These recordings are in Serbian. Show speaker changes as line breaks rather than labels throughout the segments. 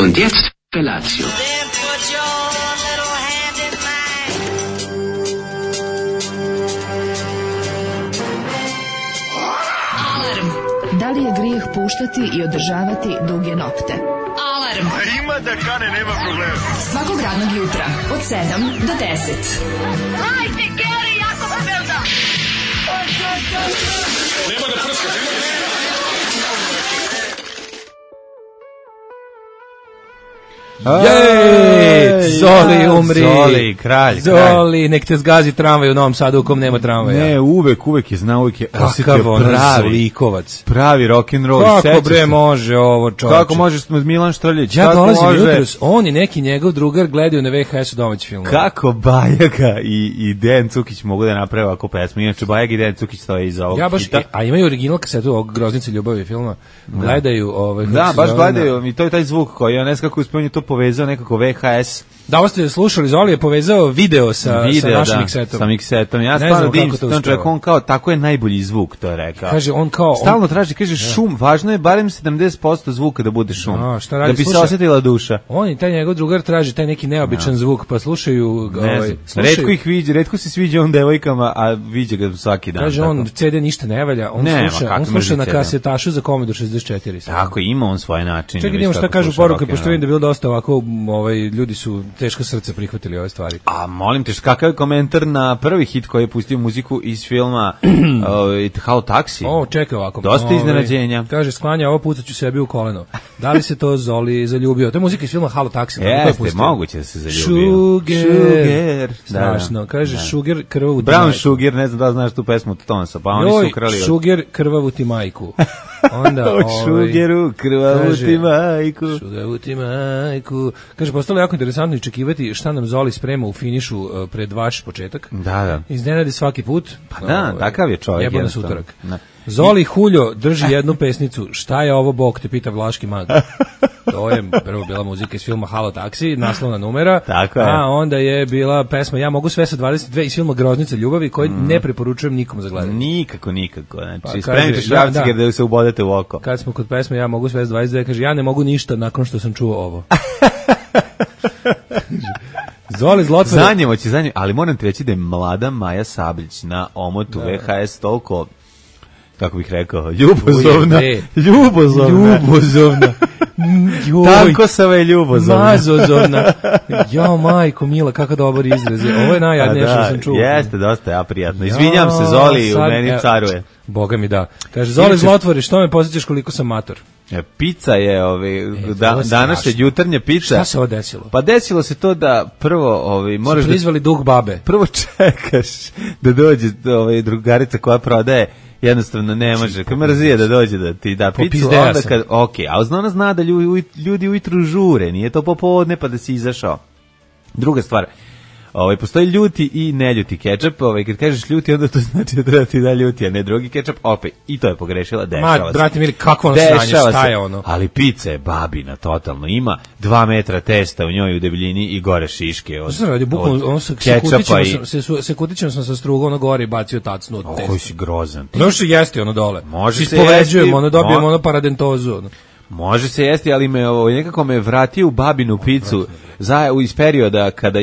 Und jetzt Felatio.
Da li je grijeh puštati i održavati duge nokte? Alarm!
Ima da kane, nema problema.
Svakog radnog jutra, od 7 do 10.
Hajde, Geri, jako se velda!
Nema da prska, nema da...
Jej, Zoli, umri.
Zoli, kralj.
Zoli, nek te zgazi tramvaj u Novom Sadu u kom nema tramvaja.
Ne, uvek je znao, uvek je
Kakav on zlikovac.
Pravi rock'n'roll.
Kako bre može ovo, čovječe?
Kako može Milan Štrljić?
Ja dolazim jutros, on i neki njegov drugar gledaju na VHS-u domaći film.
Kako Bajaga i Dejan Cukić mogu da naprave ovako pesmu? Inače, Bajaga i Dejan Cukić stoje iza ovog hita.
A imaju original kasetu ovog Groznice ljubavi filma. Gledaju
Da, baš gledaju. I to je taj zvuk koji, ja ne znam kako uspio to povezao nekako VHS.
Da, ovo ste slušali, Zoli je povezao video sa našim miksetom.
Sa miksetom. Ja stvarno divim se tom čovjeku, on kao, tako je najbolji zvuk, to je rekao.
Kaže, on kao...
Stalno traži, kaže, šum, važno je barem 70% zvuka da bude šum.
Šta radi?
Da bi se osjetila duša.
On i taj njegov drugar traži taj neki neobičan zvuk, pa slušaju...
Retko ih viđe, retko se sviđa on devojkama, a viđe ga svaki dan.
Kaže, on CD ništa ne valja, on sluša na kasetašu za Commodore 64.
Tako, ima on svoje načine.
Čekaj, idemo šta kažu poruke, pošto vidim da je bilo dosta ovako, ljudi su teško srce prihvatili ove stvari.
A molim te, kakav je komentar na prvi hit koji je pustio muziku iz filma Halo Taxi?
Čekaj ovako.
Dosta iznenađenja.
Kaže, sklanja, ovo pucat ću sebi u koleno. Da li se to Zoli zaljubio? To je muzika iz filma Halo Taxi.
Jeste, moguće da se zaljubio.
Sugar. Strašno. Kaže, Sugar, krvavu ti majku.
Brown Sugar, ne znam da znaš tu pesmu od Tonsa, pa oni su ukrali.
Sugar, krvavu ti majku. Onda,
Sugaru, krvavu ti majku.
Krvavu ti majku. Kaže, postalo jako interesantno iščekivati šta nam Zoli sprema u finišu pred vaš početak.
Da.
Iznenadi svaki put.
Pa da, takav je čovjek.
Jebo nas utorak. Zoli Huljo drži jednu pesnicu. Šta je ovo Bog, te pita Vlaški mag. To je prvo bila muzika iz filma Halo Taxi, naslovna numera.
Tako je.
A onda je bila pesma Ja mogu sve sa 22 iz filma Groznica ljubavi, koji ne preporučujem nikom za gledanje.
Nikako. Znači, spremite šrafciger da se ubodete u oko.
Kad smo kod pesme Ja mogu sve sa 22, kaže ja ne mogu ništa nakon što sam čuo ovo. Zoli zlotvore.
Zanjemo, ali moram ti reći da je mlada Maja Sablić na omotu VHS toliko, kako bih rekao, ljubozovna. Tanko sava je ljubozovna.
Mazozovna. Jo, majko, mila, kakav dobar izraz. Ovo je najjadnije što sam čuo.
Jeste, dosta, ja prijatno. Izvinjam se, Zoli, u meni caruje.
Boga mi da. Kaže, Zoli zlotvori, što me posjećaš koliko sam mator?
Pizza je, današnja jutarnja pizza.
Šta se ovo desilo?
Pa desilo se to da prvo, moraš
da... prizvali duh babe.
Prvo čekaš da dođe drugarica koja prodaje, jednostavno ne može, kad mrzije da dođe da ti da picu, onda kad, a ona zna da ljudi ujutru žure, nije to popodne pa da si izašao. Druga stvar, postoji ljuti i neljuti kečap, kad kažeš ljuti, onda to znači da treba ti da ljuti, a ne drugi kečap, opet, i to je pogrešila, dešava se.
Brate mili, kako ono sranje, šta je ono?
Ali pizza je babina, totalno, ima 2 metra testa u njoj u debljini i gore šiške od kečapa i...
Se kutićem sam sa struga, ono gore i bacio tacnu od testa.
Koji si grozan.
Ono što jesti ono dole.
Može se
jesti. Ono dobijemo ono paradentozu.
Može se jesti, ali nekako me vratio u babinu picu iz perioda kada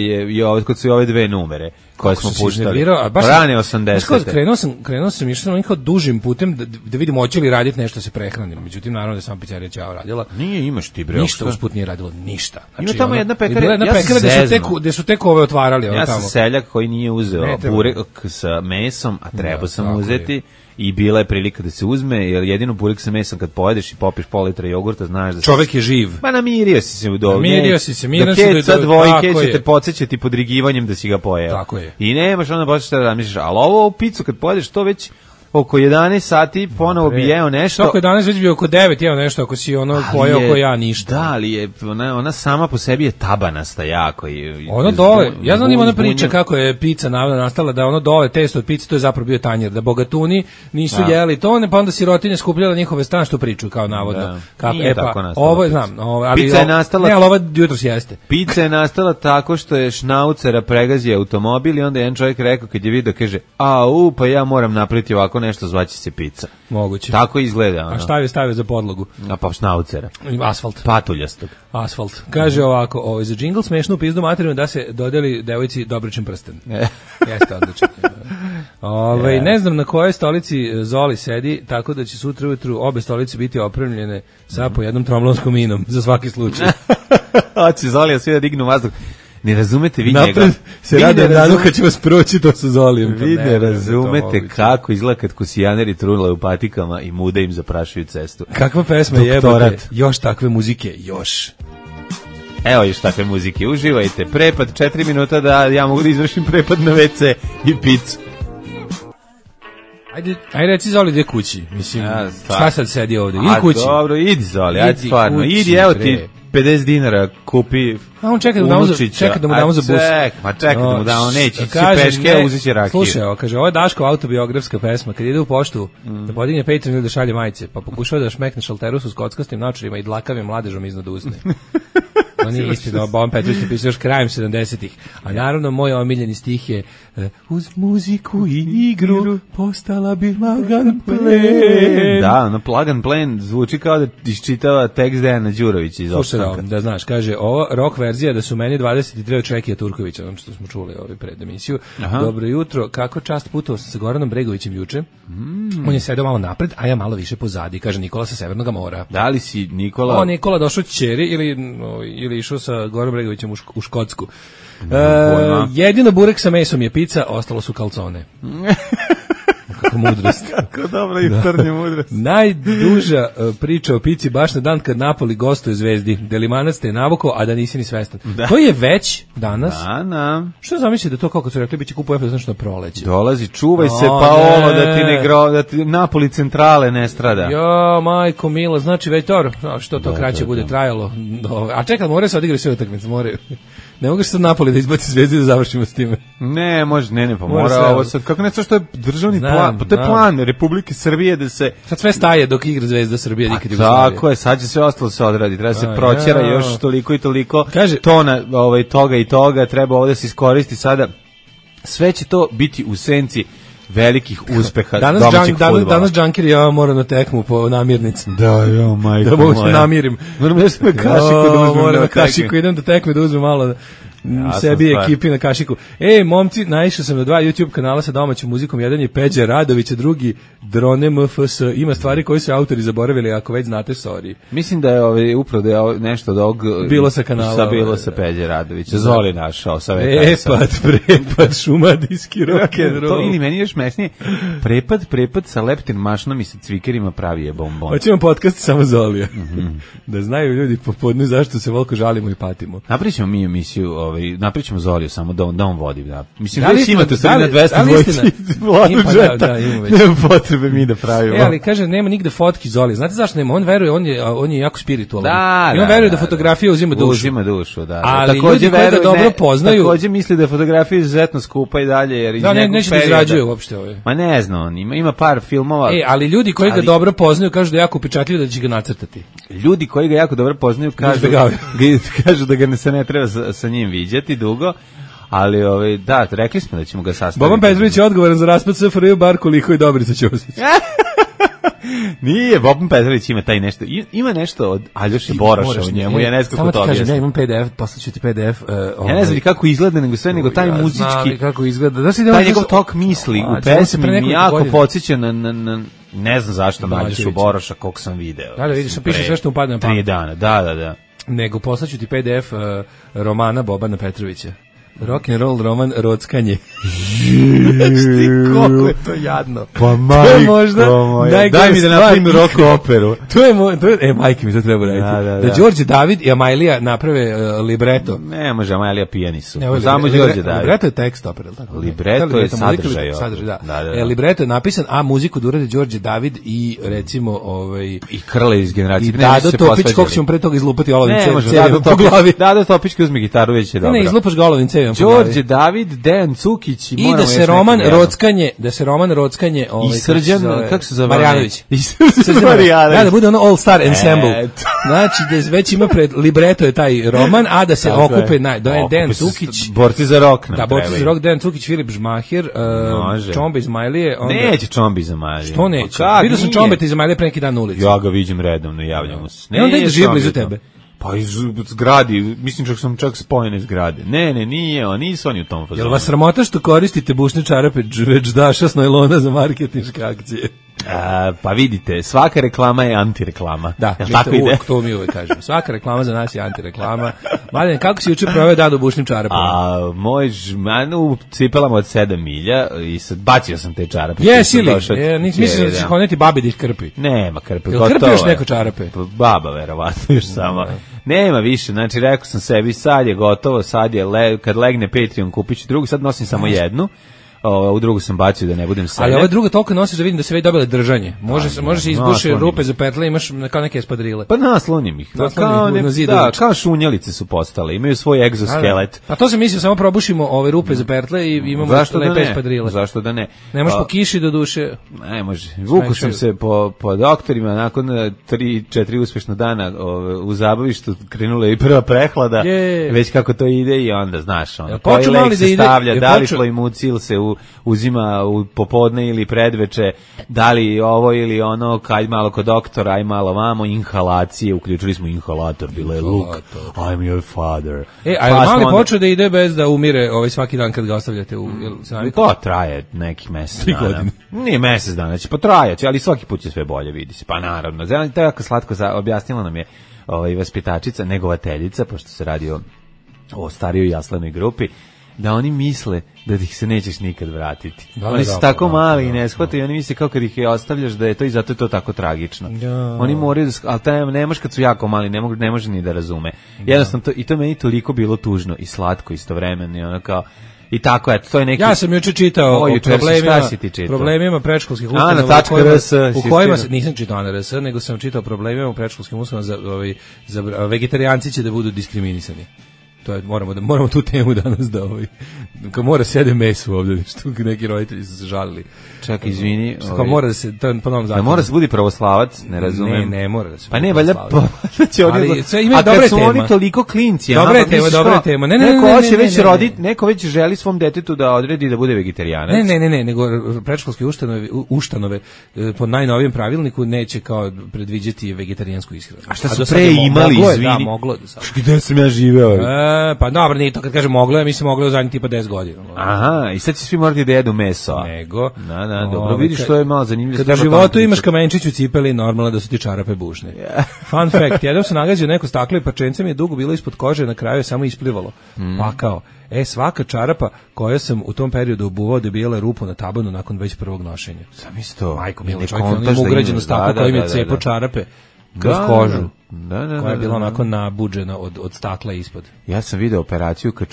kod su ove dve numere koje smo puštali. Rane 80.
Krenuo sam išao nekako dužim putem da vidimo hoće li raditi nešto se prehranim. Međutim, naravno da sam pizzerija Ćao radila.
Nije, imaš ti bre.
Ništa usput nije radilo, ništa.
Ima tamo jedna pekara,
gde su tek ove otvarali.
Ja sam seljak koji nije uzeo burek sa mesom, a trebao sam uzeti. I bila je prilika da se uzme, jer jedino burek sa mesom kad pojedeš i popiješ pol litra jogurta, znaš da
čovek je živ.
Pa namirio si se u dobu.
Namirio si se, miran
se do dvojke će te podsjećati podrigivanjem da si ga pojeo.
Tako je.
I nemaš onda baš šta da misliš, ali ovo picu kad pojedeš to već oko 11 sati ponovo bi jeo nešto.
Oko 11 već bi oko 9 jeo nešto, ako si ono pojeo oko ja ništa.
Da, ali je, ona sama po sebi je tabanasta jako.
Ono dole, ja znam ima ona priča kako je pizza nastala, da ono dole testo od pice, to je zapravo bio tanjer, da bogatuni nisu jeli to, pa onda sirotinje skupljala njihove stan što priču, kao navodno.
Nije tako nastala.
Ovo je, znam,
pizza je nastala...
Ne, ali ovo jutros jeste.
Pizza je nastala tako što je šnaucera pregazio automobil i onda jedan čovjek rekao kad je vidio, kaže, pa ja moram napraviti ovako tako nešto zvaće se pizza.
Moguće.
Tako izgleda.
A šta je stavio za podlogu?
A pa šnaucera.
Asfalt.
Patuljastog.
Asfalt. Kaže ovako, za džingl smešno u pizdu materinu da se dodeli devojci Dobričin prsten. Jeste odlično. Ne znam na kojoj stolici Zoli sedi, tako da će sutra ujutru obe stolice biti opremljene sa po jednom tromlonskom minom, za svaki slučaj.
Hoće Zolija svi da dignu vazduh. Ne razumete vi
napred
njega.
Se rade danu kad će vas proći to sa Zolijem.
Vi ne razumete kako izgleda kad kusijaneri trunule u patikama i muda im zaprašuju cestu.
Kakva pesma jebote. Još takve muzike, još.
Evo još takve muzike, uživajte. Prepad 4 minuta da ja mogu da izvršim prepad na WC i picu.
Ajde reci Zoli gde kući. Mislim, šta sad sedi ovde? Idi kući.
Dobro, idi Zoli, ajde stvarno. Idi, evo ti 50 dinara kupi.
A on čeka da mu damo za bus.
Čeka da mu damo, neće ići peške, uzet će rakiju.
Slušaj, kaže, ovo je Daško autobiografska pesma, kad ide u poštu, da podigne Patreon ili da šalje majice, pa pokušava da šmekne šalterusu s kockastim naočarima i dlakavim mladežom iznad usne. To nije istina, Boban Petrović je pisao još krajem 70-ih. A naravno, moj omiljeni stih je uz muziku i igru postala bi lagan plen.
Da, lagan plen zvuči kao da iščitava tekst Dejana Đurovića iz Opstanka.
Slušaj, da znaš, kaže, ovo rock verzija da su meni 23 od Čekija Turkovića, ono što smo čuli pred emisiju. Dobro jutro, kako čast putovao sam sa Goranom Bregovićem juče. On je sedao malo napred, a ja malo više pozadi, kaže Nikola sa Severnog mora.
Da li si Nikola?
Nikola došao ćeri ili išao sa Gorom Bregovićem u Škotsku. Jedino burek sa mesom je pizza, ostalo su kalcone. Kako mudrost.
Kako dobra jutarnja mudrost.
Najduža priča o pici baš na dan kad Napoli gostuje Zvezdi. Delimanac te je navukao, a da nisi ni svestan. Da. To je već danas.
Da.
Što zamislite da to kako su rekli biće kupu FS znači na proleće.
Dolazi, čuvaj se Paolo da ti Napoli centrale ne strada.
Jo, majko mila, znači već što to kraće bude trajalo. A čekaj, moraju se odigrati sve utakmice, moraju. Ne mogu sad Napoli da izbaci Zvezdu i da završimo s time.
Ne, može, pa mora ovo sad. Kako nešto što je državni plan, to je plan Republike Srbije da se...
Sad sve staje dok igra Zvezda Srbije, nikad Jugoslavije.
Tako je, sad će sve ostalo se odradi, treba se proćera još toliko i toliko tona toga i toga, treba ovdje se iskoristi sada. Sve će to biti u senci velikih uspeha domaćeg fudbala.
Danas džankir mora na tekmu po namirnici.
Da, majko
da mogu se namirim.
Moram da se na kašiku da uzmem na
kašiku. Idem do tekme da uzmem malo sebi i ekipi na kašiku. Momci, naišao sam na 2 YouTube kanala sa domaćom muzikom. Jedan je Peđa Radović, a drugi Drone MFS. Ima stvari koje su autori zaboravili, ako već znate, sorry.
Mislim da je upravo da je nešto od ovog
bilo sa kanala.
Bilo sa Peđa Radovića. Zoli našao sa
prepad, šumadijski rock'n'roll.
Ili meni još mesnije. Prepad sa leptin mašnom i sa cvikerima pravi je bombon.
Hoćemo podcast samo Zolija. Da znaju ljudi popodne zašto se volko žalimo i patimo.
Napričamo mi emisiju, napričamo Zoliju samo da on vodi. Da. Mislim da već imate stvari na 200 dvojci Vladu Džeta. Nema potrebe mi da pravimo.
Ali kaže, nema nigde fotki Zoli. Znate zašto nema? On veruje, on je jako spiritualan. I on veruje da fotografija uzima dušu.
Uzima dušu, da.
Ali ljudi koji ga dobro poznaju...
Takođe misli da je fotografija izuzetno skupa i dalje. Jer
neće da izrađuje uopšte ove.
Ma ne znam, on ima par filmova.
Ali ljudi koji ga dobro poznaju kažu da je jako upečatljivo da će ga nacrtati.
Ljudi koji ga jako dobro poznaju kažu da ga se ne treba sa njim viđati dugo, ali da, rekli smo da ćemo ga sastaviti.
Boban Petrović je odgovoran za raspad SFRJ, bar koliko i Dobrica Ćosić.
Nije, Boban Petrović ima taj nešto, ima nešto od Aljoše Boroša u njemu, ja ne znam kako to objasnim.
Ja imam PDF, poslaću ti PDF.
Ja ne znam kako izgleda, nego taj muzički,
kako izgleda.
Taj njegov tok misli u pesmi mi jako podsjeća na ne znam zašto Aljošu Boroša, koliko sam video.
Da, vidiš, piše sve što mu padne na pamet.
3 dana, da.
Nego poslaću ti PDF romana Bobana Petrovića. Rock and roll roman Rockanje. Znaš ti koliko je to jadno.
Pa majko moja. Daj mi da napravim rock operu.
Majke mi to treba raditi. Da Đorđe David i Amajlija naprave libreto.
Ne može, Amajlija pijani su. Samo Đorđe David.
Libreto je tekst opera, tako?
Libreto je sadržaj.
Libreto je napisan, a muziku da uradi Đorđe David i recimo
i Krle iz Generacije.
I Dado Topić, koliko ćemo pre toga izlupati olovin cev.
Dado Topić uzme gitaru, već je dobro.
Ne, izlupaš ga olovin cev, imam po glavi.
Đorđe David, Dejan Cukić
i da se Roman Rockanje,
i Srđan, kako se zove?
Marjanović.
I Srđan Marjanović.
Da bude ono All Star Ensemble. Znači da već ima pred libreto je taj roman, a da se okupe Dejan Cukić,
borci za rok.
Da, borci za rok, Dejan Cukić, Filip Žmahir, Čombe Izmajlije.
Neće Čombe Izmajlije.
Što neće? Vidio sam Čombe Izmajlije pre neki dan na ulici.
Ja ga vidim redovno, javljam mu se.
Ne, onda ide živ blizu tebe.
Pa iz zgradi, mislim sam čak spojen iz zgrade. Ne, nisu oni u tom fazonu.
Jel vas sramota što koristite bušne čarape već daša s najlona za marketinške akcije?
Pa vidite, svaka reklama je antireklama.
Da, to mi uvek kažemo. Svaka reklama za nas je antireklama. Mladen, kako si juče proveo dan u bušnim čarapama?
Moj žman u cipelama od 7 milja i sad bacio sam te čarape.
Jesi li? Mislim da ćeš honeti babi da ih krpi.
Nema krpe,
gotovo je. Jel krpi još neko čarape?
Baba, verovatno, još samo. Nema više, znači rekao sam sebi, sad je gotovo, sad je, kad legne Patreon kupit ću drugu, sad nosim samo jednu. U drugu sam bacio da ne budem sebe.
Ali ova druga toliko nosiš da vidim da se već dobile držanje. Može se izbuše rupe za petle, imaš kao neke espadrile.
Pa naslonim ih. Kao šunjalice su postale, imaju svoj egzoskelet.
Pa to se misli, samo probušimo ove rupe za petle i imamo lepe espadrile.
Zašto da ne?
Ne može po kiši do duše.
Ne može. Vuku sam se po doktorima, nakon 3-4 uspešna dana u zabavištu krenula i prva prehlada, već kako to ide i onda, znaš, koji lek se stavlja, da li Floimucil se uzima u popodne ili predveče, da li ovo ili ono, kaj malo kod doktora, aj malo vamo, inhalacije, uključili smo inhalator, bilo je look, I'm your father.
A je mali počeo da ide bez da umire svaki dan kad ga ostavljate u...
To traje nekih mesec dana. Nije mesec dana, će potrajati, ali svaki put će sve bolje, vidi se. Pa naravno, to je jako slatko, objasnila nam je vaspitačica, negovateljica, pošto se radi o starijoj jaslenoj grupi, da oni misle da ih se nećeš nikad vratiti. Oni su tako mali i ne shvataju, oni misle kao kad ih je ostavljaš da je to i zato je to tako tragično. Oni moraju, ali ne može kad su jako mali, ne može ni da razume. Jednostavno, i to meni toliko bilo tužno i slatko istovremeno i ono kao, i tako, eto, to je neki...
Ja sam juče čitao o problemima predškolskih ustanova u kojima nisam čitao na RS, nego sam čitao o problemima u predškolskim ustanovama za vegetarijanci će da budu diskriminisani. To je, moramo tu temu danas da kao mora sede meso ovdje, što neki roditelji su se žalili.
Čak, izvini.
Kao mora da se, to je po novom zakonu.
Mora se budi pravoslavac, ne razumem.
Ne mora da se
pa ne, valjda
a kad
su oni toliko klinci.
Dobra tema.
Neko već želi svom detetu da odredi da bude vegetarianac.
Ne, nego predškolske ustanove po najnovijem pravilniku neće kao predviđati vegetarijansku ishranu.
A šta su pre imali, izvini?
Da, moglo je.
Gde sam ja živeo?
Pa dobro, nije to kad kažem moglo je, mislim moglo je u zadnjih tipa 10 godina.
Aha, i sad će svi morati da jedu meso.
Nego.
Da, dobro, vidiš što je malo zanimljivo.
Kad u životu imaš kamenčić u cipeli, normalno da su ti čarape bušne. Fun fact, jednom sam nagazio neko staklo i parčence mi je dugo bilo ispod kože, na kraju je samo isplivalo. Pa kao, svaka čarapa koja sam u tom periodu obuvao dobijala je rupu na tabanu nakon već prvog nošenja.
Sam isto.
Majko, milo, čovjek on ima ugrađeno staklo kojim je cepo čarape kroz kožu. Koja je bila onako nabuđena od stakla ispod.
Ja sam video operaciju kad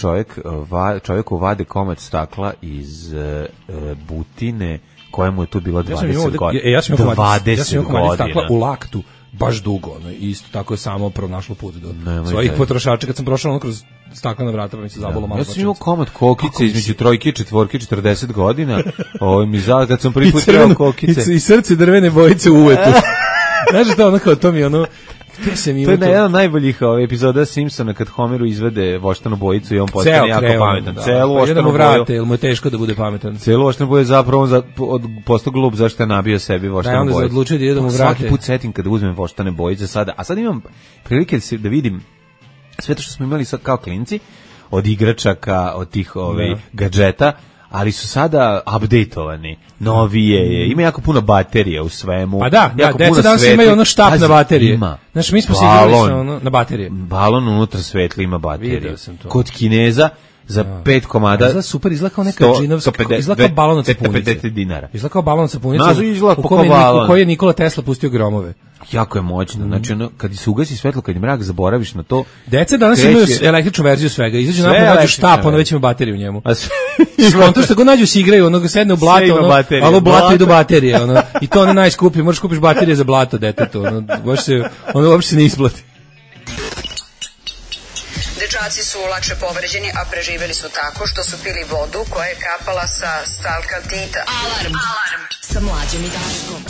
čovjeku vade komad stakla iz butine kojemu je tu bilo 20 godina.
Ja sam imao komad stakla u laktu baš dugo, isto tako je samo pronašlo put do svojih potrošača kad sam prošao ono kroz staklena vrata, pa mi se zabolo malo.
Ja sam imao komad kokice između 3 i 4, 40 godina, kad sam prvi put trebao kokice.
I srce drvene bojice u uvetu. Znaš što ono kao to mi ono...
To je jedan od najboljih epizoda Simpsona kad Homeru izvede voštanu bojicu i on postane jako pametan. Celu voštanu boju.
Ili mu je teško da bude pametan.
Celu voštanu boju je zapravo postao glup zašto je nabio sebi voštanu bojicu.
Da, onda se odlučio da ide da mu vrate.
Svaki put setim kada uzmem voštane bojice sada. A sad imam prilike da vidim sve to što smo imali sad kao klinci, od igračaka, od tih gadžeta, ali su sada updateovani, novije, ima jako puno baterija u svemu.
Pa da, deca danas imaju ono štap na baterije. Znaš, mi smo se igrali na baterije.
Balon unutra svetli ima bateriju. Kod Kineza za 5 komada.
Izgleda super, izgleda kao neka džinovska, izgleda kao balon od sapunice.
$50.
Izgleda kao balon od sapunice
u
koji je Nikola Tesla pustio gromove.
Jako je moćno, znači kad se ugasi svetlo, kad je mrak, zaboraviš na to.
Deca danas imaju električnu verziju svega, izađu napolje, nađu štap, onda već ima bateriju u njemu. Skonto što god nađu se igraju, ono ga sedne u blato, ali u blato idu baterije, i to ono najskuplje, možeš kupiš baterije za blato detetu, ono uopšte se ne isplati.
Dečaci su lakše povređeni, a preživeli su tako što su pili vodu koja je kapala sa stalkaltita.
Alarm sa Mlađom i Daškom.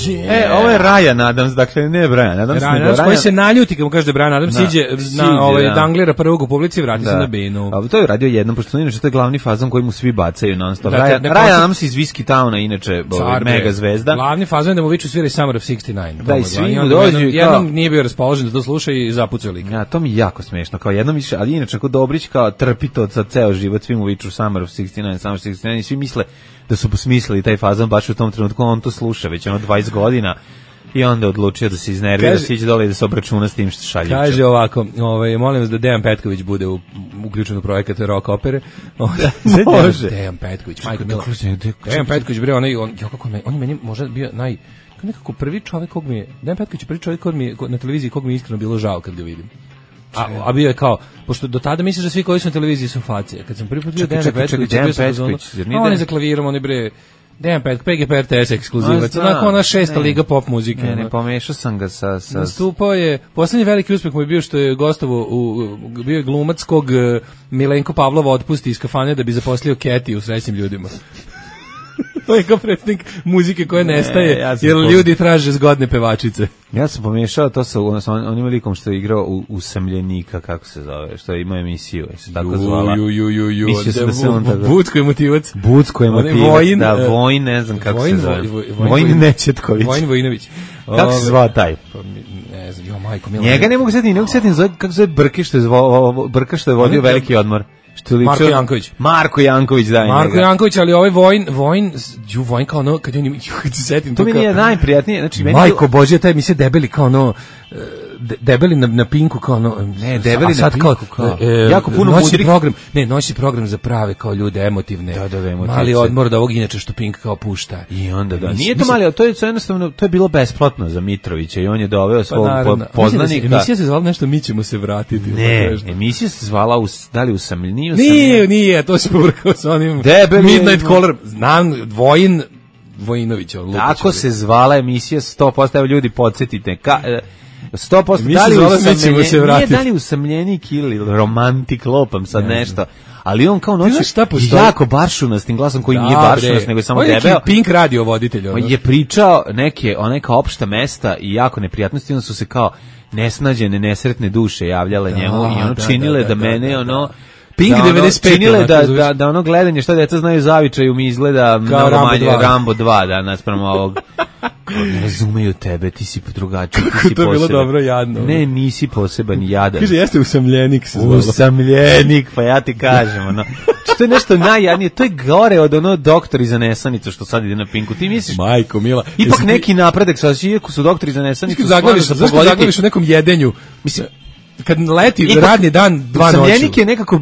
Ovo je Ryan Adams, dakle ne Brian Adams.
Ryan Adams koji se naljuti kad mu kaže da Brian Adams siđe na danglira prvog u publici i vrati se na binu.
A to je radio jednom, pošto inače to je glavni fazon koji mu svi bacaju non-stop. Ryan Adams iz Whiskey Towna, inače mega zvezda.
Glavni fazon je da mu viču svira Summer of 69.
Da, i svi mu dođu.
Jednom nije bio raspoložen da to sluša i zapucao lik.
Ja, to mi je jako smešno. Kao jednom više, ali inače ako Dobrić kao trpi to za ceo život, svi mu viču Summer of 69, Summer of 69 i svi misle da su posmislili taj fazon baš u tom trenutku, on to sluša već 20 godina i onda odlučio da se iznervira, da siđe dole i da se obračuna s tim što šalje.
Kaže ovako, molim vas da Dejan Petković bude uključen u projekat rock opere.
Može.
Dejan Petković, majko mila. Dejan Petković, bre, on je meni možda bio nekako prvi čovjek kog mi je, Dejan Petković je prvi čovjek kog mi je na televiziji kog mi je iskreno bilo žao kad ga vidim. A bio je kao, pošto do tada misliš da svi koji su na televiziji su facije. Kad sam prvi put vidio Dejan Petković, on je za klavirom, on je bre, Dejan Petković, PGP RTS ekskluzivac, onako ona 6. liga pop muzike.
Ne, pomešao sam ga sa...
Nastupao je, poslednji veliki uspeh mu je bio što je gostovo, bio je glumac kog Milenko Pavlova otpusti iz kafane da bi zaposlio Keti u Srećnim ljudima. To je kao predsjednik muzike koja nestaje, jer ljudi traže zgodne pevačice.
Ja sam pomiješao to sa onim likom što je igrao Usamljenika, kako se zove, što je imao emisiju, je se tako zvala. Mislio sam da se on tako...
Bucko je motivac.
Bucko je motivac, da, Vojn, ne znam kako se zove. Vojn Nečetković.
Vojn Vojinović.
Kako se zvao taj?
Ne znam, jo majko, mila.
Njega ne mogu setiti, kako se zove Brka što je vodio veliki odmor.
Marko Janković.
Marko Janković, da.
Marko Janković, ali ovaj Vojn kao ono, kad se setim
to mi je najprijatnije, znači
majko Božje, taj mi se debeli kao ono debeli na Pinku kao ono,
ne, debeli na Pinku kao
jako puno noći program, noći program za prave kao ljude emotivne. Mali odmor da ovog inače što Pink kao pušta.
I onda da. Nije to mali, to je jednostavno, to je bilo besplatno za Mitrovića i on je doveo svog poznanika.
Emisija se zvala nešto Mi ćemo se vratiti.
Ne, emisija se zvala da li Usamljeniji?
Nije, to se pobrkao sa onim Midnight Caller. Znam, Vojinović.
Tako se zvala emisija 100%, evo ljudi, podsjetite. 100% da li Usamljenik ili romantik, lopam sad nešto, ali on kao noći jako baršuna s tim glasom koji nije baršunas, nego je samo debeo.
On je Pink radio voditelj.
Je pričao neka opšta mesta i jako neprijatnosti, onda su se kao nesnađene, nesretne duše javljale njemu i ono činile da mene ono...
Pink 95
činile da ono gledanje šta deca znaju zavičaju mi izgleda mnogo manje Rambo 2 da naspram ovog ne razumeju tebe, ti si drugačiji, ti si poseban.
To je bilo dobro, jadno.
Ne, nisi poseban i jadan.
Kaže, jeste usamljenik se
zvalo. Usamljenik, pa ja ti kažem, ono. To je nešto najjadnije, to je gore od ono doktori za nesanicu što sad ide na Pinku. Ti misliš,
majko mila,
ipak neki napredak, sad iako su doktori za nesanicu,
zaglaviš u nekom jedenju, mislim, kad leti radni dan 2 noću.
Usamljenik je nekako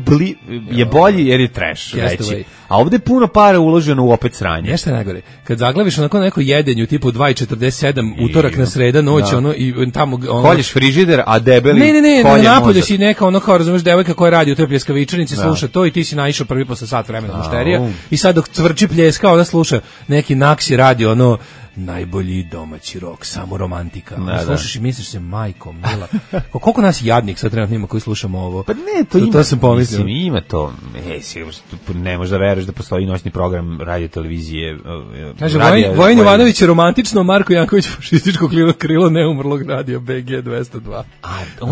je bolji jer je trash veći. A ovde je puno para uloženo u opet sranje.
Nešto je najgore. Kad zaglaviš onako neko jedenju tipu 2:47 utorak na sreda noć, ono i tamo ono
koljiš frižider, a debeli
ne, napolje si neka ono kao razumeš devojka koja radi u toj pljeskavičarnici, sluša to i ti si naišao prvi posle sat vremena mušterija i sad dok cvrči pljeska ona sluša neki Naksi radi ono najbolji domaći rok, samo romantika. Slušaš i misliš se, majko mila. Koliko nas jadnik sad trenutno ima koji slušamo ovo?
Pa ne, to sam pomislio. Ima to. Ne možeš da veruješ da postoji noćni program radio televizije.
Kaže, Vojin Jovanović je romantično, Marko Janković fašističko krilo neumrlog radija BG 202.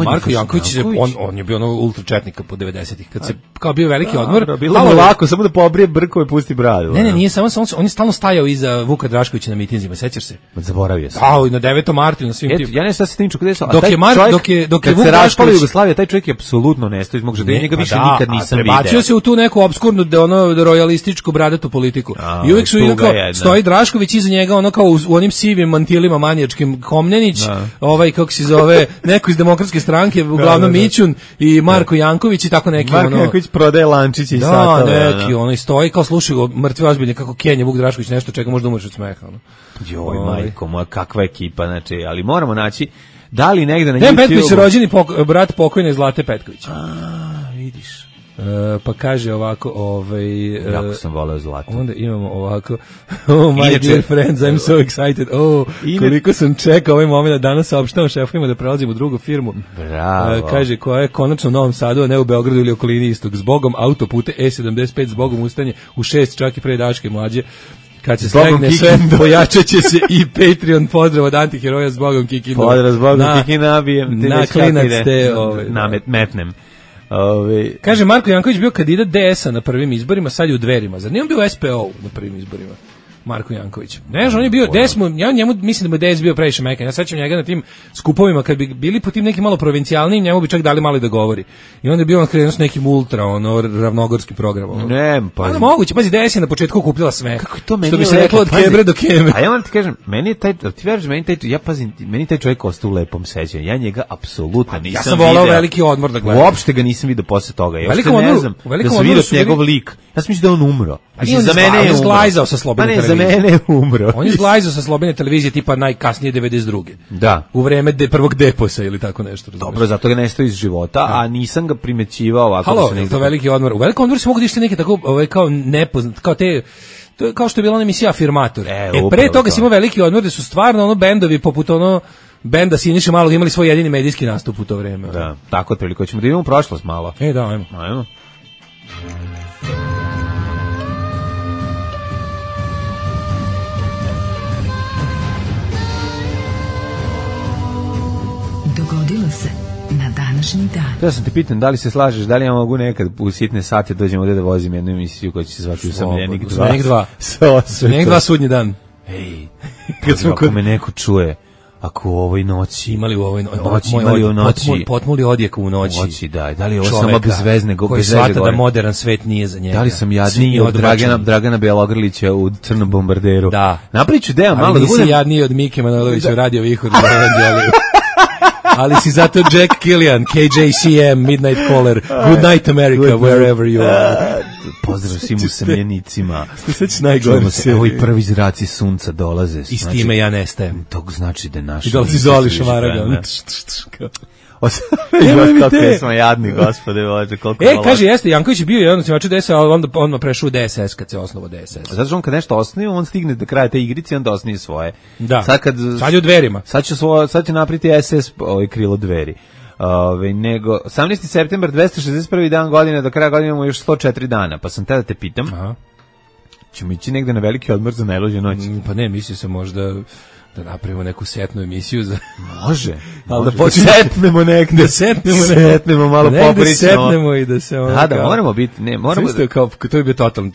Marko Janković, on je bio ono ultra četnika po 90-ih. Kad se kao bio veliki odmor.
Bilo mu lako, samo da pobrije brkove i pusti bradu.
Ne, nije samo, on je stalno stajao iza Vuka Draškovića na mitinzima, sećaš se?
Zaboravio sam.
I na 9. martu na svim tim.
Ja ne znam se tim gde su.
Dok je
Vuk Drašković Jugoslavija, taj čovjek je apsolutno nestao iz mog življenja, njega više nikad nisam video.
Prebacio se u tu neku obskurnu rojalističku bradatu politiku. I uvijek su stoji Drašković iza njega, ono kao u onim sivim mantilima manijačkim, Komnenić, kako se zove, neko iz Demokratske stranke, uglavnom Mićun i Marko Janković i tako neki.
Marko Janković prodaje lančiće i satove.
Da, neki, ono i stoji kao slušaju mrtvi ozbiljni kako Kenja Vuk Drašković nešto čega možda umreš od smeha.
Joj, majko moja, kakva ekipa, znači, ali moramo naći, da li negde na
YouTube... Petković je rođeni brat pokojne Zlate Petković.
Vidiš.
Pa kaže ovako,
jako sam voleo zlato.
Onda imamo ovako, oh my dear friends, I'm so excited. Koliko sam čekao ovaj moment da danas saopštavam šefovima da prelazim u drugu firmu.
Bravo.
Kaže, koja je konačno u Novom Sadu, a ne u Beogradu ili okolini istog. Zbogom autopute E75, zbogom ustaње u 6, čak i pre Daške mlađe. Kad se slegne sve, pojačat će se i Patreon. Pozdrav od antiheroja, zbogom Kikindu.
Pozdrav zbogom Kikindu, nabijem.
Na klinac te.
Metnem.
Kaže, Marko Janković bio kandidat DS-a na prvim izborima, sad je u Dverima. Zar nije on bio SPO na prvim izborima? Marko Janković. Ne, on je bio DS, ja njemu mislim da mu DS bio previše mekan. Ja sećam njega na tim skupovima kad bi bili po tim nekim malo provincijalnim, njemu bi čak dali malo da govori. I onda je bio on krenuo s nekim ultra, ravnogorskim programom.
Ne, pa
moguće, pazi, DS je na početku okupljala sve.
Kako je to meni?
Što bi se reklo od Kebre do Keme.
A ja vam ti kažem, meni je taj, ti veriš, meni taj čovjek ostao u lepom sećanju. Ja njega apsolutno nisam
vidio. Ja sam volao Veliki odmor da gledam.
Uopšte ga nisam vidio posle toga. Ja uopšte ne znam da sam vidio njegov lik. Ja sam mislio da on umro.
Za mene je zglajzao sa slobodne televizije.
Za mene je umro.
On je zglajzao sa slobodne televizije tipa najkasnije 92.
Da.
U vreme prvog deposa ili tako nešto.
Dobro, zato ga nestao iz života, a nisam ga primećivao ovako.
Halo, to Veliki odmor. U Velikom odmoru se mogu dišti neke tako kao nepoznat, kao te, to je kao što je bila ona emisija Afirmator. Pre toga si imao Veliki odmor gde su stvarno bendovi poput benda Siniše Malog imali svoj jedini medijski nastup u to vreme.
Da, tako otprilike. Hoćemo da idemo u prošlost malo.
Da, ajmo.
Dogodilo se na današnji dan.
Ja sam te pitan, da li se slažeš, da li ja mogu nekad u sitne sate dođem ovdje da vozim jednu emisiju koja će se zvati Usamljenik 2.
Usamljenik 2 sudnji dan.
Ej, ako me neko čuje, ako u ovoj noći
imali u ovoj
noći
potmuli odjek u noći,
da li je ovo samo bezvezne
koji shvata da modern svet nije za njega.
Da li sam jadniji od Dragana Bjelogrlića u Crnom bombarderu?
Da.
Napravit ću deo malo
da budem... Ali nisi jadniji od Mike Manojlovića u Radio Vihor. Ali si zato Jack Killian, KJCM, Midnight Caller, Good Night America, wherever you are.
Pozdrav svim usamljenicima.
Sve najgore.
Evo i prvi zraci sunca dolaze.
I s time ja nestajem.
To znači da je naš...
I dolazi Zoli Šamaraga.
Kako smo jadni, gospode Bože, koliko
kaže, jeste, Janković je bio jedan osnivač DSS, ali onda odmah prešao u DSS kad se osnovao DSS.
Zato što on kad nešto osnovi, on stigne do kraja te igrice i onda osnovi svoje.
Da, sad je u Dverima.
Sad će napriti SS krilo Dveri. Nego 18. septembar, 261. dan godine, do kraja godine imamo još 104 dana, pa sam tada te pitam, ćemo ići negde na veliki odmor za najluđe noći?
Pa ne, mislio sam možda da napravimo neku setnu emisiju za...
Može.
Ali
da setnemo negde. Setnemo malo popričamo.
Setnemo i da se...
Da, moramo biti... Ne, moramo...
To je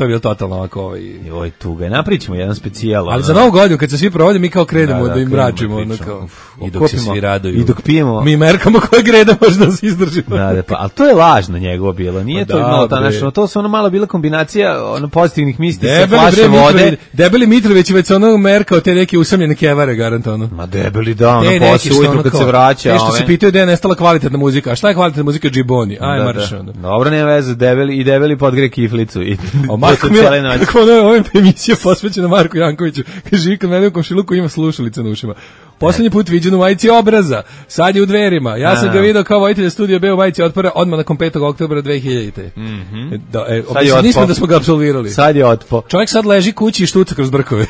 bilo totalno ovako...
Joj, tuga. Napričamo jedan specijal.
Ali za Novu godinu, kad se svi provode, mi kao krenemo da im mračimo. I dok se svi raduju.
I dok pijemo...
Mi merkamo koje greda možda se izdržimo.
Da, pa, ali to je lažno njegovo bilo. Nije to malo tanačno. To su ono malo bila kombinacija pozitivnih misli sa flaše vode.
Debeli Mitrović već ono merkao te neke usamljene kevare, garantovano.
Ma debeli da, ono posle ujutru kad se vraća.
Nešto se pitaju da je nestala kvalitetna muzika. A šta je kvalitetna muzika? Džiboni. Aj, marš.
Dobro, nema veze, debeli podgre kiflicu.
Marko Mila, kako ono je ovim emisija posvećena Marku Jankoviću. Kaže, kad mene u komšiluku ima slušalice na ušima. Poslednji put viđen u majici Obraza, sad je u Dverima. Ja sam ga video kao voditelj Studio B u majici Otpora odmah nakon 5. oktobra 2000. Nismo da smo ga apsolvirali.
Sad je otpo.
Čovjek sad leži kući i štuca kroz brkove.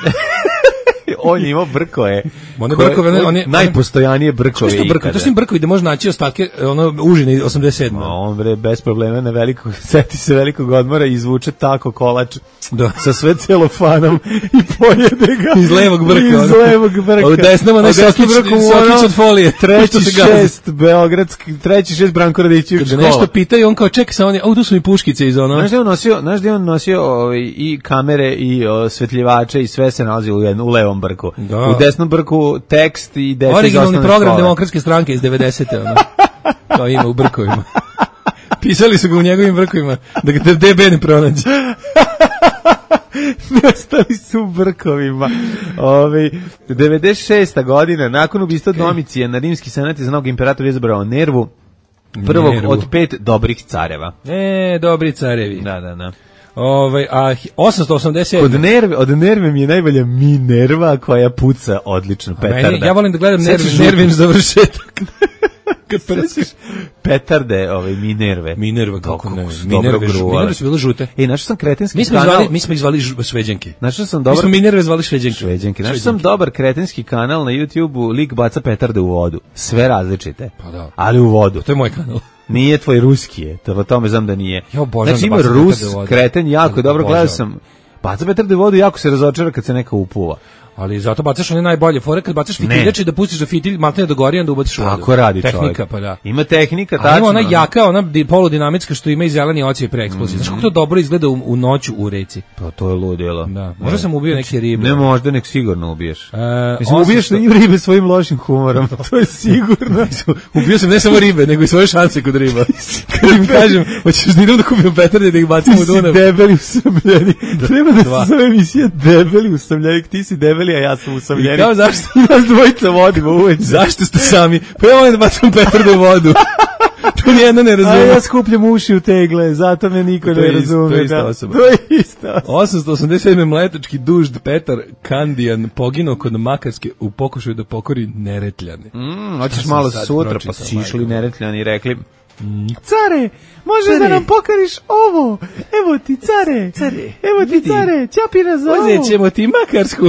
On je imao brkoje.
On je
najpostojanije brkoje.
Što brkoje? To su im brkovi da može naći ostatke užine 87.
On bre bez problema na velikog, seti se velikog odmora i izvuče tako kolač sa sve celofanom i pojede ga.
Iz levog brka.
Iz levog brka.
U desnom onaj sokić od folije.
Treći šest Beogradski, treći šest Branko Radićević škola.
Kada nešto pitaju, on kao čeka sa oni, tu su mi puškice iz ono.
Znaš da on nosio i kamere i osvetljivače i sve se nalazi u levom brku. U desnom brku tekst i deset
originalni program Demokratske stranke iz 90. ono. To ima u brkovima. Pisali su ga u njegovim brkovima da ga DB ne pronađe.
Nestali su u brkovima. 96. godina, nakon ubistva Domicijan, na rimski senat je za novog imperatora izabrao Nervu, prvog od 5 dobrih careva.
Dobri carevi.
Da.
A 887.
Od Nerve mi je najbolja Minerva koja puca odlično petarda.
Ja volim da gledam Nervin završetak. kad prskaš.
Petarde, Minerve.
Minerva, kako ne.
Minerve
su bile žute.
Našao sam kretenski kanal.
Mi smo ih zvali šveđanke.
Našao sam
Mi smo Minerve zvali šveđanke.
Našao sam dobar kretenski kanal na YouTubeu, lik baca petarde u vodu. Sve različite.
Pa da.
Ali u vodu.
To je moj kanal.
Nije tvoj ruski je, to tome znam da nije.
Ja obožavam
znači
da
ima Rus, kreten, jako dobro, gledao sam. Baca petarde u vodu, jako se razočara kad se neka upuva.
Ali zato bacaš one najbolje fore, kad bacaš fitiljač i da pustiš da fitilj maltene do gori, onda ubaciš u vodu.
Tako radi
tehnika,
čovjek.
Pa da.
Ima tehnika, tačno.
Ali ima ona jaka, ona poludinamička što ima i zeleni ocijaj pre eksplozije. Znaš kako to dobro izgleda u noću u reci?
Pa to je ludilo.
Da. Možda sam ubio neke ribe.
Ne možda, nek sigurno ubiješ. Mislim, ubiješ ribe svojim lošim humorom. To je sigurno.
Ubio sam ne samo ribe, nego i svoje šanse kod riba. Kad im kažem, hoćeš da idem da kupim petarde da ih bacim u Dunav.
Ti si debeli usamljeni. Treba da se zove emisija debeli usamljeni. Ti si debeli, a ja sam usamljeni.
I kao zašto?
Nas dvojica vodimo uveće.
Zašto ste sami? Pa ja volim da bacam petarde u vodu. To nijedno ne razume.
A ja skupljam uši u tegle, zato me niko ne razume.
To je ista osoba.
To je ista osoba.
887. mletački dužd Petar Kandijan poginuo kod Makarske u pokušaju da pokori Neretljane.
Hoćeš malo sutra, pa si išli Neretljani i rekli... Care, možeš da nam pokariš ovo? Evo ti care. Evo ti care, ćapina za ovo.
Uzet ćemo ti Makarsku.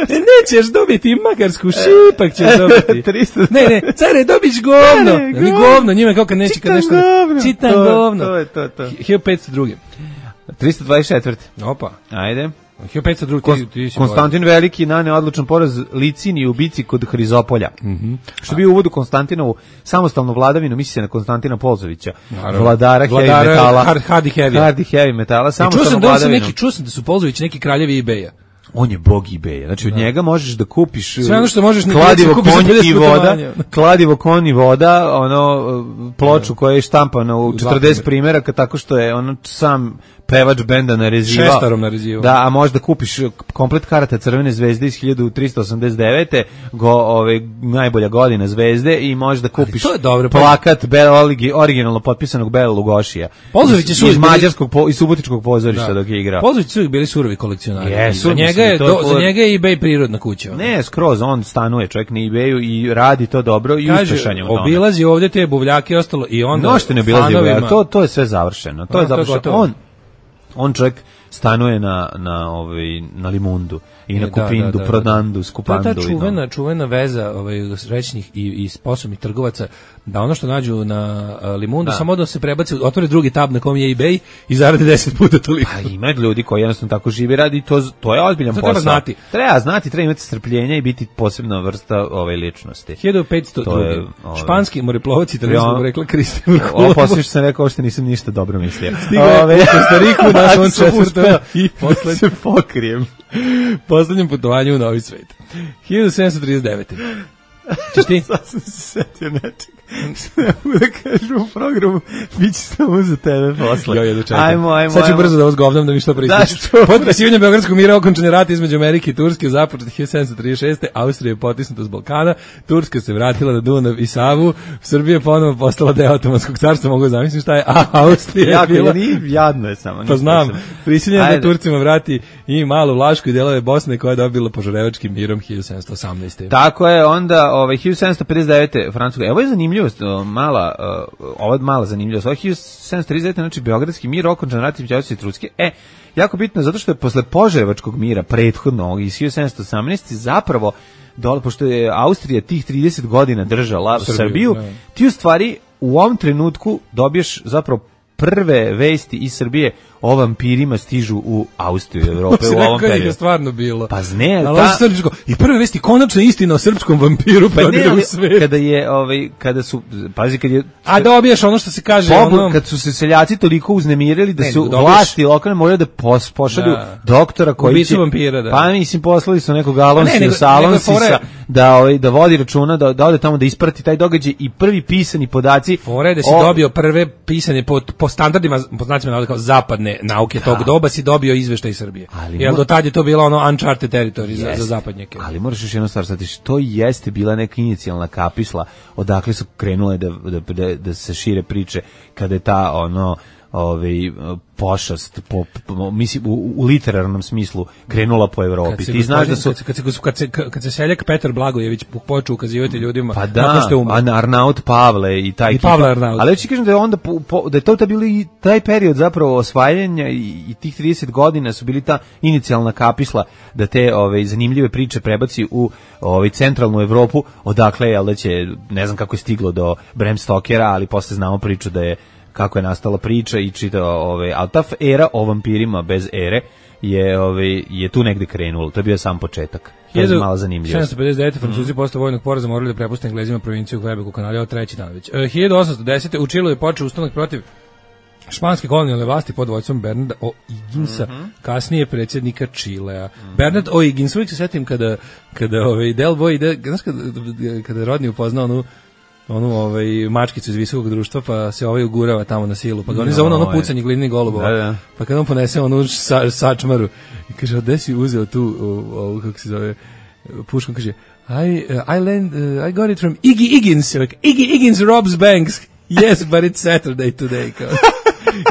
Nećeš dobiti Makarsku, šipak ćeš dobiti. Ne, care, dobiš govno. Govno, njima kao kad neće kad nešto... Čitan govno.
To je to.
1502.
324.
Opa.
Ajde.
1502.
Konstantin Veliki nane odlučan poraz Licini u bici kod Hrizopolja. Što bi uvod u Konstantinovu samostalnu vladavinu, misli se na Konstantina Polzovića, vladara heavy metala. Hard heavy metala, samostalnu vladavinu.
Čuo sam da su Polzovići neki kraljevi eBaya.
On je bog eBaya. Znači od njega možeš da kupiš
sve ono što možeš
kladivo konj i voda, ploču koja je štampana u 40 primjeraka tako što je sam pevač benda narezivao.
Šestarom narezivao.
Da, a možda kupiš komplet karata Crvene zvezde iz 1389. Najbolja godina zvezde i možda kupiš plakat originalno potpisanog Bela Lugošija. Iz mađarskog i subotičkog pozorišta dok je igrao.
Polzovići su bili surovi kolekcionari. Za njega je eBay prirodna kuća.
Ne, skroz, on stanuje čovjek na eBayu i radi to dobro i uspešan je u tome.
Obilazi ovdje te buvljake i ostalo i onda
nošte ne obilazi buvljake, to je sve završeno. To je završeno. On čovjek stanuje na Limundu i na Kupindu, Prodandu, Skupandu.
To je ta čuvena veza rećnih i sposobnih trgovaca da ono što nađu na Limundu samo da se prebaci, otvore drugi tab na kom je eBay i zarade 10 puta toliko.
Pa ima ljudi koji jednostavno tako žive radi i to je ozbiljan posao. Treba znati, treba imati strpljenja i biti posebna vrsta ličnosti.
1502. Španski moreplovac italijanskog rekla Kristofor Kolumbo.
Ovo poslije što sam rekao što nisam ništa dobro mislio.
Stigao je u Kostariku na svom četvrtom i
se pokrijem.
Poslednjem putovanju u Novi svet. 1739. Češ ti?
Sad sam se setio nečeg. Ne mogu da kažem u programu, bit će samo za tebe posle. Ajmo.
Sad ću brzo da vas govnam da mi što pristiš. Potpisivanje Beogradskog mira, okončan je rat između Amerike i Turske, započet 1736. Austrija je potisnuta s Balkana, Turska se vratila na Dunav i Savu, Srbija ponovo postala deo Otomanskog carstva, mogu zamisliti šta je, a Austrija je bila...
Jadno je samo.
Pa znam, prisiljeno da Turcima vrati i malu Vlašku i delove Bosne koja je dobila Požarevačkim mirom 1718.
Tako je, onda 1759. Francuska. Evo je zanimljivost, mala zanimljivost. 1739. znači Beogradski mir, okončan rat između Austrije i Turske. Jako bitno zato što je posle Požarevačkog mira prethodnog iz 1718. zapravo pošto je Austrija tih 30 godina držala Srbiju, ti u stvari u ovom trenutku dobiješ zapravo prve vesti iz Srbije o vampirima stižu u Austriju, Evrope u ovom periodu.
Je stvarno bilo.
Pa zne,
i prve vesti konačno istina o srpskom vampiru u svijetu.
Kada su, pazi, kad je...
A dobiješ ono što se kaže...
Kad su se seljaci toliko uznemirili da su vlasti lokalne morali da pošalju doktora koji će...
vampira, da.
Pa mislim, poslali su nekog Alonsisa da vodi računa, da ode tamo da isprati taj događaj i prvi pisani podaci...
Fore da si dobio prve pisane po standardima, po znacima navoda kao zapadne nauke tog doba si dobio izveštaj iz Srbije. Jer do tad je to bilo ono uncharted territory za zapadnjake.
Ali moraš još jedno stvar shvatiti, što jeste bila neka inicijalna kapisla odakle su krenule da se šire priče kada je ta pošast mislim u literarnom smislu krenula po Evropi. Ti znaš da su
kad se seljak Petar Blagojević počeo ukazivati ljudima
pa da, Arnaut Pavle i taj ali već kažem da je onda da je to bili taj period zapravo osvajanja i tih 30 godina su bili ta inicijalna kapisla da te zanimljive priče prebaci u centralnu Evropu, odakle je da će, ne znam kako je stiglo do Bram Stokera, ali posle znamo priču da je kako je nastala priča i čitao ali ta era o vampirima bez ere je tu negde krenulo. To je bio sam početak. To je malo zanimljivo.
1759. Francuzi posle vojnog poraza morali da prepuste Englezima provinciju Quebec u Kanadi od treći dan već. 1810. u Čilu je počeo ustanak protiv španske kolonijalne vlasti pod vođstvom Bernarda O'Higginsa, kasnije predsjednika Čilea. Bernard O'Higgins, uvijek se setim kada Del Boy ide, znaš kada Rodney upoznao onu mačkicu iz visokog društva, pa se ugurava tamo na silu, pa ga oni zove ono pucanje glinih golubova, pa kada on ponese onu sačmaru i kaže, gde si uzeo tu kako se zove puškom, kaže I got it from Iggy Higgins. Iggy Higgins robs banks. Yes, but it's Saturday today.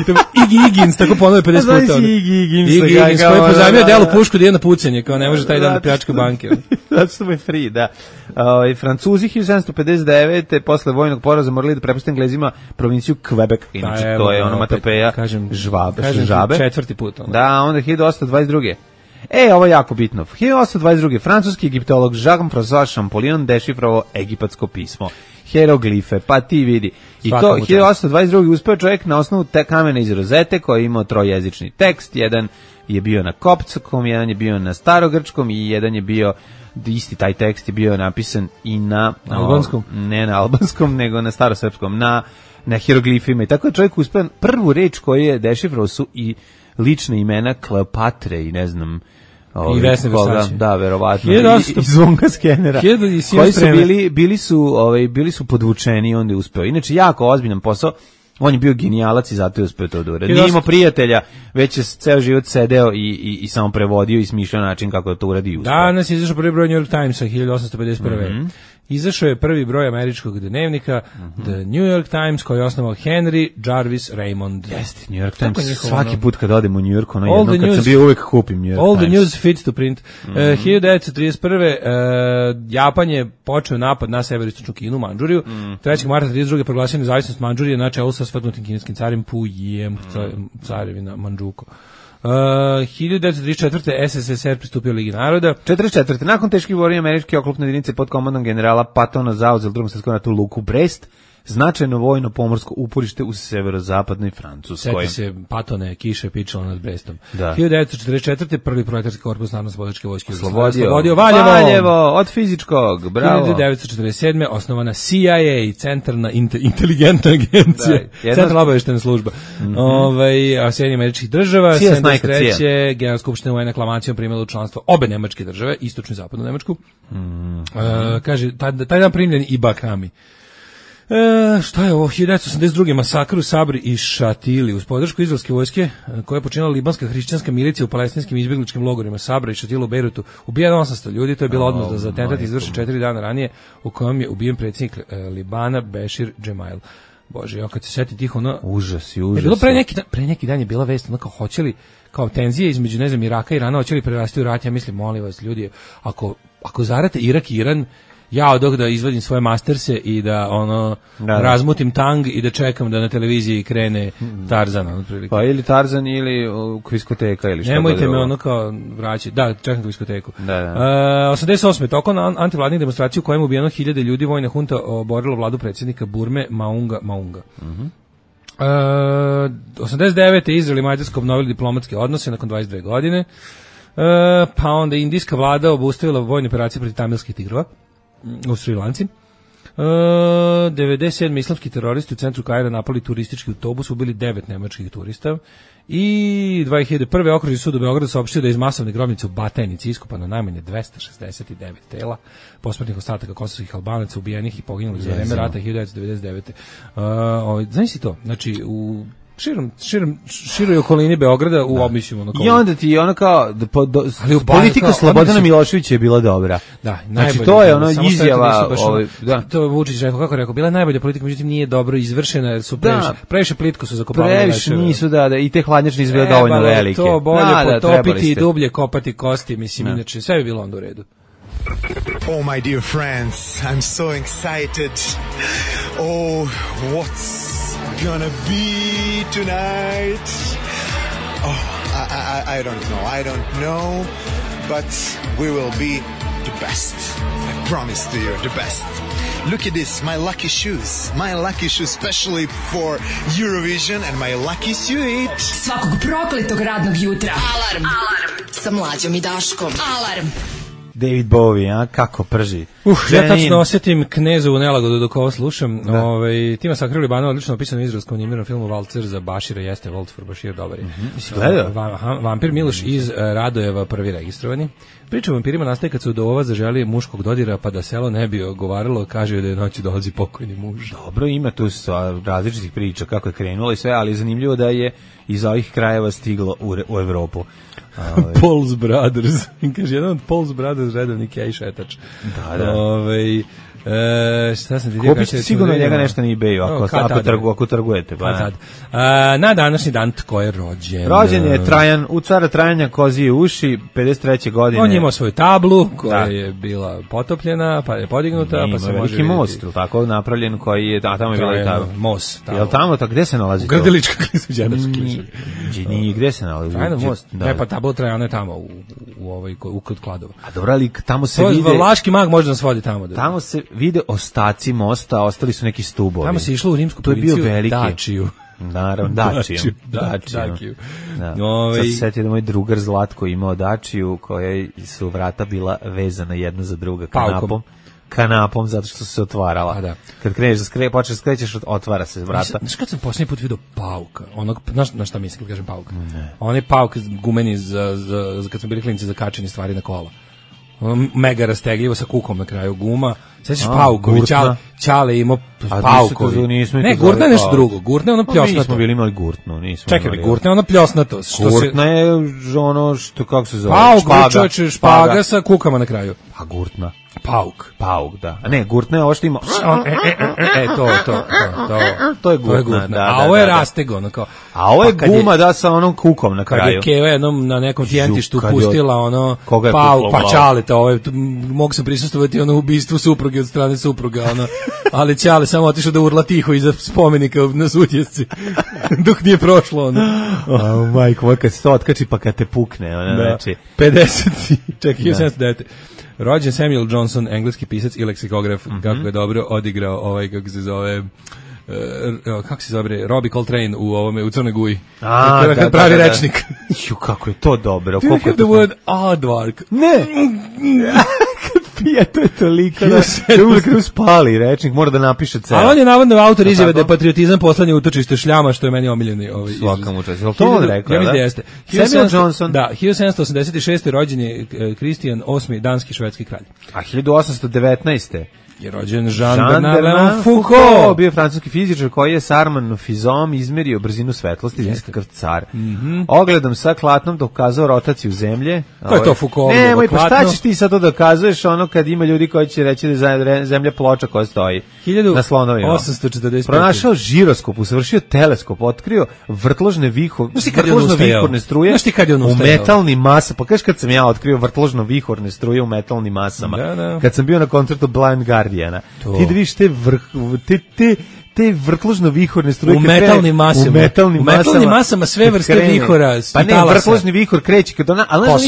I to Iggy Higgins tako ponovi 50 puta. Iggy Higgins koji je pozajmio delu pušku da ide na pucanje, kao ne može taj dan da pljačka banke.
Zato što je free, da. Francuzi 1759. posle vojnog poraza morali da prepuste Englezima provinciju Quebec. Inače, to je ono matopeja žabe.
Četvrti put.
Da, onda 1822. Ovo je jako bitno. 1822. francuski egiptolog Jean-François Champollion dešifrovao egipatsko pismo. Hieroglife, pa ti vidi. I to 1822. uspeo čovjek na osnovu te kamena iz rozete koji je imao trojezični tekst. Jedan je bio na koptskom, jedan je bio na starogrčkom i jedan je bio, isti taj tekst je bio napisan i na
albanskom.
Ne na albanskom, nego na starosrpskom, na hieroglifima. I tako je čovjek uspeo, prvu reč koju je dešifrovao su i lične imena Kleopatre i ne znam
i Vesne Versace.
Da, verovatno. I zvonka skenera. Koji su bili su podvučeni i onda je uspeo. Inače, jako ozbiljan posao. On je bio genijalac i zato je uspeo to da uradi. Nije imao prijatelja, već je ceo život sedeo i samo prevodio i smišljao način kako da to uradi i uspeo.
Danas je izašao prvi broj New York Timesa 1851. Izašao je prvi broj američkog dnevnika The New York Times koji je osnovao Henry Jarvis Raymond.
Jeste, New York Times. Svaki put kad odem u New York, kad sam bio uvek kupim New York Times.
All the news fits to print. 1931. Japan je počeo napad na severistočnu Kinu, Mandžuriju. 3. marta 1932. proglasio nezavisnost Mandžurije na čelu sa svrgnutim kineskim carem Pujem, carevina Mandžuko. 1934. SSSR pristupio Ligi naroda.
44. Nakon teških borbi američke oklopne jedinice pod komandom generala Pattona zauzeli u Drugom svjetskom ratu luku Brest, značajno vojno pomorsko uporište u severozapadnoj Francuskoj.
Seti se Patone, kiše pičalo nad Brestom.
Da.
1944. prvi proletarski korpus Narodno-oslobodilačke vojske
oslobodio Valjevo od fizičkog, bravo.
1947. osnovana CIA, centralna inteligentna agencija, centralna obavještajna služba. Sjedinjenih američkih država. 73. Generalna skupština UN aklamacijom primila u članstvo obe nemačke države, istočnu i zapadnu Nemačku. Kaže, taj dan primljen i Bakami. Šta je ovo? 1982. masakr u Sabri i Šatili uz podršku izraelske vojske koja je počinila libanska hrišćanska milicija u palestinskim izbjegličkim logorima Sabra i Šatila u Bejrutu. Ubijeno 800 ljudi, to je bila odmazda za atentat izvršen 4 dana ranije u kojem je ubijen predsjednik Libana Bešir Džemail. Bože, kad se seti tih
Užas.
Bilo pre neki dan je bila vest, kao hoće li, kao tenzije između, ne znam, Iraka i Irana, hoće li prerasti u rat? Ja mislim, molim vas, ljudi, ako zarate Irak i Iran, ja odog da izvadim svoje masterse i da razmutim tang i da čekam da na televiziji krene Tarzan otprilike.
Pa ili Tarzan ili kviskoteka ili šta.
Nemojte me kao vraćati. Da, čekam kviskoteku. 88. tokom antivladnih demonstracija u kojem je ubijeno 1000 ljudi, vojna hunta oborila vladu predsjednika Burme Maunga. 89. Izrael i Mađarska obnovili diplomatske odnose nakon 22 godine. Pa onda indijska vlada obustavila vojne operacije protiv tamilskih tigrova u Sri Lanci. 97. islamski teroristi u centru Kaira napali turistički autobus, ubili 9 nemačkih turista. I 2001. okružni sud u Beogradu saopštio da je iz masovne grobnice u Batajnici iskopano najmanje 269 tela posmrtnih ostataka kosovskih Albanaca ubijenih i poginulih za vreme rata 1999. Znaš si to? Znači, u široj okolini Beograda u mislim ono kao.
I onda ti ono kao politika Slobodana Miloševića je bila dobra.
Da,
znači to je ono izjava,
to Vučić rekao, kako rekao, bila je najbolja politika, međutim nije dobro izvršena, jer su previše plitko su zakopavali.
Previše nisu, da, i te hladnjačne izbile dovoljno velike.
To bolje potopiti i dublje kopati kosti, mislim, inače sve bi bilo onda u redu.
Oh, my dear friends, I'm so excited. Oh, what's gonna be tonight? Oh, I don't know, but we will be the best. I promise to you, the best. Look at this, my lucky shoes, especially for Eurovision, and my lucky suit.
Svakog prokletog radnog jutra. Alarm sa Mlađom i Daškom. Alarm.
David Bowie, kako prži.
Ja tačno osjetim Knezovu nelagodu dok ovo slušam. Tima Sakrili Bano odlično opisan u izraelskom animiranom filmu Valcer za Bašira, jeste Waltz for Bashir, dobar je. Vampir Miloš iz Radojeva, prvi registrovani. Priča o vampirima nastaje kad se udova zaželi muškog dodira, pa da selo ne bi ogovaralo, kaže da je noći dolazi pokojni muž.
Dobro, ima tu različitih priča kako je krenulo i sve, ali je zanimljivo da je iz ovih krajeva stiglo u Evropu.
Paul's Brothers, kaže jedan od Paul's Brothers redovni kej šetač.
Da.
Šta sam ti rekao?
Kupite sigurno njega nešto na eBayu, ako trgujete.
Na današnji dan tko je rođen?
Rođen je Trajan, u cara Trajanja kozije uši, 53. godine.
On je imao svoju tablu koja je bila potopljena, pa je podignuta, pa se može
veliki most, tako napravljen koji je, tamo je bila i tabla.
Most.
Jel tamo, gde se nalazi to?
Grdelička klisu,
gde se nalazi?
Trajan most. Ne, pa tabla Trajana je tamo, kod Kladova.
A dobro, ali tamo se vide...
Vlaški mag može da svodi tamo.
Tamo se vide ostaci mosta, ostali su neki stubovi.
Tamo se išlo u rimsku policiju Dačiju.
Naravno, Dačiju. Sad se setio da moj drugar Zlatko imao Dačiju, koja su vrata bila vezana jedna za druga kanapom, zato što su se otvarala. Kad kreneš počneš skrećeš, otvara se vrata.
Znaš kad sam posljednji put vidio pauka, na šta mislim kad kažem pauk? Onaj pauk gumeni kad smo bili klinici za kačenje stvari na kola. Mega rastegljivo sa kukom na kraju guma. Sećaš paukovi, Ćale imao paukovi. Ne, gurtna je nešto drugo. Gurtna je ono pljosnato.
Nismo bili imali gurtnu.
Čekaj, gurtna je ono pljosnato.
Gurtna je ono što, kako se zove?
Špaga sa kukama na kraju.
A gurtna?
Pauk,
da. A ne, gurtna je ovo što ima... To je gurtna.
A ovo je rastego, ono kao...
A ovo je guma, da, sa onom kukom na kraju.
Kad je Keva jednom na nekom tijentištu pustila ono pauk, pa Ćaleta, mogu se prisustvovati ono ubistvu supruge od strane supruga, ono, ali Ćale samo otišao da urla tiho iza spomenika na Sutjesci, dok nije prošlo, ono.
Majko, kad se to otkači pa kad te pukne, ono, znači...
50, čekaj, 1709. Rođen Samuel Johnson, engleski pisac i leksikograf, kako je dobro odigrao kako se zove... Robbie Coltrane u Crnoj Guji. Kad pravi rečnik.
Kako je to dobro.
Do you have the word aardvark?
Ne! Kad pije, to je toliko da uvijek spali rečnik, mora da napiše ceo.
A on je navodno autor izjave da je patriotizam poslednje utočište šljama, što je meni omiljeni
svakam učest. To on rekao,
ja mislim da jeste.
Samuel Johnson.
Da, 1786. rođen je Kristijan VIII, danski švedski kralj.
A 1819.
je rođen Jean-Bernard Foucault,
bio francuski fizičar koji je s Armanofizom izmerio brzinu svetlosti, nekakav car. Ogledom sa klatnom dokazao rotaciju zemlje.
To je to Foucault.
Nemoj, pa šta ćeš ti sad to dokazuješ ono kad ima ljudi koji će reći da je zemlja ploča koja stoji na slonovima.
1845.
Pronašao žiroskop, usavršio teleskop, otkrio vrtložne viхорne struje u metalnim masama. Pa kažeš kad sam ja otkrio vrtložno vihorne struje u metalnim masama. Kad sam bio na koncertu Blind Guardiana. Ti da vidiš te vrtložno vihorne struje
u metalnim masama sve vrste vihora.
Pa ne, vrtložni vihor kreće kad ona, ali znaš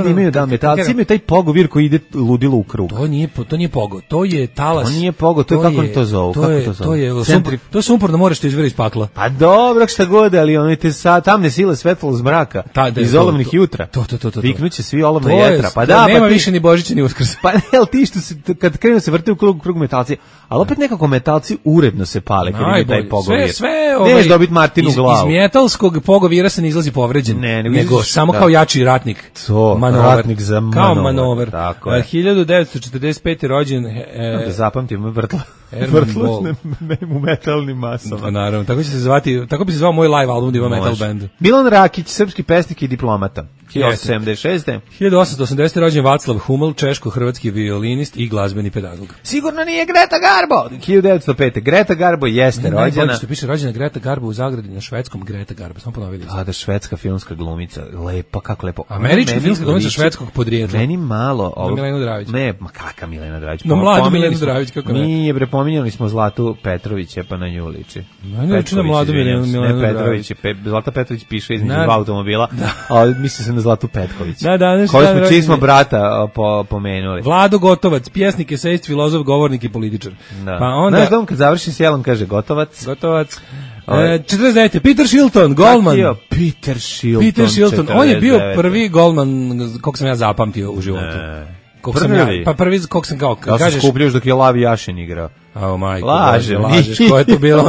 da imaju da metalci imaju taj pogovir koji ide ludilo u krug.
To nije pogo, to je talas.
To nije pogo, to je kako oni to zovu.
To je sumporno more što izvire iz pakla.
Pa dobro, šta god, ali oni te tamne sile svetlo zmraka iz olovnih jutra. Viknuće svi olovna jetra. Pa da,
nema više ni Božića ni Uskrsa.
Pa ne, ali ti što kad krenu se vrte u krug metalci, ali opet nekako metalci uredno zavidno se pale kad ima taj pogovir.
Sve
neš dobiti Martinu u glavu.
Iz metalskog pogovira se ne izlazi povređen, nego samo kao jači ratnik.
Ratnik za manover.
Kao manover. 1945. rođen...
Da zapamtim, vrtlač u metalnim masama.
Naravno, tako će se zvati, tako bi se zvao moj live album da ima metal band.
Milan Rakić, srpski pesnik i diplomata. 1876.
1880. rođen Vaclav Huml, češko-hrvatski violinist i glazbeni pedagog.
Sigurno nije Greta Garbo. 1905. Greta Garbo jeste rođena.
Najbolje što piše rođena Greta Garbo u zagradi na švedskom Greta Garbo. Samo ponovili.
Da, švedska filmska glumica. Lepa, kako lepo.
Američka filmska glumica švedskog podrijetla.
Meni malo ovo.
Milena Dravić.
Ne, ma kakva Milena Dravić.
No mladu Milenu Dravić, kako ne?
Nije, bre, pominjali smo Zlatu Petrovića, pa na nju liči.
Ne liči na mladu Milenu Dravić.
Zlata Petrović piše između dva automobila, a misli se na Zlatu Petković.
Da,
čiji smo brata pomenuli.
Vlado Gotovac, pjesnik, esejist, filozof, govornik i političar.
Da. Pa onda... Znaš da on kad završi s jelom kaže Gotovac.
49. Peter Shilton, golman.
Peter Shilton.
On je bio prvi golman kog sam ja zapamtio u životu. Prvi kog sam kao
kažeš. Ja sam skupljuš dok je Lavi Jašin igrao.
Lažeš, ko je to bilo,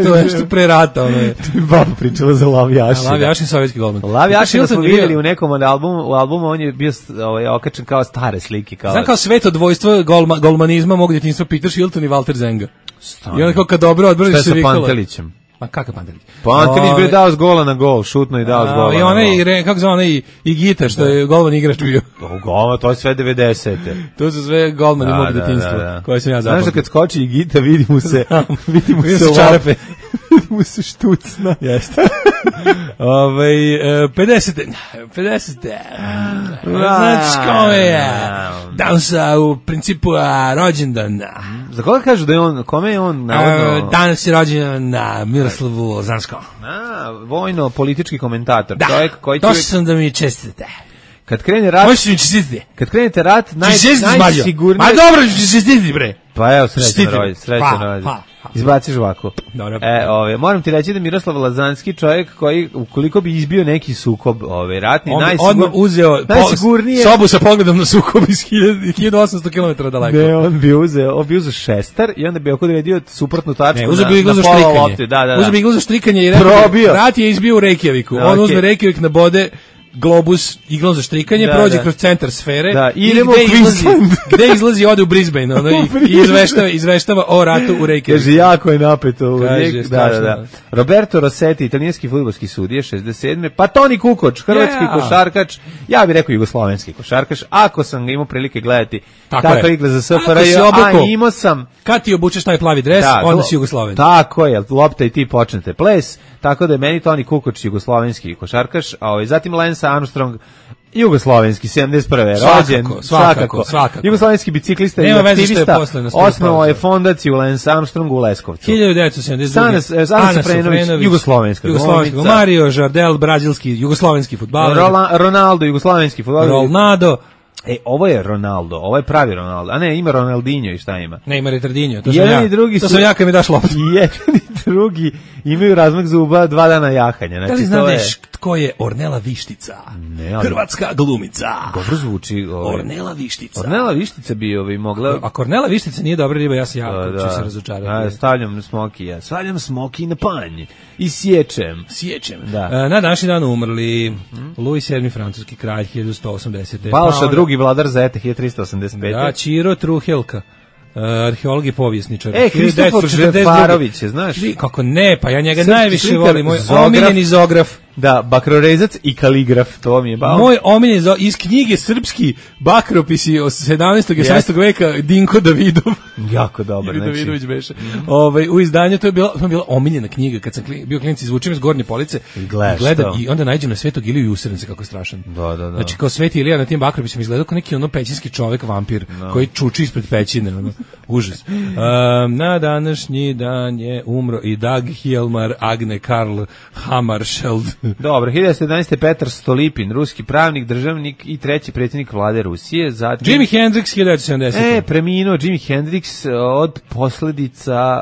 to je što pre rata, ono je.
Baba pričala za Lavi Jašin.
Lavi Jašin, sovjetski golman.
Lavi Jašin smo vidjeli u nekom albumu, on je bio okačen kao stare slike.
Znam kao sveto dvojstvo golmanizma mogu djetinjstvo Peter Shilton i Walter Zenga. I onda kao kad dobro odbraniš se vikala.
Šta je sa Pantelićem?
Ma kakav Pantelić?
Pantelić bi dao s gola na gol, šutno i dao s gola na gol.
I onaj, kako zove onaj Igita, što je golman igrač bio.
To je sve 90.
To su sve golmani mog djetinjstva, koje sam ja zapamtio.
Znaš da kad skoči Igita, vidi mu se
čarape.
Vidi mu se štucna.
Jeste. 50. Znači kome je danas u principu rođendan.
Za koga kažu da je on, kome je on navodno?
Danas je rođendan na Miroslavu Lazanskom.
Vojno-politički komentator.
Da,
čovjek koji
to sam da mi čestite.
Kad krene rat...
Možeš mi čestiti.
Kad krenete rat, najsigurnije...
A dobro, čestiti bre.
Pa evo, srećan rođendan. Izbaciš ovako. Moram ti reći da Miroslav Lazanski čovjek koji, ukoliko bi izbio neki sukob ratni,
on uzeo sobu sa pogledom na sukob iz 1800 km daleko.
Ne, on bi uzeo šestar i onda bi odredio suprotnu tačku
na pola lopte. Uzeo bi iglu za štrikanje i rekao, rat je izbio u Reykjaviku. On uzme Reykjavik na bode globus iglom za štrikanje, prođe kroz centar sfere
i
gde izlazi ode u Brisbane i izveštava o ratu u Reykjaviku.
Kaže, jako je napeto. Roberto Rossetti, italijanski fudbalski sudija, 67. Pa Toni Kukoč, hrvatski košarkač, ja bih rekao jugoslovenski košarkaš, ako sam ga imao prilike gledati kakva igra za SFRJ, a imao sam...
Kad ti obučeš taj plavi dres, onda si Jugosloven.
Tako je, lopta i ti počnete ples, tako da je meni Toni Kukoč jugoslovenski košarkaš, a zatim Lance Armstrong, jugoslovenski, 71. rođen, svakako. Jugoslovenski biciklista i aktivista, osnovao je fondaciju Lance Armstrong u Leskovcu.
1972.
Ana Sofrenović, jugoslovenska glumica.
Mario Žardel, brazilski, jugoslovenski fudbaler.
Ronaldo, jugoslovenski fudbaler.
Ronaldo.
Ovo je Ronaldo, ovo je pravi Ronaldo, a ne, ima Ronaldinho i šta ima?
Ne, ima Retardinho, to
sam
ja kad mi daš loptu.
Jedan i drugi imaju razmak zuba 2 dana jahanja.
Da li znaš tko je Ornela Vištica? Hrvatska glumica.
Dobro zvuči.
Ornela Vištica.
Ornela Vištica bi mogla...
Ako Ornela Vištica nije dobra riba, ja se ću se razočarati.
Stavljam smoki na panj i sječem.
Na današnji dan umrli Louis VII, francuski kralj, 1180.
Balša drugi vladar Zete, 1385.
Da, Čiro Truhelka, arheolog i povjesničar.
Kristofor Žefarović, znaš?
Kako ne, pa ja njega najviše volim, moj omiljeni zograf.
Da, bakrorezac i kaligraf, to mi je bao.
Moj omiljeni iz knjige Srpski bakropisi od 17. i 18. veka Dinko Davidov.
Jako dobar.
Davidović beše. U izdanju to je bila omiljena knjiga kad sam bio klinac, izvučem iz Gornje Police i gledam i onda nađem na Svetog Iliju i usrem se kako je strašan.
Da.
Znači kao Sveti Ilija na tim bakropisima izgledao kao neki pećinski čovek vampir koji čuči ispred pećine, užas. Na današnji dan je umro i Dag Hjalmar Agne Karl Hammarskjöld.
Dobro, 1911. Petar Stolipin, ruski pravnik, državnik i treći predsjednik vlade Rusije. Zatim...
Jimi Hendrix, 1970.
Preminuo Jimi Hendrix od posledica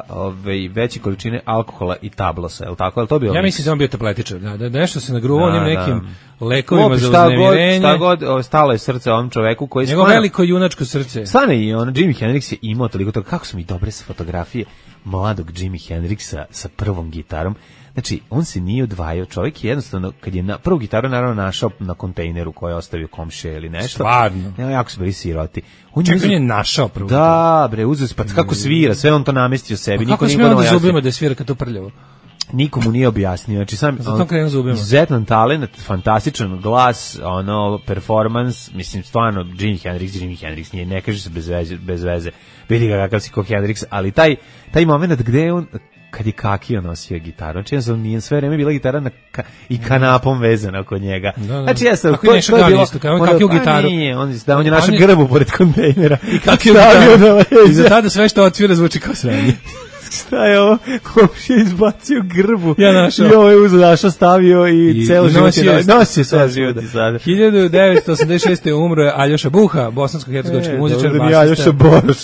veće količine alkohola i tablosa, je li tako? Je li to bio?
Ja mislim da on bio tabletičar, da nešto se nagruvao onim nekim lekovima za uznemirenje.
Šta god, stalo je srce ovom čoveku koji
Njegovo veliko junačko srce.
Stane i on, Jimi Hendrix je imao toliko toga. Kako su mi dobre sa fotografije mladog Jimi Hendrixa sa prvom gitarom. Znači, on se nije odvajao. Čovjek je jednostavno, kad je prvu gitaru naravno našao na kontejneru koji je ostavio komšije ili nešto.
Stvarno.
Jako su bili siroti.
On je našao prvu gitaru.
Da, bre, uzeo se, pa kako svira, sve on to namestio sebi.
Pa kako smije onda zubima da svira kad to prljavo?
Nikomu nije objasnio. Znači sam izuzetan talent, fantastičan glas, performans, mislim stvarno Jimi Hendrix nije, ne kaže se bez veze. Vidi ga kakav si ko Hendrix, ali taj moment gde je on kad je kakio nosio gitaru. Znači, ja nije sve vreme bila gitara i kanapom vezana kod njega. Znači, ja sam...
Kako je nešto gali isto, kao on kakio gitaru?
Nije, on je našao grbu pored kontejnera.
I kakio gitaru. I za tada sve što otvira zvuči kao sranje.
Šta je ovo? Komšija izbacio grbu.
Ja našao.
I ovo je našao, stavio i celo život je nosio sve života sada.
1986. umro je Aljoša Buha, bosansko-hercegovački muzičar, basista.
Aljoša Boroš.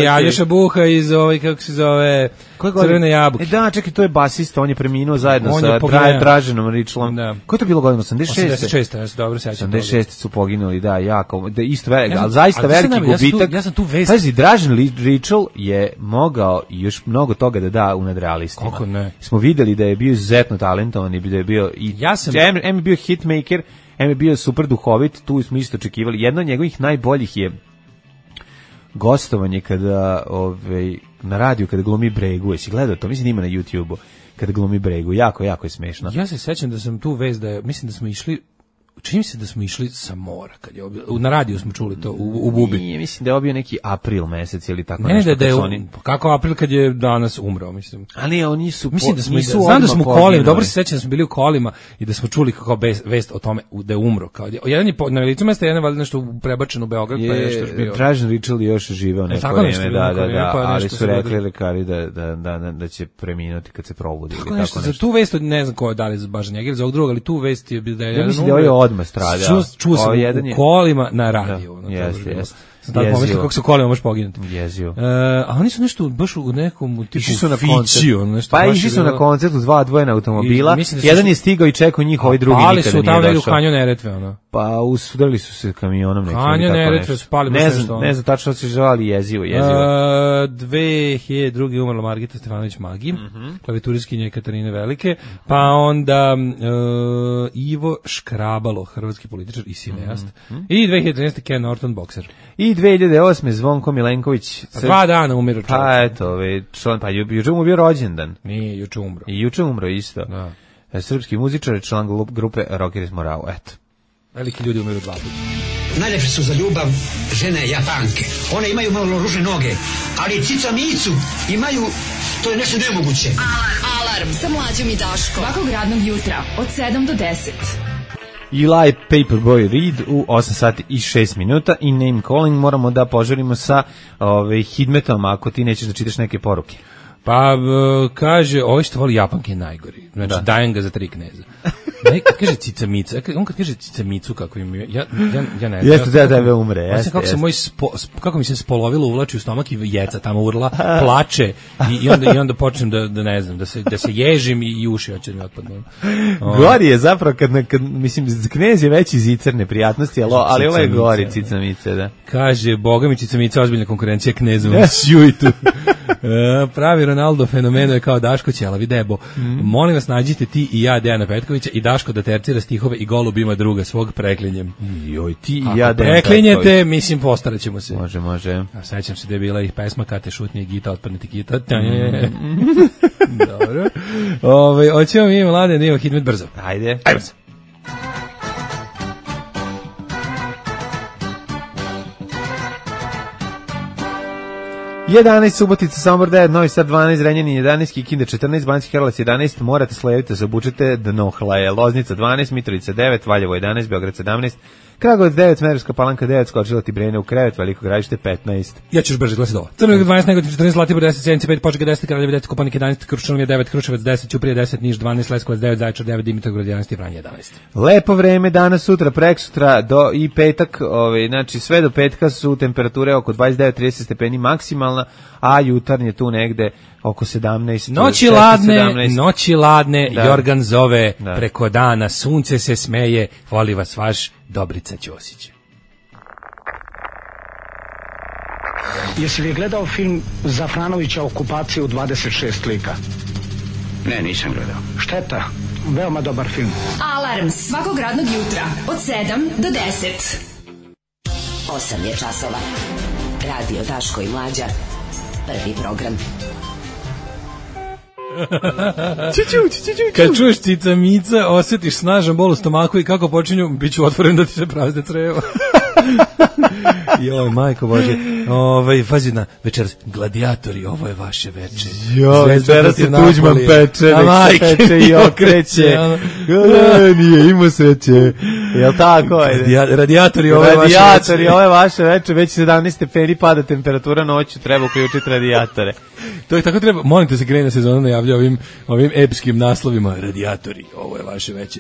I Aljoša Buha iz kako se zove, Crvene jabuke.
Da, čekaj, to je basista, on je preminuo zajedno sa Draženom Ričlom. Ko je to bilo godina? 86?
86, ja se dobro sećam.
86 su poginuli, da, jako. Isto veliki, ali zaista veliki gubitak.
Ja sam tu vest.
Pazi, Dražen Ričl je mogao još mnogo toga da da u Nadrealistima.
Kako ne?
Smo videli da je bio izuzetno talentovan i da je bio M je bio hitmaker, M je bio super duhovit, tu smo isto očekivali. Jedno od njegovih najboljih je gostovanje kada na radiju kada glumi Bregu. Jesi gledao to? Mislim da ima na YouTubeu kada glumi Bregu. Jako je smešno.
Ja se sećam da sam tu vez da mislim da smo išli, čini se da smo išli sa mora, kad je na radiju smo čuli to u Bubi.
Nije, mislim da je obio neki april mesec ili tako
nešto. Ne, da je kako april kad je danas umro, mislim.
Ali oni su,
mislim da smo znam da smo u kolima, dobro se sećam da smo bili u kolima i da smo čuli kako vest o tome da je umro, kao jedan je na licu mesta, jedan je valjda nešto prebačeno u Beograd, pa je nešto bio.
Dražen Ričl je još živeo neko vreme, da, ali su rekli lekari da će preminuti kad se probudi ili tako nešto.
Za tu vest ne znam ko je dali baš njega ili za ovog drugog, ali tu vest je da je
odmah stradao.
Čuo sam u kolima na radiju.
Jeste.
Sad pomislim kako se kolima može poginuti.
Jezio.
A oni su nešto baš u nekom tipu
fićiju. Pa išli su na koncertu, dva odvojena automobila. Jedan je stigao i čekao njih, ovaj drugi nikada nije došao.
Pali su tamo negdje u Kanjon Neretve, ono.
Pa usudarili su se kamionom nekim.
Kanjon Neretve su pali baš nešto.
Ne znam tačno što se žali jezivo.
2002. umrla Margita Stefanović Magi, klavituriskinja Katarine Velike, pa onda Ivo Škrabalo, hrvatski političar i cineast, i 2013. Ken Norton, bokser.
I 2008. Zvonko Milenković.
2 dana umiru čovjek.
Pa eto, pa juče mu bio rođendan.
Nije, juče umro.
I juče umro isto. Da. Srpski muzičar, član grupe Rockers Morao, eto.
Veliki ljudi umiru 2 puta.
Najljepše su za ljubav žene Japanke. One imaju malo ružne noge, ali cica micu imaju, to je nešto nemoguće.
Alarm sa Mlađom i Daškom. Svakog radnog jutra od 7 do 10.
Eli Paperboy Reed u 8 sati i 6 minuta i name calling moramo da požurimo sa Hidmetom ako ti nećeš da čitaš neke poruke.
Pa kaže, ovo što voli Japanke je najgori. Znači, dajem ga za 3 kneza. Kad kaže cica mica, on kad kaže cica micu kako im ja ne znam.
Jeste da tebe umre,
kako mi se spolovilo uvlači u stomak i jeca tamo urla, plače i onda počnem da ne znam, da se ježim i uši hoće da mi otpadnu.
Gori je zapravo kad mislim knez je veći zicer neprijatnosti, ali ovo je gori cica mica, da.
Kaže, boga mi cica mica ozbiljna konkurencija knezom. Sjuj tu. Pravi Ronaldo fenomeno je kao Daško Ćelavi debo. Molim vas, nađite ti i ja Dejana Petkovića i Daško da tercira stihove i golub ima druga svog preklinjem.
Joj, ti i ja Dejan
preklinjete, mislim, postarat ćemo se.
Može.
A sećam se da je bila i pesma Kate šutnje i gita, otpadniti gita. Dobro. Hoćemo mi mlade, da imamo Hidmet brzo.
Ajde se. 11, Subotica, Sombor 9, Novi Sad 12, Zrenjanin 11, Kikinda 14, Banjski Karlovac 11, morate slediti, se obučete, dno hlaje, Loznica 12, Mitrovica 9, Valjevo 11, Beograd 17, Kragovac 9, Smederevska Palanka 9, Skočila Tibrene u krevet, Veliko Gradište 15.
Ja ću još brže glasiti ovo. Crna Gora 12, Negotin 14, Zlatibor 10, Sjenica 5, Požega 10, Kraljevo 10, Kopaonik 11, Kruščanija 9, Kruševac 10, Ćuprija 10, Niš 12, Leskovac 9, Zaječar 9, Dimitrovgrad 11 i Vranje 11.
Lepo vreme danas, sutra, preksutra do i petak, znači sve do petka su temperature oko 29-30 stepeni maksimalna, a jutarnje tu negde oko 17.
Noći ladne, da. Jorgan zove preko dana, sunce se smeje, voli vas vaš Dobrica Ćosić.
Jesi li gledao film Zafranovića Okupacija u 26 lika?
Ne, nisam gledao.
Šteta, veoma dobar film.
Alarm svakog radnog jutra od 7 do 10.
8 je časova. Radio Daško i Mlađa. Prvi program.
Kad čuješ cica mica, osjetiš snažan bol u stomaku i kako počinju, bit ću otvoren da ti se prazne crevo. Joj, majko Bože. Fazi na večeras, gladijatori, ovo je vaše veče.
Joj, Zvezda se Tuđman peče, nek se peče i okreće. Nije imao sreće. Jel tako?
Radijatori, ovo je vaše veče.
Ovo je vaše veče, već 17 stepeni pada temperatura noću, treba uključiti radijatore.
To je tako treba, molim te se krene sezona najavlja ovim epskim naslovima. Radijatori, ovo je vaše veće.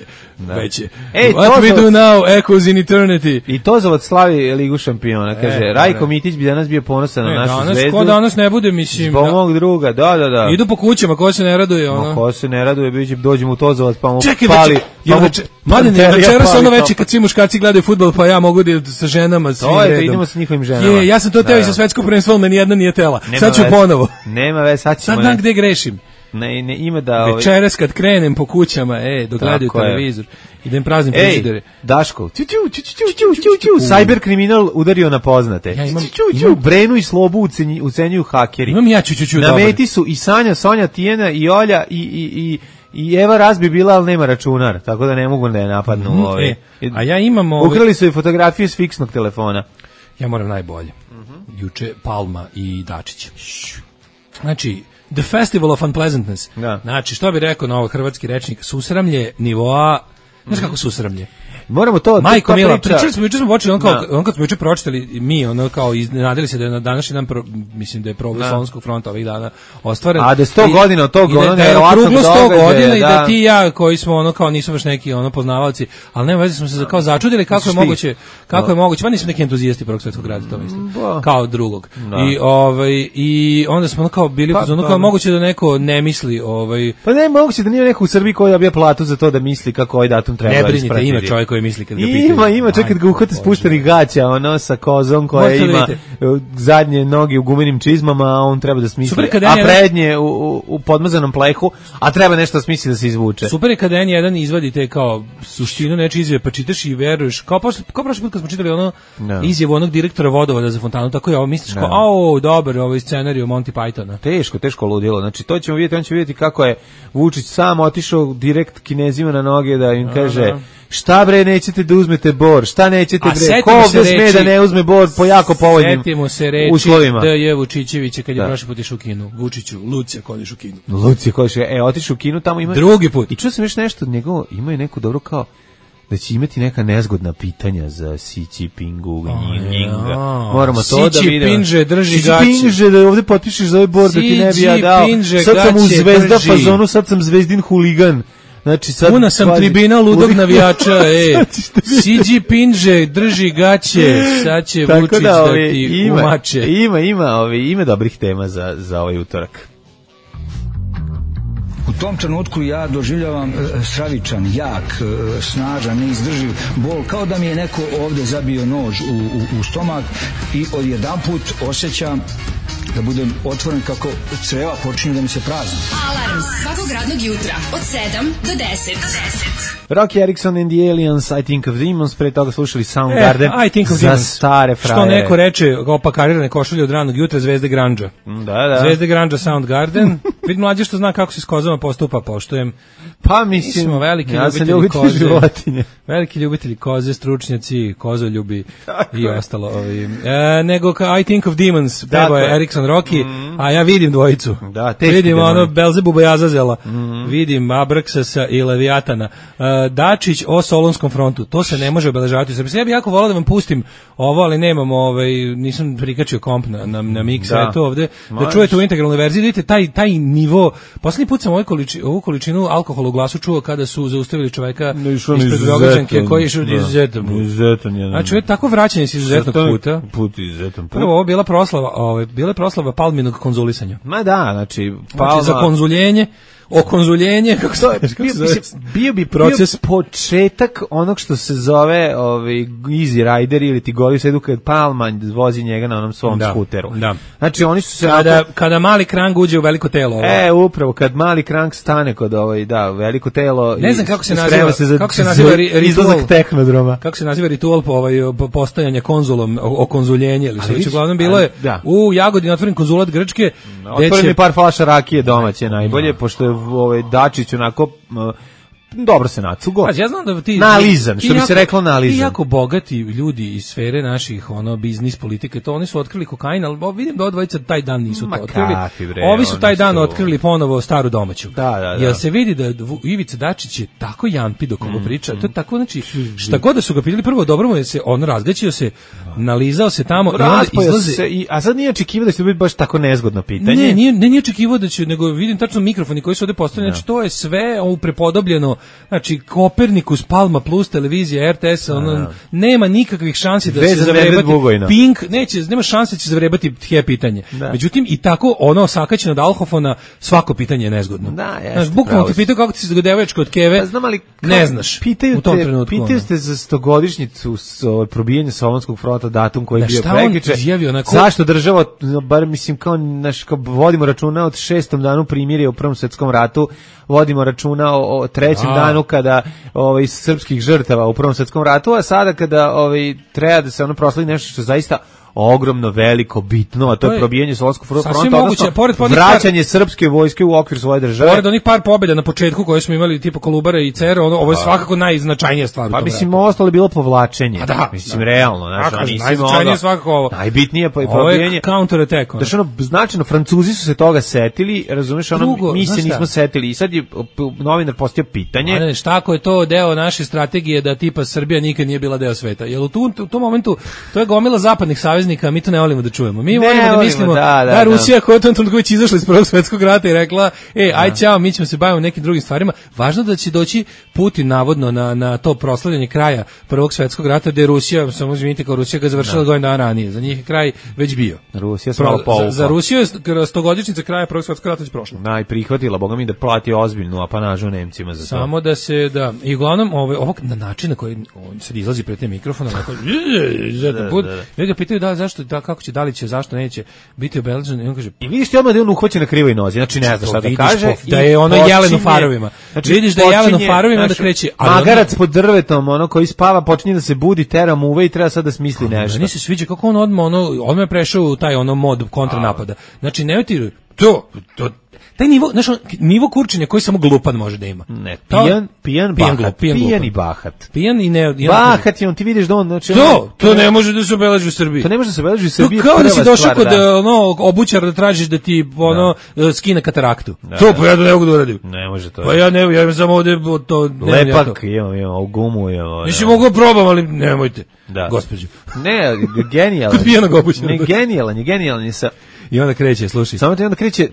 What we do now echoes in eternity.
I Tozovac slavi Ligu šampiona, kaže, Rajko Mitić bi danas bio ponosan na našu Zvezdu.
Ko danas ne bude, mislim.
Zbog mog druga, da.
Idu po kućama, ko se ne raduje, ono.
Ko se ne raduje, dođemo u Tozovac, pa mu pali.
Mladine, večeras ono veče kad svi muškarci gledaju fudbal, pa ja mogu da sa ženama svim redom.
To je, idemo sa njihovim ženama.
Ja sam to teo i sa svetsko prvenstvo, ali meni jedna nije tela. Sad ću ponovo.
Nema veze, sad ćemo.
Sad znam gde grešim.
Ne, ima da...
Večeras kad krenem po kućama, dok gledaju televizor, idem praznim frižidere.
Daško, cyber kriminal udario na poznate. Brenu i Slobu ucenjuju hakeri.
Imam ja
na meti su i Sanja, Sonja, Tijena i Olja i Eva Razbi bila, ali nema računar, tako da ne mogu da je napadnu.
A ja imam...
Ukrali su i fotografije s fiksnog telefona.
Ja moram najbolje. Juče Palma i Dačić. Znači... The Festival of Unpleasantness. Da. Znači, što bi rekao na ovo hrvatski rečnik, susramlje nivoa, znaš kako susramlje?
Moramo to...
Majko Mila, juče smo počeli, on kad smo juče pročitali, mi, ono kao, iznenadili se da je na današnji dan, mislim da je problem Solunskog fronta ovih dana ostvaren.
A da je 100 godina od tog, ono,
da je okruglo 100 godina i da ti ja, koji smo, ono, kao, nisu baš neki, ono, poznavalci, ali nema veze, smo se kao začudili kako je moguće, pa nismo neki entuzijasti Prvog svjetskog rata, to mislim, kao drugog. I onda smo, ono, kao, bili kao moguće da neko ne misli,
Pa ne, moguće da nije neko u Srbiji koji dobija platu za to da misli kako ovaj datum treba ispratiti.
Koji misli kad ga pitaju.
Ima čekaj kad ga uhvate spuštenih gaća, ono sa kozom koja ima zadnje noge u gumenim čizmama, a on treba da smisli, a prednje u podmazanom plehu, a treba nešto da smisli da se izvuče.
Super je kada jedan izvadi te kao suštinu nečije izjave, pa čitaš i veruješ, kao prošli put kad smo čitali ono izjavu onog direktora vodovoda za fontanu, tako je ovo misliš kao, dobar, ovo je scenariju Monty Pythona.
Teško ludilo, znači to ćemo vidjeti, on će vidjeti kako je Vučić sam otišao direkt Kinezima na noge da im kaže šta bre nećete da uzmete bor, šta nećete bre, ko ovdje sme da ne uzme bor po jako povoljnim uslovima. Setimo se reči
D.J. Vučićevića kad je prošli put išao u Kinu. Vučiću, Lucija kodiš u Kinu.
Otišao u Kinu, tamo ima...
Drugi put.
I čuo sam još nešto od njegovo, ima je neko dobro kao da će imati neka nezgodna pitanja za Xi Jinpingu, moramo to da vidimo.
Xi Jinping drži gaće.
Xi Jinping da ovdje potpišeš za ovaj bor da ti ne bi ja dao. Sad sam u zvezda fazonu, sad sam zvezdin huligan. Znači sad
puna sam tribina ludog navijača, Xi Jinping drži gaće, sad će Vučić da ti umače.
Ima dobrih tema za ovaj utorak.
U tom trenutku ja doživljavam stravičan, jak, snažan, neizdrživ bol, kao da mi je neko ovdje zabio nož u stomak i odjedanput osjećam da budem otvoren kako creva počinju da mi se prazni.
Alarm svakog radnog jutra od 7 do 10.
Rocky Erickson and the Aliens, I Think of Demons, pre toga slušali Soundgarden za stare frajere.
Što neko reče, opakarirane košulje od ranog jutra, Zvezde Grandža.
Da.
Zvezde Grandža, Soundgarden. Vid mlađe što zna kako se s kozama postupa, poštujem.
Pa mislim,
smo veliki ljubitelji koze. Životinje. Veliki ljubitelji koze, stručnjaci, kozoljubi i ostalo. Nego I Think of Demons, peva je Erikson Rocky, a ja vidim dvojicu.
Da, teški
vidim
demoni.
ono Belzebuba i Azazela, vidim Abraksasa i Leviatana. Dačić o Solonskom frontu, to se ne može obeležavati u Srbiji. Ja bih jako volao da vam pustim ovo, ali nemam, nisam prikačio komp na mix, to ovde, da čujete u integralnoj verziji, vidite taj nivo. Poslednji put sam ovu količinu alkohola u glasu čuo kada su zaustavili čoveka ispred Beograđanke koji je išao izuzetan. Znači, tako vraćanje se izuzetnog puta. Prvo, ovo bila proslava Palminog konzulisanja.
Ma da, znači
za konzuljenje, okonzuljenje, kako se
bio bi proces početak onog što se zove Easy Rider ili ti goli sedu kad Palma vozi njega na onom svom skuteru.
Da.
Znači oni su se
kada mali krang uđe u veliko telo.
Upravo kad mali krang stane kod veliko telo.
Ne znam kako se naziva
izlazak tehnodroma.
Kako se naziva ritual po postajanja konzulom, okonzuljenje ili sve. Uglavnom bilo je u Jagodini otvoren konzulat Grčke.
Otvoren je par flaša rakije domaće najbolje, pošto je Dačić onako dobro se nacugo.
Ja znam da
nalizan, što bi se reklo nalizan.
Ti jako bogati ljudi iz sfere naših biznis politike, to oni su otkrili kokain, ali vidim da odvojica taj dan nisu to otkrili. Ovi su taj dan otkrili ponovo staru domaću.
Da.
Jer se vidi da Ivica Dačić je tako jampi dok ovo priča. To je tako, znači, šta god da su ga pitali, prvo dobro mu je se, on razgaćio se, nalizao se tamo i onda izlaze.
A sad nije očekivao da će biti baš tako nezgodno pitanje.
Nije očekivao da će, nego vidim tačno mikrofoni koji su ovde postavljeni, znači to je sve prepodobljeno. Znači, Kopernikus, Palma Plus, televizija, RTS, nema nikakvih šansi da se zavrebati Pink, nema šanse da će zavrebati pitanje. Međutim, i tako osakaćeno od alhofona, svako pitanje je nezgodno. Znaš, bukvalno te pitaju kako ti se devojačka od keve, ne znaš u tom trenutku.
Pitaju ste za 100-godišnjicu probijanja Solunskog fronta, datum koji je bio prekjuče. Zašto država, bar mislim kao vodimo računa od 6. danu primirja u Prvom svetskom ratu, vodimo računa o 3. danu kada srpskih žrtava u Prvom svetskom ratu, a sada kada treba da se proslavi nešto što zaista ogromno, veliko, bitno, a to je probijanje Solunskog fronta, odnosno vraćanje srpske vojske u okvir svoje države.
Pored onih par pobjeda na početku koje smo imali, tipa Kolubara i Cer, ovo je svakako najznačajnija stvar.
Pa mislim, ostalo je bilo povlačenje. Mislim, realno.
Najznačajnije svakako ovo.
Najbitnije probijanje.
Ovo je counter attack.
Znači, značajno, Francuzi su se toga setili, razumiješ, mi se nismo setili. I sad je novinar postavio pitanje.
Šta ako je to deo naše strategije da tipa Srbija nikad nije bila deo sveta? Jer u tom momentu to je gomila zapadnih saveznika, mi to ne volimo da čujemo. Mi volimo da mislimo da Rusija koja je u tom trenutku već izašla iz Prvog svjetskog rata i rekla, aj ćao, mi ćemo se baviti nekim drugim stvarima. Važno da će doći Putin navodno na to proslavljanje kraja Prvog svjetskog rata, gde je Rusija, samo izvinite, kao Rusija ga završila godinu dana ranije. Za njih je kraj već bio.
Rusija se malo povukla.
Za Rusiju je 100-godišnjica kraja Prvog svjetskog rata već prošla.
I prihvatila, boga mi, da plati ozbiljnu apanažu Nemcima za to.
Samo da se, i uglavnom, ovog na način na koji on sad izlazi pred te mikrofona, ga pitaju da li će, zašto neće biti obeležen, i on kaže,
i vidiš ti odmah da je on uhvaćen na krivoj nozi, znači ne znaš šta da kaže,
da je ono jelen u farovima, znači vidiš da je jelen u farovima, onda kreće
magarac pod drvetom, koji spava, počinje da se budi, tera mu uve i treba sad da smisli nešto.
Meni se sviđa kako on odmah je prešao u taj mod kontranapada, znači ne ti taj nivo kurčenja koji samo glupan može da ima.
Ne, pijan i bahat.
Pijan i ne...
Bahat je on, ti vidiš da on... Znači,
to ne može da se obeleži u Srbiji.
To ne može da se obeleži u Srbiji.
To kao da si došao kod obućara da tražiš da ti skine kataraktu. To pa ja to ne mogu da uradim.
Ne može to.
Pa ja imam samo ovde to...
Lepak imam, u gumu imam.
Mislim, mogu probam, ali nemojte, gospođu.
Ne, genijalan.
Pijanog obućara.
Ne, genijalan je sa...
I onda kreće, slušaj.
Samo onda kreće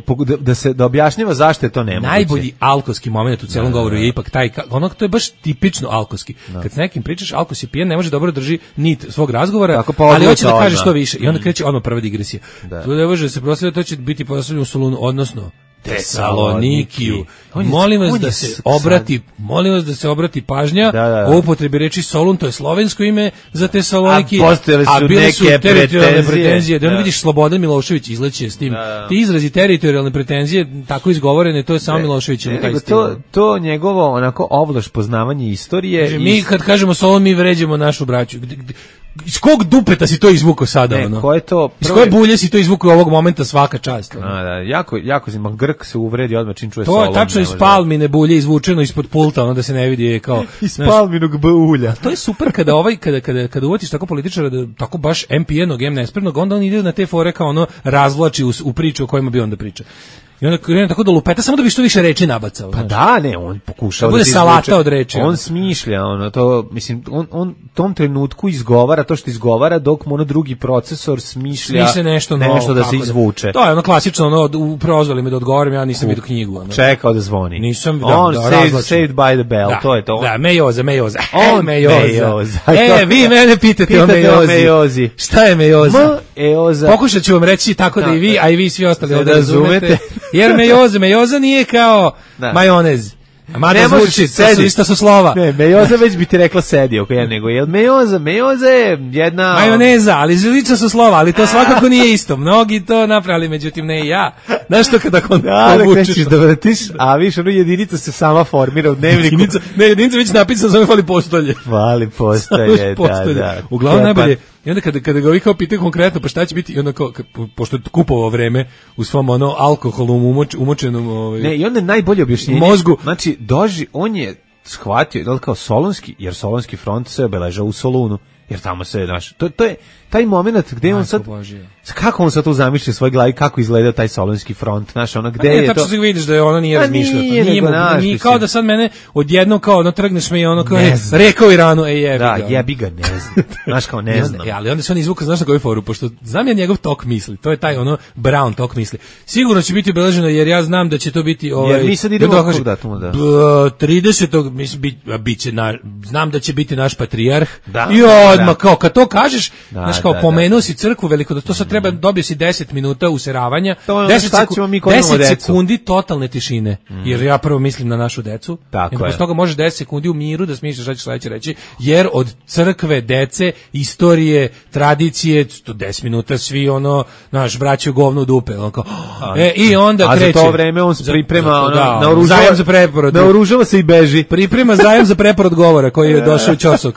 da objašnjava zašto je to nemoguće.
Najbolji alkoski moment u celom govoru je ipak taj, to je baš tipično alkoski. Kad s nekim pričaš, alkos je pijen, ne može dobro drži nit svog razgovora, ali hoće da kaže što više. I onda kreće odmah prva digresija. To ne može se proslaviti, to će biti proslavljeno u Solunu, odnosno Tesalonikiju. Molim vas da se obrati pažnja o upotrebi reči Solun, to je slovensko ime za Tesaloniki,
a bile su teritorijalne pretenzije.
Da vidiš, Slobodan Milošević izleće s tim. Ti izrazi teritorijalne pretenzije, tako izgovorene, to je samo Milošević.
To njegovo onako ovlaš poznavanje istorije.
Mi kad kažemo Solun, mi vređamo našu braću. iz kog dupeta si to izvukao sada,
Ne,
ono?
ko je to?
Iz koje bulje si to izvukao ovog momenta, svaka čast? Ono?
Da, jako Grk se uvredi odmah čim čuje
To
Solon.
je tačno iz palmine bulje izvučeno ispod pulta, ono da se ne vidi je kao...
Iz palminog bulja.
To je super kada kada uvatiš tako političara, tako baš MPN-og, nespremnog, onda on ide na te fore kao ono razvlači u priču o kojima bi onda priča. I onda krene tako da lupeta, samo da bi što više reči nabacao.
Pa da, ne, on pokušava
da bude salata od reči.
On smišlja, to, mislim, on tom trenutku izgovara to što izgovara, dok mu drugi procesor smišlja nešto da se izvuče.
To je ono klasično, prozvali me da odgovorim, ja nisam vidio knjigu.
Čekao da zvoni.
Nisam,
on saved by the bell, to je to.
Da, mejoza.
On mejoza.
Vi mene pitate o mejozi. Šta je mejoza? Pokušat ću vam reći tako da i vi, a i vi svi ostali da razumete. Jer mejoza nije kao majonez. Mada zvuči, isto su slova.
Ne, mejoza već bi ti rekla sedi oko ja, nego je mejoza je jedna...
Majoneza, ali zlično su slova, ali to svakako nije isto. Mnogi to napravili, međutim ne i ja. Znaš što kada
krećeš da vratiš, a viš, jedinica se sama formira u dnevniku.
Jedinica već napisana, zove fali postolje.
Fali postolje, da.
Uglavnom najbolje. I onda kada ga ovi kao pitaju konkretno, pa šta će biti, i onda kao, pošto je kupovao vreme u svom alkoholom umočenom
ne, i onda je najbolje objašnjenje
mozgu.
Znači, on je shvatio, da li kao Solunski, jer Solunski front se obeležao u Solunu, jer tamo se, znaš, to je taj moment gde on sad, kako on sad tu zamišlja u svoj glavi, kako izgleda taj Solunski front, znaš, ono gde je to...
Tačno se vidiš da je ono nije razmišljao. Nije kao da sad mene odjednom kao trgneš me i ono kao rekao Iranu, jebi ga.
Da, jebi ga, ne znam. Znaš kao ne znam.
Ali onda se on izvuka, znaš na koju foru, pošto znam ja njegov tok misli, to je taj Brown tok misli. Sigurno će biti obeleženo jer ja znam da će to biti...
Jer mi sad idemo kog datuma, da.
30. biće, znam da će biti naš patrijarh i odmah kao kad to kažeš, kao pomenuo si crkvu veliko, da to sad treba, dobio si 10 minuta useravanja, 10 sekundi totalne tišine, jer ja prvo mislim na našu decu, i posle toga možeš 10 sekundi u miru da smisliš šta ćeš sledeće reći, jer od crkve, dece, istorije, tradicije, 10 minuta svi vraćaju govno u dupe, i onda kreće.
A za to vreme on se priprema,
zajam za preporod.
Naoružava se i beži.
Priprema zajam za preporod govora koji je došao u ćosok.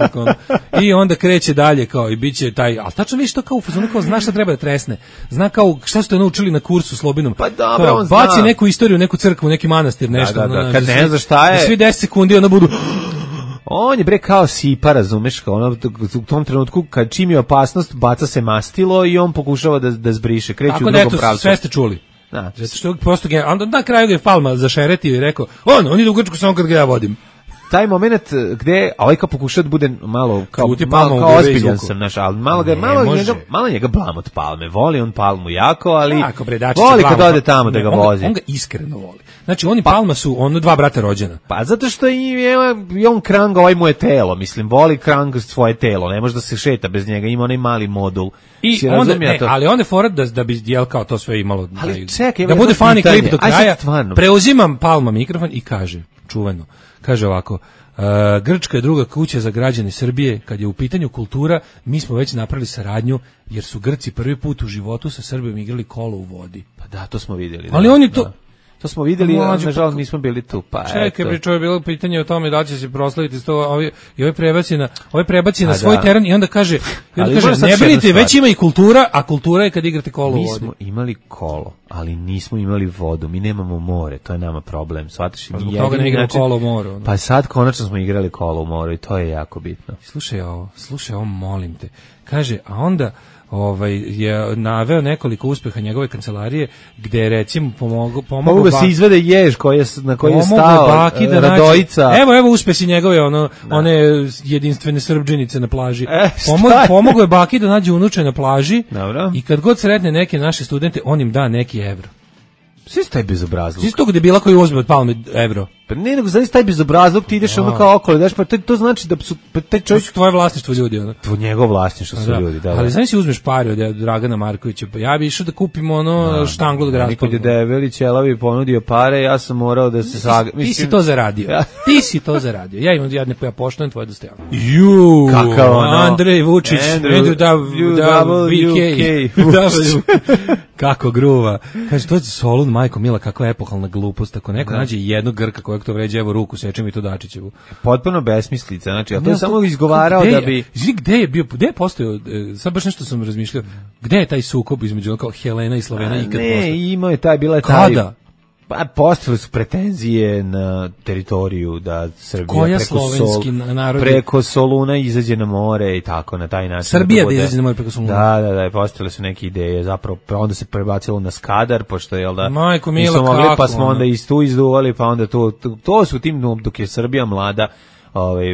I onda kreće dalje, kao i biće taj, ali tačno vidiš to kao u fazonu, kao zna šta treba da tresne. Zna kao šta ste naučili na kursu Slobinom.
Pa dobro, on zna.
Baci neku istoriju, neku crkvu, neki manastir, nešto.
Da. Kad ne zna šta je.
Svi 10 sekundi onda budu...
On je kao sipa, razumeš, kao u tom trenutku kad čim je opasnost, baca se mastilo i on pokušava da zbriše, kreće u drugom pravcu.
Sve ste čuli.
Da.
Zato što prosto onda na kraju ga je Palma zašeretio i rekao, on ide u Grčku samo kad ga ja vodim.
Taj moment gde kao pokušao da bude malo kao ozbiljan sam, znaš, ali malo njega blam od Palme. Voli on Palmu jako, ali voli kad ode tamo da ga vozi.
On ga iskreno voli. Znači, oni Palma su dva brata rođena.
Pa zato što je on Krang, ovaj mu je telo, mislim, voli Krang svoje telo, ne može da se šeta bez njega, ima onaj mali modul.
I onda, ali on je fora da bi kao to sve imalo,
čekaj,
da bude funny klip do kraja. Preuzimam Palma mikrofon i kaže, čuveno, kaže ovako, Grčka je druga kuća za građane Srbije, kad je u pitanju kultura, mi smo već napravili saradnju, jer su Grci prvi put u životu sa Srbijom igrali kolo u vodi.
Pa da, to smo vidjeli.
Ali oni to...
To smo vidjeli, nažalost nismo bili tu. Pa
čekaj, pričao je bilo pitanje o tome da će se proslaviti i ovaj prebaci na svoj teren i onda kaže, ne brinite, već ima i kultura, a kultura je kad igrate kolo u vodi.
Mi smo imali kolo, ali nismo imali vodu, mi nemamo more, to je nama problem. Shvataš,
zbog toga ne igramo kolo u moru.
Pa sad konačno smo igrali kolo u moru i to je jako bitno.
Slušaj ovo, molim te. Kaže, a onda je naveo nekoliko uspeha njegove kancelarije, gde je recimo pomogao
da se izvede jež na koji je stao Radojica.
Evo uspesi njegove one jedinstvene Srbđenice na plaži. Pomogao je baki da nađe unuče na plaži.
Dobro.
I kad god sretne neke naše studente, on im da neki evro.
Svi su taj bezobrazluk.
Svi su tog debila koji uzme od Palme evro.
Pa ne, nego znaš taj bezobrazluk, ti ideš kao okolo, daš, pa to znači da su... taj čovjek...
To su tvoje vlasništvo ljudi,
To njegovo vlasništvo su ljudi, da.
Ali znaš si uzmeš pare od Dragana Markovića, pa ja bi išao da kupim štanglu od Graspa.
Nikad je Debeli Ćelavi ponudio pare, ja sam morao da se
Ti si to zaradio. Ti si to zaradio. Ja poštujem tvoje dostojanje.
Kakav
Andrej Vučić, Kako gruva. Kaže, to je Solun, majko mila, kakva epohalna glupost. Ako neko nađe jednog Grka čovjek to vređa, evo ruku sečem i to Dačićevu.
Potpuno besmislica, znači, a to je samo izgovarao da bi...
Gde je bio, gde je postojao, sad baš nešto sam razmišljao, gde je taj sukob između kao Helena i Slovena ikad postao?
Ne, imao je taj, bila je taj... Kada? Pa postavili su pretenzije na teritoriju da Srbija preko Soluna izađe na more i tako na taj način.
Srbija da izađe na more preko Soluna.
Da, postavili su neke ideje, zapravo onda se prebacilo na Skadar, pošto je da
Majko Mila, mogli,
pa smo onda istu izduvali, pa onda to su tim dok je Srbija mlada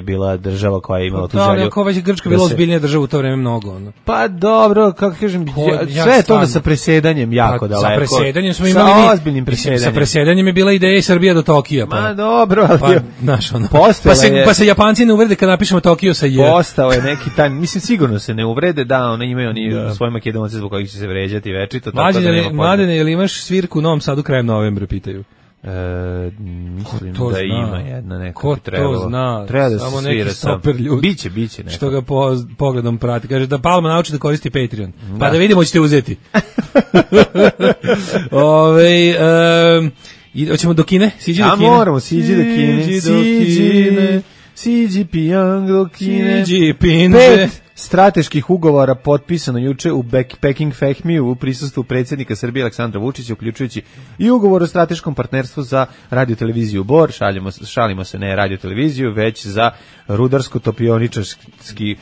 bila država koja je imala tu želju.
Kao već Grčka bila ozbiljnija država u to vreme mnogo. Ono.
Pa dobro, kako kažem, sve je to da sa presedanjem jako daleko.
Sa presedanjem smo imali
sa ozbiljnim presedanjem.
Sa presedanjem je bila ideja i Srbija do Tokija.
Ma dobro, ali
pa se Japanci ne uvrede kad napišemo Tokio sa J.
Postao je neki taj, mislim sigurno se ne uvrede, da, oni imaju svoje Makedonce zbog kojih će se vređati večito.
Mladene, jel imaš svirku u Novom Sadu krajem novembra, pitaju?
Mislim da ima jedna neka
ko to zna,
treba da
samo
se
neki super ljudi
biće neko.
Što ga pogledom prati, kaže da Palma nauči da koristi Patreon, pa da vidimo ćete uzeti. Hoćemo do Kine? Siđi do Kine.
Moramo, siđi do Kine. Siđi pijang do Kine.
Siđi pinže.
Strateških ugovora potpisano juče u Peking Fehmiju u prisustvu predsjednika Srbije Aleksandra Vučića, uključujući i ugovor o strateškom partnerstvu za radioteleviziju Bor, šalimo se ne radioteleviziju, već za rudarsko-topioničarski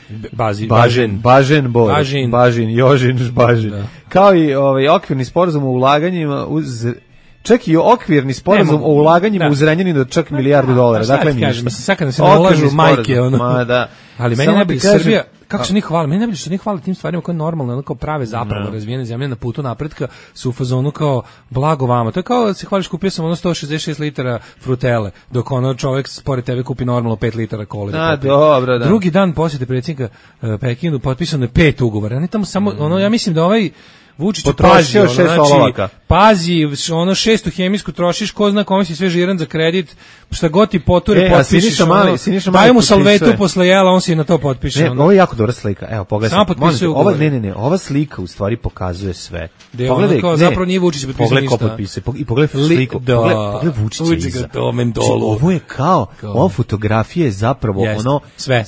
Bažen Bor, Bažin. Kao i okvirni sporazum o ulaganjima čak i okvirni sporazum o ulaganjima u Zrenjaninu od čak milijardu dolara. Dakle,
mislim, sad se ne ulažu majke, ali meni ne bi Srbija, kako se njih hvali, meni ne bi što njih hvali tim stvarima koje normalno, ono kao prave zapravo razvijene zemlje na putu napretka su u fazonu kao blago vama. To je kao da se hvališ, kupio sam 166 litara frutele, dok čovjek pored tebe kupi normalno 5 litara kole.
Dobro, da.
Drugi dan posjete predsjednika Pekinu potpisano je 5 ugovora. Oni tamo samo, ja mislim da Vučić
potrošio 6 olovaka.
Pazi, 6 hemijsku trošiš, ko zna kome si sve žiran za kredit, šta god ti poture potpišiš. Daj mu salvetu posle jela, on si na to potpiše.
Ovo je jako dobra slika. Evo, pogledaj. Ova slika u stvari pokazuje sve.
Pogledaj, zapravo nije Vučić potpisao ništa.
I pogledaj sliku. Pogledaj Vučića. Ovo je kao, ova fotografija je zapravo
sve.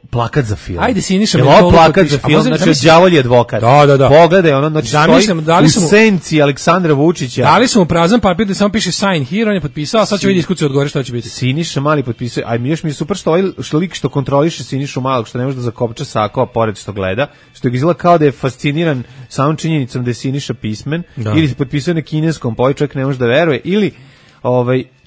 Plakat za film.
Ajde Siniša
Mentolo plakat za film, znači đavolji advokat.
Da.
Pogledaj, znači stoji u senci Aleksandra Vučića.
Dali smo mu prazan papir da samo piše sign here, on je potpisao, sad će vidjeti iskuci odgovore šta će biti.
Siniša Mali potpisuje, a još mi je super što lik što kontroliše Sinišu Malog, što ne može da zakopča sako, a pored što gleda, što je izgleda kao da je fasciniran samom činjenicom da je Siniša pismen, ili se potpisuje na kineskom, pa ovaj čovjek ne može da veruje, ili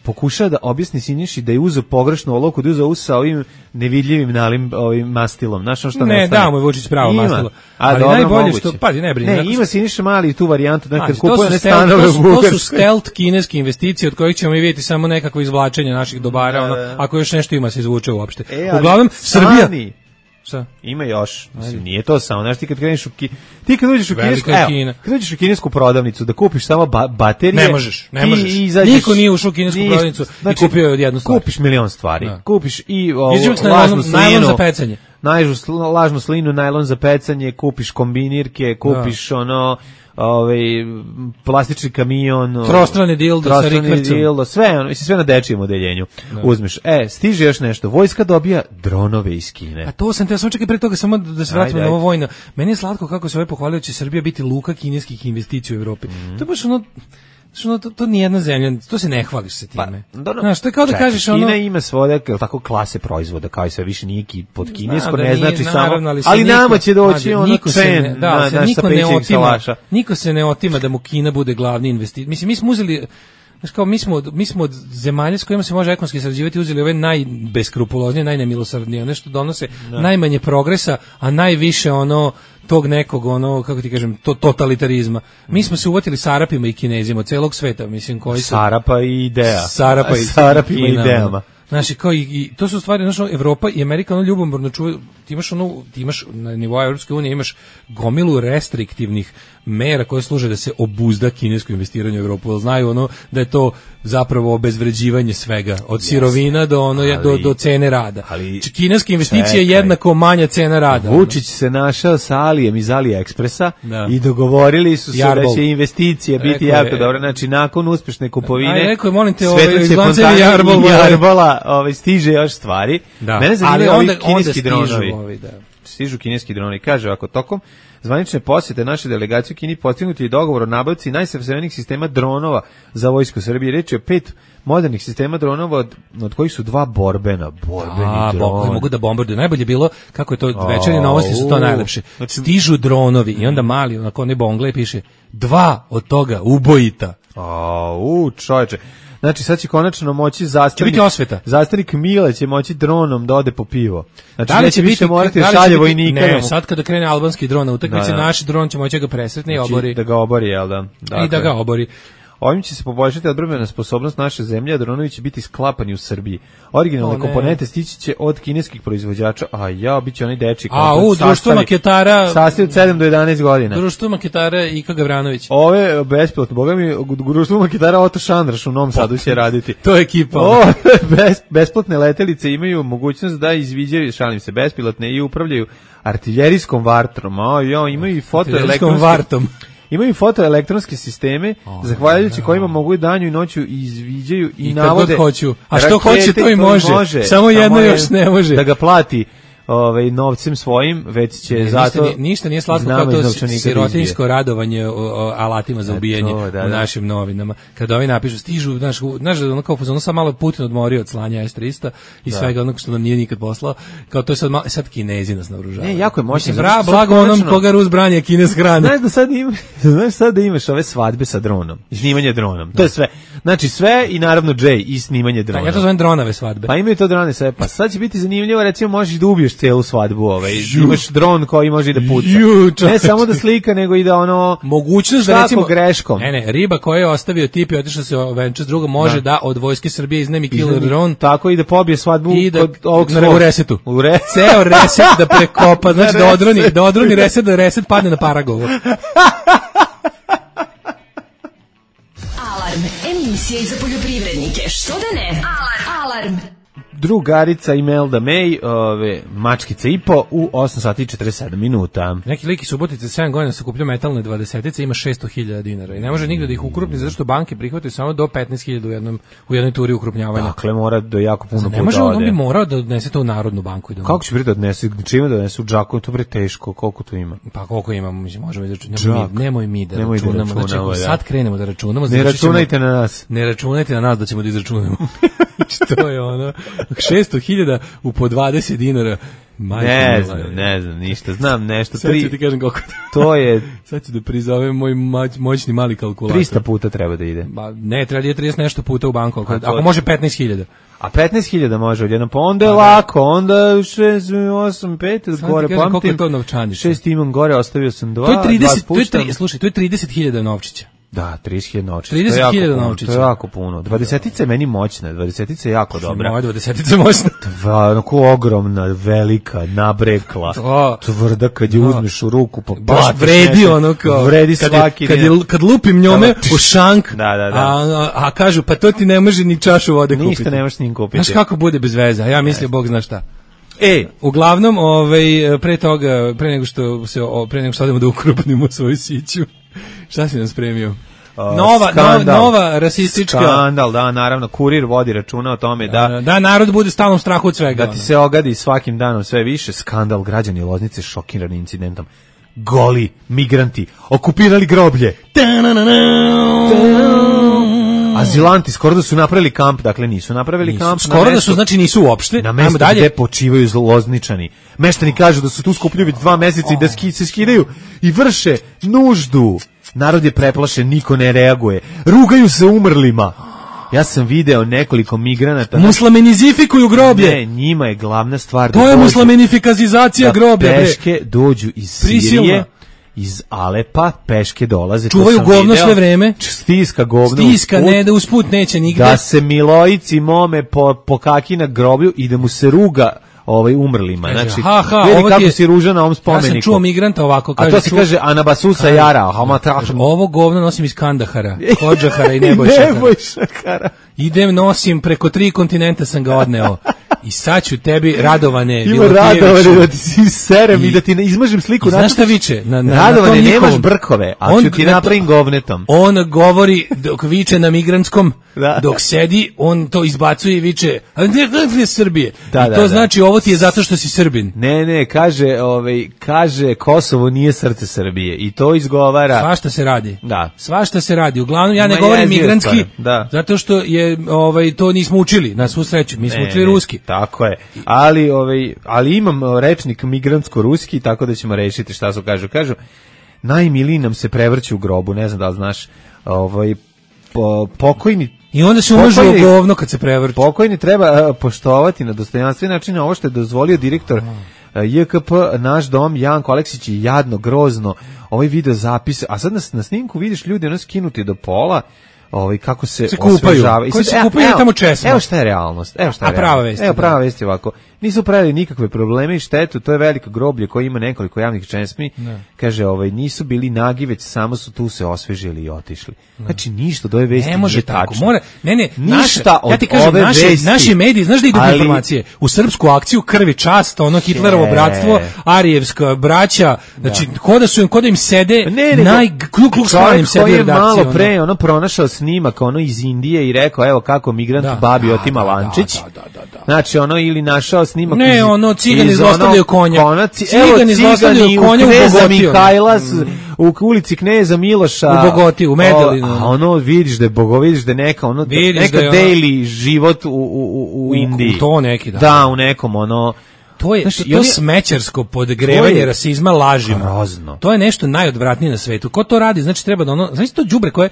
pokušava da objasni Siniši da je uzeo pogrešnu olovku, da je uzeo sa ovim nevidljivim nalim mastilom. Znaš ono što
ne da mu je Vučić pravo mastilo.
Ali
najbolje što ne brini.
Ne, ima Siniša Mali tu varijantu da kad kupuje ne stanove u Bugarskoj.
To su stealth kineske investicije od kojih ćemo i vidjeti samo nekako izvlačenje naših dobara, ako još nešto ima se izvuče uopšte. Uglavnom Srbija šta?
Ima još. Mislim, nije to samo. Znaš, ti kad kreneš kad uđeš u kinesku prodavnicu da kupiš samo baterije,
ne možeš. Niko nije ušao u kinesku prodavnicu i kupio jednu stvar.
Kupiš milion stvari. Kupiš i
lažnu slinu za pecanje.
Lažnu slinu, najlon za pecanje, kupiš kombinirke, kupiš plastični kamion,
trostrani dildo sa rikvercom,
sve na dečijem odeljenju uzmeš. Stiže još nešto, vojska dobija dronove iz Kine.
A to sam te samo čekaj pre toga, samo da se vratimo na ovo vojno. Meni je slatko kako se pohvalio će Srbija biti luka kineskih investicija u Evropi. To je baš to nije jedna zemlja, to se ne hvališ sa time. Znaš, to je kao da kažeš
Kina ima svoje tako klase proizvoda, kao i sve više nije pod kinesko, ne znači samo, ali nama će doći
niko se ne otima da mu Kina bude glavni investitor. Mislim, mi smo uzeli, znaš kao, mi smo od zemalja s kojima se može ekonomski sarađivati uzeli ove najbeskrupuloznije, najnemilosrdnije, one što donose najmanje progresa, a najviše tog nekog, kako ti kažem, totalitarizma. Mi smo se uvatili s Arapima i Kinezima od celog sveta, mislim, koji su...
Sarapa i ideja.
Sarapima
i idejama.
Znači, kao i to su stvari, znači, Evropa i Amerika ljubomorno čuvaju, ti imaš na nivou Evropske unije imaš gomilu restriktivnih mera koje služe da se obuzda kinesko investiranje u Evropu. Znaju da je to zapravo obezvređivanje svega, od sirovina do do cene rada. Kineska investicija je jednako manja cena rada.
Vučić se našao sa Alijem iz AliExpressa i dogovorili su se da će investicija biti jako dobra. Znači, nakon uspešne kupovine,
rekao je, molim te,
Svetlosne Jarbola stiže još stvari. Mene zanimaju ovi kineski dronovi. Stižu kineski dronovi. Kaže ovako, tokom zvanične posjete naše delegacije u Kini postignut je dogovor o nabavci najsavremenijih sistema dronova za vojsku Srbije. Reč je o 5 modernih sistema dronova, od kojih su 2 borbeni droni.
Mogu da bombarduju. Najbolje bilo, kako je to večernje novosti su to najlepše. Stižu dronovi i onda mali, onako ne bongle, piše 2 od toga ubojita.
Čoveče. Znači, sad će konačno moći zastanik Mile će moći dronom da ode po pivo. Znači, neće više morati šalje vojnika.
Ne, sad kada krene albanski dron na utakmici, naš dron će moći ga presretne i obori.
Da ga obori, jel da?
I da ga obori.
Ovim će se poboljšati odbrambena sposobnost naše zemlje, a dronovi će biti sklapani u Srbiji. Originalne komponente stići će od kineskih proizvođača, biće onaj dečik.
Društvo maketara.
Sastav od 7 do 11 godina.
Društvo maketara Ika Gavranović.
Ove bespilotno, boga mi, društvo maketara Oto Šandraš u Novom Sadu će raditi.
To je ekipa.
Bespilotne letelice imaju mogućnost da izviđaju, šalim se, bespilotne i upravljaju artiljerijskom vatrom. Imaju i Imaju fotoelektronske sisteme, zahvaljujući kojima mogu danju i noću izviđaju i navode.
Kad god hoću. A što hoće, to i može. Samo jedno još ne može.
Da ga plati novcem svojim, već će zato...
Ništa nije slatko kao to sirotinjsko radovanje alatima za ubijanje u našim novinama. Kada ovi napišu, stižu, znaš, ono kao fuzonu sam malo Putin odmorio od slanja S-300 i svega onog što nam nije nikad poslao, kao to je sad Kinezi nas naoružavaju.
Ne, jako je moćno.
Blago onom koga Rus branje, Kines hrane.
Znaš sad da imaš ove svadbe sa dronom, snimanje dronom, to je sve. Znači sve i naravno Jay i snimanje dronom.
Ja to zovem dronave svadbe.
Pa imaju to drone sve, pa sad će biti zanimljivo, recimo možeš da ubiješ celu svadbu, imaš dron koji može i da puca. Ne samo da slika, nego i da
mogućnost da recimo
greškom.
Ne, riba koja je ostavio tip i otišao se venča s drugom može da od vojske Srbije iznemi killer dron.
Tako i da pobije svadbu
kod ovog u resetu. Ceo reset da prekopa, znači da odroni reset, da reset padne na Paragovo.
Alarm, emisija za poljoprivrednike. Što da ne? Alarm.
Drugarica Imelda May, mačkica i po u 8 sati i 47 minuta.
Neki lik iz Subotice 7 godina se kupljao metalne 20-ice, ima 600.000 dinara i ne može nigde da ih ukrupni zato što banke prihvataju samo do 15.000 u jednoj turi ukrupnjavanja.
Dakle, mora do jako puno puta.
Ne može, on bi morao da odnese to u Narodnu banku.
Kako će da odnese? Čime da odnese u džaku? To bre teško, koliko to ima?
Pa koliko ima, možemo izračunati. Nemoj mi da računamo. Znači, sad krenemo da računamo.
Ne računajte na nas.
Ne računajte na nas da ćemo da izračunamo. To je 600.000 u po 20 dinara.
Ne znam, ništa. Znam nešto.
Sad ću ti kažem koliko
to je.
Sad ću da prizovem moj moćni mali kalkulator.
300 puta treba da ide.
Ne, treba da ide 30 nešto puta u banku. Ako može 15.000.
A 15.000 može odjednom, pa onda je lako, onda 6, 8, 5, gore pamtim.
Koliko je to novčanica?
6 imam gore, ostavio sam 2.
Slušaj, to je 30.000 novčića.
Da, 30.000 novčića.
30.000 novčića.
To je jako puno. 20-ica je meni moćna, 20-ica je jako dobra.
Moja 20-ica je moćna.
Onako ogromna, velika, nabrekla, tvrda kad je uzmeš u ruku, pa
baš vredi ono kao.
Vredi svaki.
Kad lupim njome u šank,
da.
A kažu, pa to ti ne može ni čašu vode kupiti.
Ništa ne možeš njim kupiti.
Znaš kako bude bez veze, a ja mislim, Bog zna šta. Uglavnom, pre nego što odemo da ukrupnimo svoju siću, šta si nam spremio? Nova rasistička...
Skandal, da, naravno, Kurir vodi računa o tome
da narod bude stalno strahu od svega.
Da ti se ogadi svakim danom sve više. Skandal, građani Loznice šokirani incidentom. Goli migranti okupirali groblje. Azilanti skoro da su napravili kamp, dakle nisu napravili kamp.
Skoro da su, znači nisu uopšte.
Na mesto gde počivaju Lozničani. Meštani kažu da su tu skupljeni 2 meseca i da se skidaju i vrše nuždu. Narod je preplašen, niko ne reaguje. Rugaju se umrlima. Ja sam video nekoliko migranata.
Muslimenizifikuju groblje.
Ne, njima je glavna stvar.
To je muslimenifikazizacija groblja.
Peške dođu iz Sirije, iz Alepa, peške dolaze.
Čuvaju govno sve vreme.
Stiska govno.
Stiska, ne da usput neće nigde.
Da se Milojici mome po kaki na groblju i da mu se ruga umrlima.
Kaže,
Znači,
ovo
kako si ružan na ovom spomeniku.
Ja sam čuo migranta ovako, kaže.
A to se kaže Anabasusa Jara,
ovo govno nosim iz Kandahara, Kodžahara i Nebojšakara. Idem, nosim, preko 3 kontinenta sam ga odneo. I sad ću tebi, Radovane,
ima Radovane da ti si serem i da ti izmažem sliku.
Znaš šta viče?
Radovane, nemaš brkove, a ću ti napravim govnetom.
On govori, dok viče na migrantskom, dok sedi, on to izbacuje i viče, ne Srbije. I to znači, ovo ti je zato što si Srbin.
Ne, kaže Kosovo nije srce Srbije i to izgovara.
Svašta se radi.
Da.
Svašta se radi. Uglavnom, ja ne govorim migrantski, zato što je, to nismo učili, na svu sreću. Mi smo učili ruski.
Tako je. Ali imam rečnik migrantsko-ruski, tako da ćemo rešiti šta su kažu. Kažu, najmiliji nam se prevrće u grobu, ne znam da li znaš, pokojni.
I onda se umažu u govno kad se prevrće.
Pokojni treba poštovati na dostojanstven način ovo što je dozvolio direktor JKP, naš dom, Janko Aleksić je jadno, grozno, ovaj video zapis, a sad na snimku vidiš ljudi ono skinuti do pola, kako se osvežavaju.
Koji se kupaju tamo česma.
Evo šta je realnost. Prava vest je ovako. Nisu pravili nikakve probleme i štetu, to je veliko groblje koje ima nekoliko javnih česmi. Kaže, nisu bili nagi, već samo su tu se osvežili i otišli. Znači, ništa od ove vesti
ne može tako.
Ništa od
ja ti kažem,
ove vesti.
Naši mediji, znaš da idu informacije? U srpsku akciju Krvi čast, Hitlerovo bratstvo, Arijevska braća, znači, ko da im sede najkluk-kluk sedi redakcije.
Malo pre, pronašao snimak, iz Indije i rekao, evo kako migrant babi otima lančić. Znači, ili našao snimak
cigani zlostavljaju konja. Cigani zlostavljaju konja u Bogotiju.
U ulici Kneza Miloša.
U Bogotiju, u Medellinu.
A vidiš da je neka daily život u Indiji.
U to neki, da.
Da, u nekom
To je to smećarsko podgrevanje rasizma lažima.
Grozno.
To je nešto najodvratnije na svetu. Ko to radi, znači treba da znači to đubre koje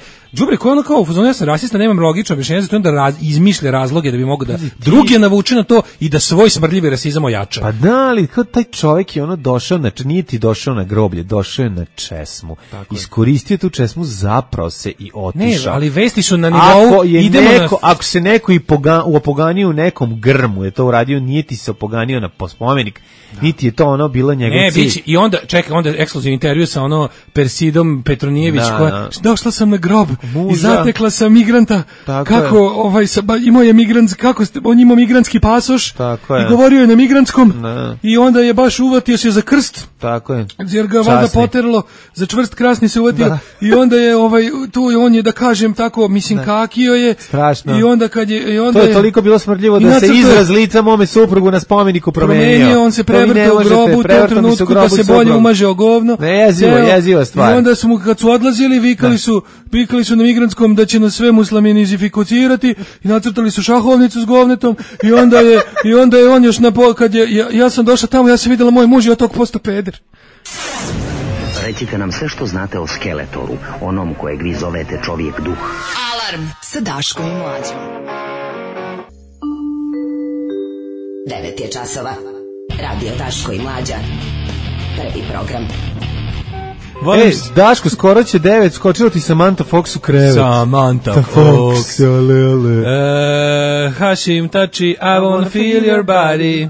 kao u fazonu ja sam rasista, nemam logično objašnjenje za to da izmišlja razloge da bi mogao da drugi navuče na to i da svoj smrdljivi rasizam ojača.
Pa da, ali kao taj čovjek je došao, znači nije ti došao na groblje, došao je na česmu. Iskoristio tu česmu, zapravo se i otišao.
Ne, ali vesti su na nivou
ako se neko i opoganio u nekom grmu, je to uradio, nije ti se opoganio na spomenik, niti je to bilo njegov cilj.
I onda, onda ekskluzivni intervju sa Persidom Petronijević, koja, došla sam na grob i zatekla sam migranta, kako, imao je on imao migrantski pasoš i govorio je na migrantskom i onda je baš uvatio se za krst.
Tako je.
Jer ga valjda poterlo, za čvrst krasni se uvatio i onda je, tu on je, da kažem tako, mislim, kakio je.
Strašno.
I onda kad je,
to je toliko bilo smrdljivo da se izraz lica mome suprugu na spomeniku promenio.
On se prevrtao u grobu u tom trenutku da se bolje umaže o govno.
Jeziva stvar. I
onda su kad su odlazili, vikali su na migrantskom da će nas sve musliminizificirati i nacrtali su šahovnicu s govnetom i onda je on još kad ja sam došla tamo, ja sam vidjela moj muž i od tog posto peder.
Recite nam sve što znate o Skeletoru, onom kojeg vi zovete čovjek duh.
Alarm sa Daškom i Mlađom.
9 je časova. Radio Daško i Mlađa. Prvi program.
Daško, skoro će 9, skočilo ti Samantha Fox u krevet.
Samantha Fox. Hašim tači, I wanna feel your body.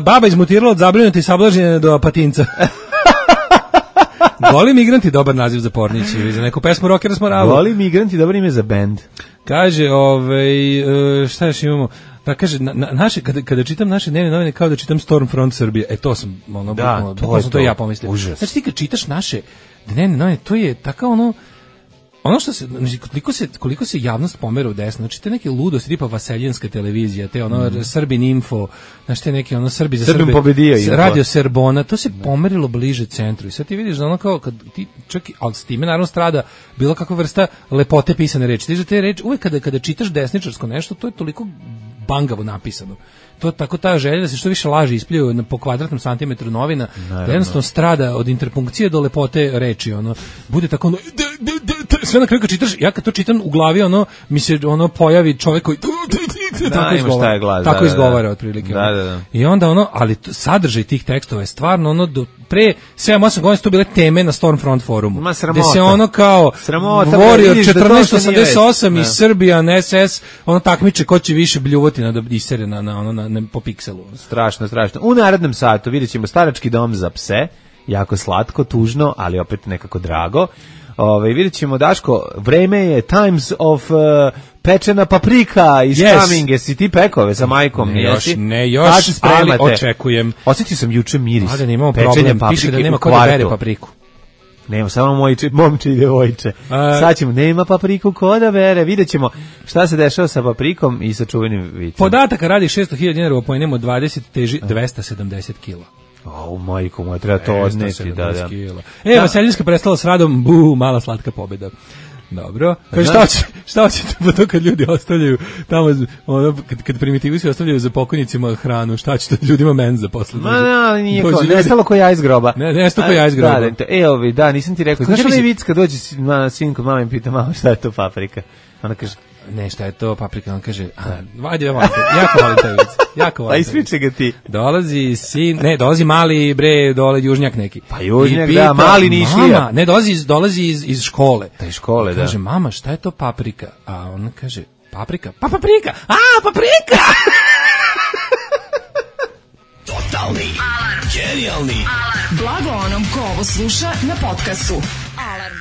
Baba izmutirala od zabrinuti sablažnjene do patinca. Goli migranti, dobar naziv za pornić, ili za neku pesmu rockera smo ravo.
Goli migranti, dobar ime za band.
Kaže, šta još imamo? Pa kaže, naše, kada čitam naše dnevne novine, kao da čitam Stormfront Srbije. To sam, to ja pomislio.
Užas.
Znači ti kad čitaš naše dnevne novine, to je tako ono što se, koliko se javnost pomera u desno, znači te neke ludosti, tipa Vaseljenska televizija, te Srbin Info, znači te neke Srbi za Srbe, Radio Serbona, to se pomerilo bliže centru i sad ti vidiš da kao kad ti čak, ali s time naravno strada bilo kakva vrsta lepote pisane reči. Ti te reči, uvek kada čitaš desničarsko nešto, to je toliko bangavo napisano. To tako ta želja da se što više laži ispljuju po kvadratnom santimetru novina, da jednostavno strada od interpunkcije do lepote reči, bude tako sve na kraju kad čitaš, ja kad to čitam u glavi, mi se pojavi čovjek koji tako izgovara otprilike.
Da.
I onda ali sadržaj tih tekstova je stvarno pre 7-8 godina su to bile teme na Stormfront forumu. Gde se kao Warrior 1488 i Serbian SS takmiče ko će više bljuvati na isere na po pikselu.
Strašno. U narednom satu vidjet ćemo starački dom za pse, jako slatko, tužno, ali opet nekako drago. Vidjet ćemo, Daško, vreme je Times of pečena paprika iz coming. Jesi ti pekove sa majkom?
Ne još, ali očekujem.
Osjetio sam juče miris
pečene
paprike.
Piše da nema ko da bere papriku.
Nema, samo momče i devojče. Sad ćemo, nema papriku ko da bere. Vidjet ćemo šta se dešava sa paprikom i sa čuvenim vicom.
Podataka radi 600.000 dinara, pojenemo 20, teži 270 kila.
Majko moja, treba to odneti.
Vaseljinska prestala s radom, mala slatka pobjeda. Dobro. Šta hoćete po to kad ljudi ostavljaju tamo, kad primitivisti ostavljaju za pokojnicima hranu, šta ćete ljudima menza posle?
Nije kao, nestalo ko ja iz groba.
Nestalo ko ja iz groba.
Da, nisam ti rekao. Znaš li vic kad dođe sin kod mame i pita mama šta je to paprika? Ona kaže,
ne, šta je to paprika, on kaže, ajde, jako volim taj vic.
Pa ispričaj ga ti.
Dolazi mali, dole južnjak neki.
Pa južnjak, da, mali Nišlija.
Mama, ne, dolazi iz škole.
Da, iz škole, da.
Kaže, mama, šta je to paprika? A ona kaže, paprika? Pa paprika! Paprika!
Totalni, genijalni.
Blago onom ko ovo sluša na podcastu. Alarm.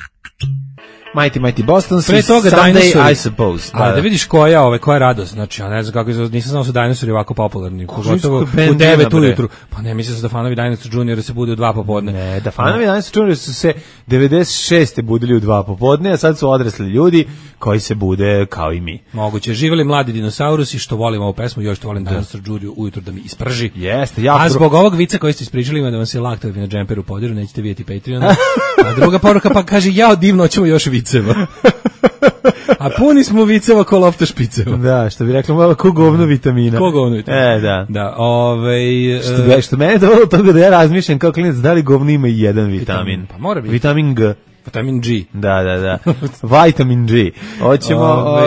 Mighty Boston,
pre toga
Sunday, I suppose.
Da vidiš koja je radost. Znači, ja ne znam kako nisam znao su dinosauri ovako popularni. Pogotovo u 9 ujutru. Pa ne, mislim da fanovi Dinosaur Junior se bude u 2 popodne.
Ne, da fanovi Dinosaur Junior su se 96. budili u 2 popodne, a sad su odrasli ljudi koji se bude kao i mi.
Moguće. Živeli mladi dinosaurusi, što volim ovu pesmu, još što volim Dinosaur Junior ujutru da mi isprži.
Jeste,
a zbog ovog vica koji ste ispričali, ima da vam se laktovi na džemperu podiru, nećete vidjeti Patreona. A druga poruka pa kaže, divno, ćemo još viceva. A puni smo viceva ko lofta špiceva.
Da, što bi rekla malo ko govno vitamina.
Da. Da,
što mene dovelo do toga da ja razmišljam kao klinac da li govno ima i jedan vitamin.
Pa mora biti.
Vitamin G.
Vitamin G.
Da. Vitamin G. Hoćemo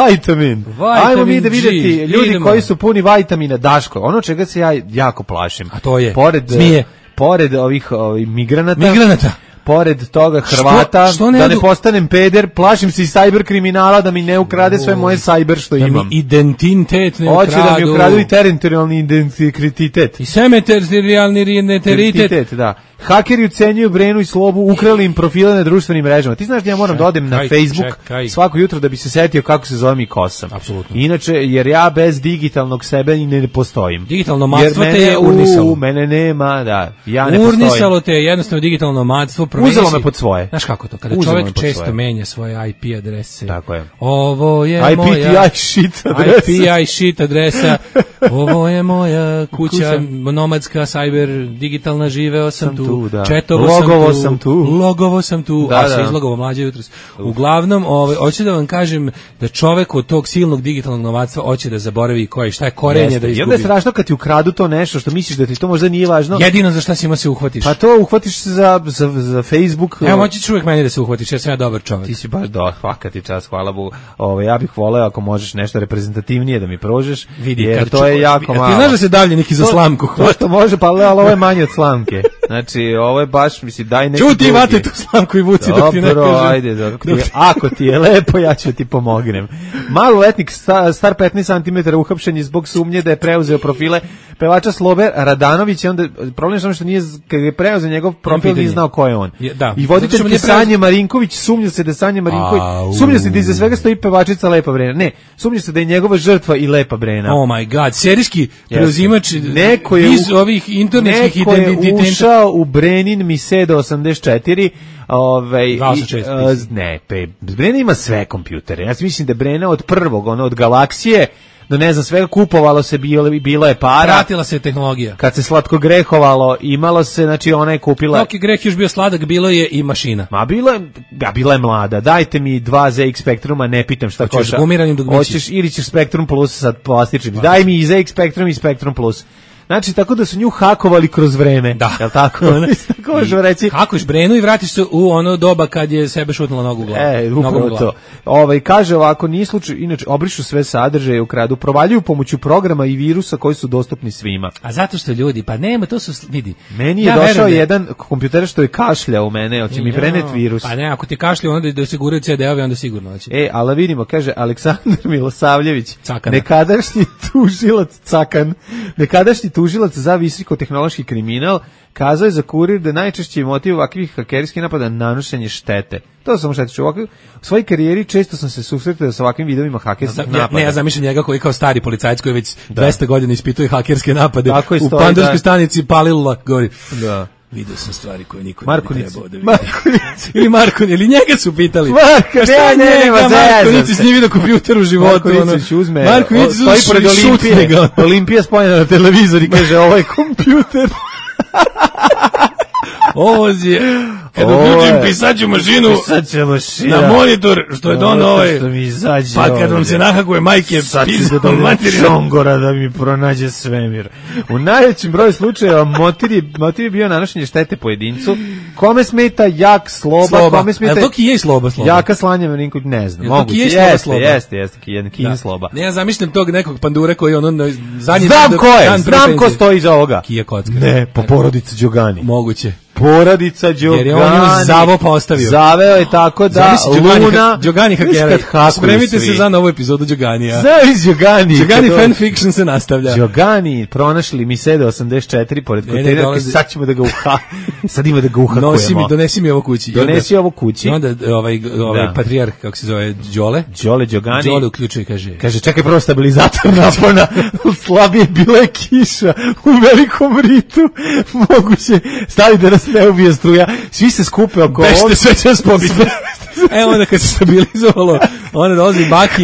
vitamin. Ajmo mi da vidjeti ljudi koji su puni vitamina. Daško, ono čega se ja jako plašim.
A to je
zmije. Pored ovih migranata. Pored toga Hrvata, da ne postanem peder, plašim se i cyber kriminala da mi ne ukrade sve moje cyber što imam.
Da mi identitet ne ukradu.
Hoće da mi ukradu i teritorijalni identitet.
I semeteritorijalni identitet.
Da. Hakeri ucenjuju Brenu i Slobu, ukrali im profile na društvenim mrežama. Ti znaš da ja moram da odem na Facebook svako jutro da bi se setio kako se zovem i ko sam.
Apsolutno.
Inače, jer ja bez digitalnog sebe ne postojim.
Digitalno nomadstvo te je urnisalo.
Mene nema, da. Ja ne postojim.
Urnisalo te je jednostavno digitalno nomadstvo.
Uzelo me pod svoje.
Znaš kako to? Kada čovjek često menja svoje IP adrese.
Tako je.
Ovo je moja IPTI shit adresa. Ovo je moja kuća nomadska, cyber, digitalna, živeo sam tu. Logovo sam tu, a se izlogovo mlađe jutros. Uglavnom, hoću da vam kažem da čovek od tog silnog digitalnog nomadstva hoće da zaboravi šta je korenje da izgubi.
I onda je strašno kad ti ukradu to nešto što misliš da ti to možda nije važno.
Jedino za šta si ima se uhvatiš.
Pa to uhvatiš se za Facebook.
Evo, moćeš uvijek meni da se uhvatiš, jer sam ja dobar čovek.
Ti si baš svaka ti čast, hvala Bogu. Ja bih voleo ako možeš nešto reprezentativnije da mi prožeš.
Vidi,
jer to je jako malo.
Ti znaš da se davljenik i za slamku hvata?
To može, pa ovo je manje od slamke. Znači, ovo je baš, mislim, daj neki drugi.
Čuti, vate tu slamku i vuci dok ti ne kažem.
Ajde, ako ti je lepo, ja ću ti pomognem. Maloletnik star 15 cm uhapšen je zbog sumnje da je preuzeo profile pevača Slobe Radanović, onda problem je samo što nije, kad je preuzeo njegov profil, nije znao ko je on. I voditeljke Sanje Marinković, sumnja se da Sanja Marinković, sumnja se da iza svega stoji pevačica Lepa Brena. Ne, sumnja se da je njegova žrtva i Lepa Brena.
Oh my god, serijski preuzimač iz ovih internetskih identiteta.
Neko je ušao u Brenin Misedo 84, Brena ima sve kompjutere. Ja mislim da Brena od prvog, od Galaksije do ne znam svega kupovalo se, bilo je para.
Pratila se tehnologija.
Kad se slatko grehovalo, imalo se, znači ona je kupila.
Dok je greh još bio sladak, bilo je i mašina.
Bila je mlada. Dajte mi 2 ZX Spectruma, ne pitam šta koša.
Gumiranim dugmići.
Hoćeš ili ćeš Spectrum Plus sad plastičnim. Daj mi i ZX Spectrum i Spectrum Plus. Znači, tako da su nju hakovali kroz vreme.
Da.
Jel tako? Tako možemo reći.
Hakuš Brenu i vratiš se u ono doba kad je sebe šutnula nogu u glavu.
Upravo to. Kaže ovako, nije slučaj, inače, obrišu sve sadržaje, ukradu, provaljuju pomoću programa i virusa koji su dostupni svima.
A zato što ljudi, pa nema, to su, vidi.
Meni je došao jedan kompjuter što je kašljao u mene, hoće mi preneti virus.
Pa ne, ako ti kašljao, onda da se guraju CD-ovi, onda sigurno hoće.
Ali vidimo, kaže Aleksandar Milosavljević, nekadašnji tužilac za visokotehnološki kriminal, kazao je za Kurir da najčešći motiv ovakvih hakerskih napada nanošenje štete. To samo štete. U svojoj karijeri često sam se susretao sa ovakvim vidovima hakerskih napada.
Ne, ja zamišljam njega koji kao stari policajac koji već 200 godina ispituje hakerske napade. U Pandurskoj stanici palila, govori. Da. Vidio sam stvari koje niko ne trebao da vidi. Ili njega su pitali.
Marković,
Marković s njim vidio kompjuter u životu.
Marković uzme,
stoji pored
Olimpija spojena na televizor i kaže, ovo je kompjuter.
Ovo je, kad uključim pisaću mašinu na monitor, što je dono ovaj, pa kad vam se nahakuje majke, pisao materinu.
Šongora da mi pronađe svemir. U najvećem broju slučajeva motiv je bio nanošenje štete pojedincu. Kome smeta jak sloba, kome smeta...
A to ki je sloba?
Jaka slanja, ne znam.
Moguće,
jeste, kin sloba.
Ne, ja zamišljam tog nekog pandura koji ono...
Znam ko stoji iza ovoga.
Kija Kocka.
Ne, po porodici Đogani.
Moguće.
Porodica Đogani.
Jer je on nju zavo postavio.
Zaveo je tako da Luna...
Đogani hakera. Spremite se za novu epizodu Đoganija.
Zavis Đogani.
Đogani fanfiction se nastavlja.
Đogani pronašli mi Sede 84 pored kontejnera, sad ćemo da ga sad ima da ga uhakujemo.
Donesi mi ovo kući.
Donesi ovo kući.
I onda ovaj patrijarh, kako se zove, Đole
Đogani.
Đole uključuje, kaže,
čekaj prvo stabilizator napona. Slabije bila je kiša u Velikom Ritu. Moguće stavi da nas ne ubije struja, svi se skupe oko ovog.
Bešte, sve će nas pobiti. Onda kad se stabilizovalo, onda dolazi Baki.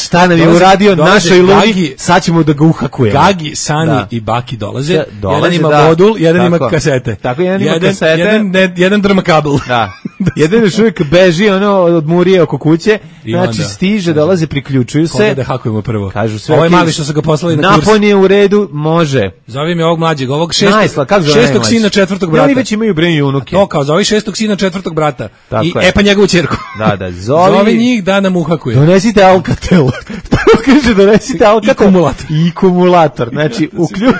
Šta nam je uradio našoj Luni, sad ćemo da ga uhakujemo.
Gagi, Sani i Baki dolaze. Jedan ima modul, jedan ima kasete.
Tako, jedan ima kasete.
Jedan drma kabel.
Da. Jedan još uvijek beži od murije oko kuće, znači stiže, dolaze, priključuju se.
Koga da hakujemo prvo?
Kažu sve.
Ovo je mali što su ga poslali na kurs.
Napon je u redu, može.
Zove mi ovog mlađeg, ovog šestog sina četvrtog brata.
Oni već imaju breni unuke.
To kao, zove šestog sina četvrtog brata. I pa njegovu ćerku.
Da,
zove njih da nam uhakuje.
Donesite Alcatel. Kaže, donesite Alcatel. I kumulator. Znači,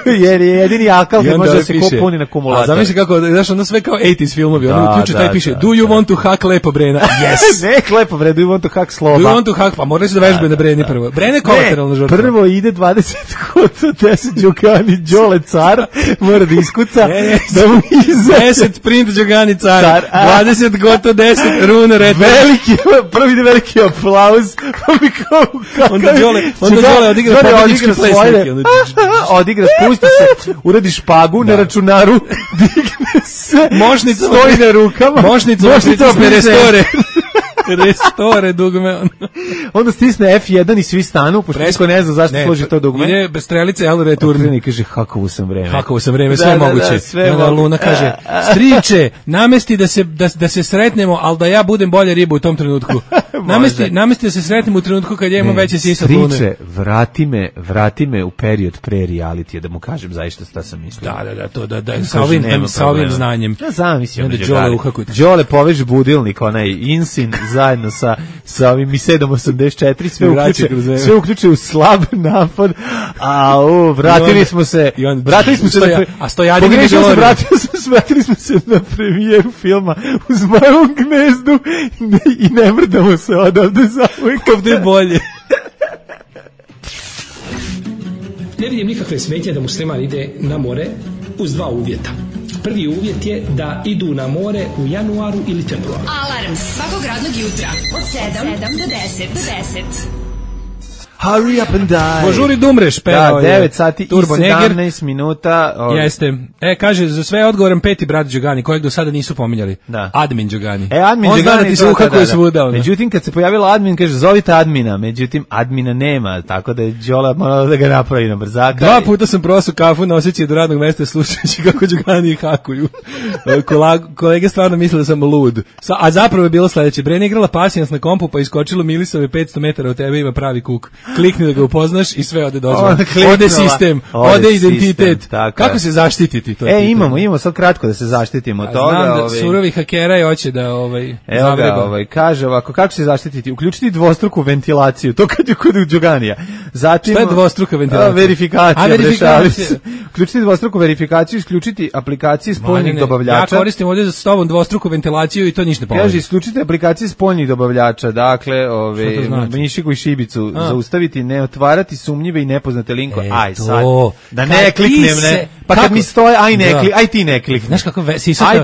jer je jedini Alcatel gdje može da se puni na kumulator.
A zamisli kako, znaš, ono sve kao 80s filmovi. Ono uključe taj piše, do you want to hack Lepo Brena? Yes.
Ne, Lepo Brena, do you want to hack Sloba?
Do you want to hack, pa morali su da vežbe na Breni prvo. Brene kolateralna žrtva.
Prvo ide 20 kota, 10 Đogani, Đole car, mora da iskuca, da mu izaće.
10 print Đogani car, 20 goto, 10 rune retro.
Prvi ide veliki aplauz, pa mi kao
onda Đole odigra pobednički plesnik.
Odigra, spusti se, uradi špagu na računaru, digne se, stoji na rukama,
mošnica restore. Restore dugme.
Onda stisne F1 i svi stanu, pošto niko ne zna zašto složi to dugme.
Ide bez strelice, ali returni.
I kaže, hakovo sam vreme.
Sve moguće. Onda Luna kaže, striče, namesti da se sretnemo, ali da ja budem bolja riba u tom trenutku. Namesti da se sretnemo u trenutku kad ja imam veće sisa od Lune.
Striče, vrati me u period pre realitija, da mu kažem zaista šta sam mislio.
Sa ovim znanjem.
Ja zamislim. Đole poveži budilnik, onaj Insin, zajedno sa ovim Misedom 84, sve uključuje u slab napad, vratili smo se na premijeru filma u Zmajevom gnezdu i ne mrdamo se odavde za uvijek.
Ovdje je bolje.
Ne vidim nikakve smetnje da musliman ide na more uz dva uvjeta. Prvi uvjet je da idu na more u januaru ili februaru.
Alarm svakog radnog jutra od 7 do 10.
Hurry up and die.
Požuri da umreš, pevao je
9 sati i 17 minuta.
Jeste. Kaže, za sve odgovoran peti brat Đogani, kojeg do sada nisu pominjali. Admin Đogani.
Admin
on
Đogani.
Zna da ti se uhakuje svuda.
Međutim, kad se pojavila admin, kaže, zovite admina. Međutim, admina nema, tako da je Đola morala da ga napravi na brzaka.
2 puta sam prosao kafu na osjećaj do radnog mesta slušajući kako Đogani hakuju. Kolege stvarno misle da sam lud. A zapravo je bilo sledeće. Brena igrala pasijans na kompu, pa iskočilo Milisove 500 metara od tebe, ima pravi kuk. klikni da ga upoznaš i sve ode dozvoljeno. Ode sistem, ode identitet. Kako se zaštititi? To
imamo sad kratko da se zaštitimo od toga.
Znam da surovi hakera je hoće da zavreba.
Kaže ovako, kako se zaštititi? Uključiti dvostruku ventilaciju, to kad je kod Đoganija. Zatim,
šta je dvostruka ventilacija?
Verifikacija. Uključiti dvostruku verifikaciju, isključiti aplikacije spoljnih dobavljača.
Ja koristim ovdje s tobom dvostruku ventilaciju i to ništa ne pomoći.
Kaže, isključiti aplikacije spoljnih dobavljača, dakle, Mišiku i Šibicu, zaustaviti, ne otvarati sumnjive i nepoznate linkove. Aj sad, da ne kliknem, ne. Pa kad mi stoje, aj ti ne klikni.
Znaš kako sisata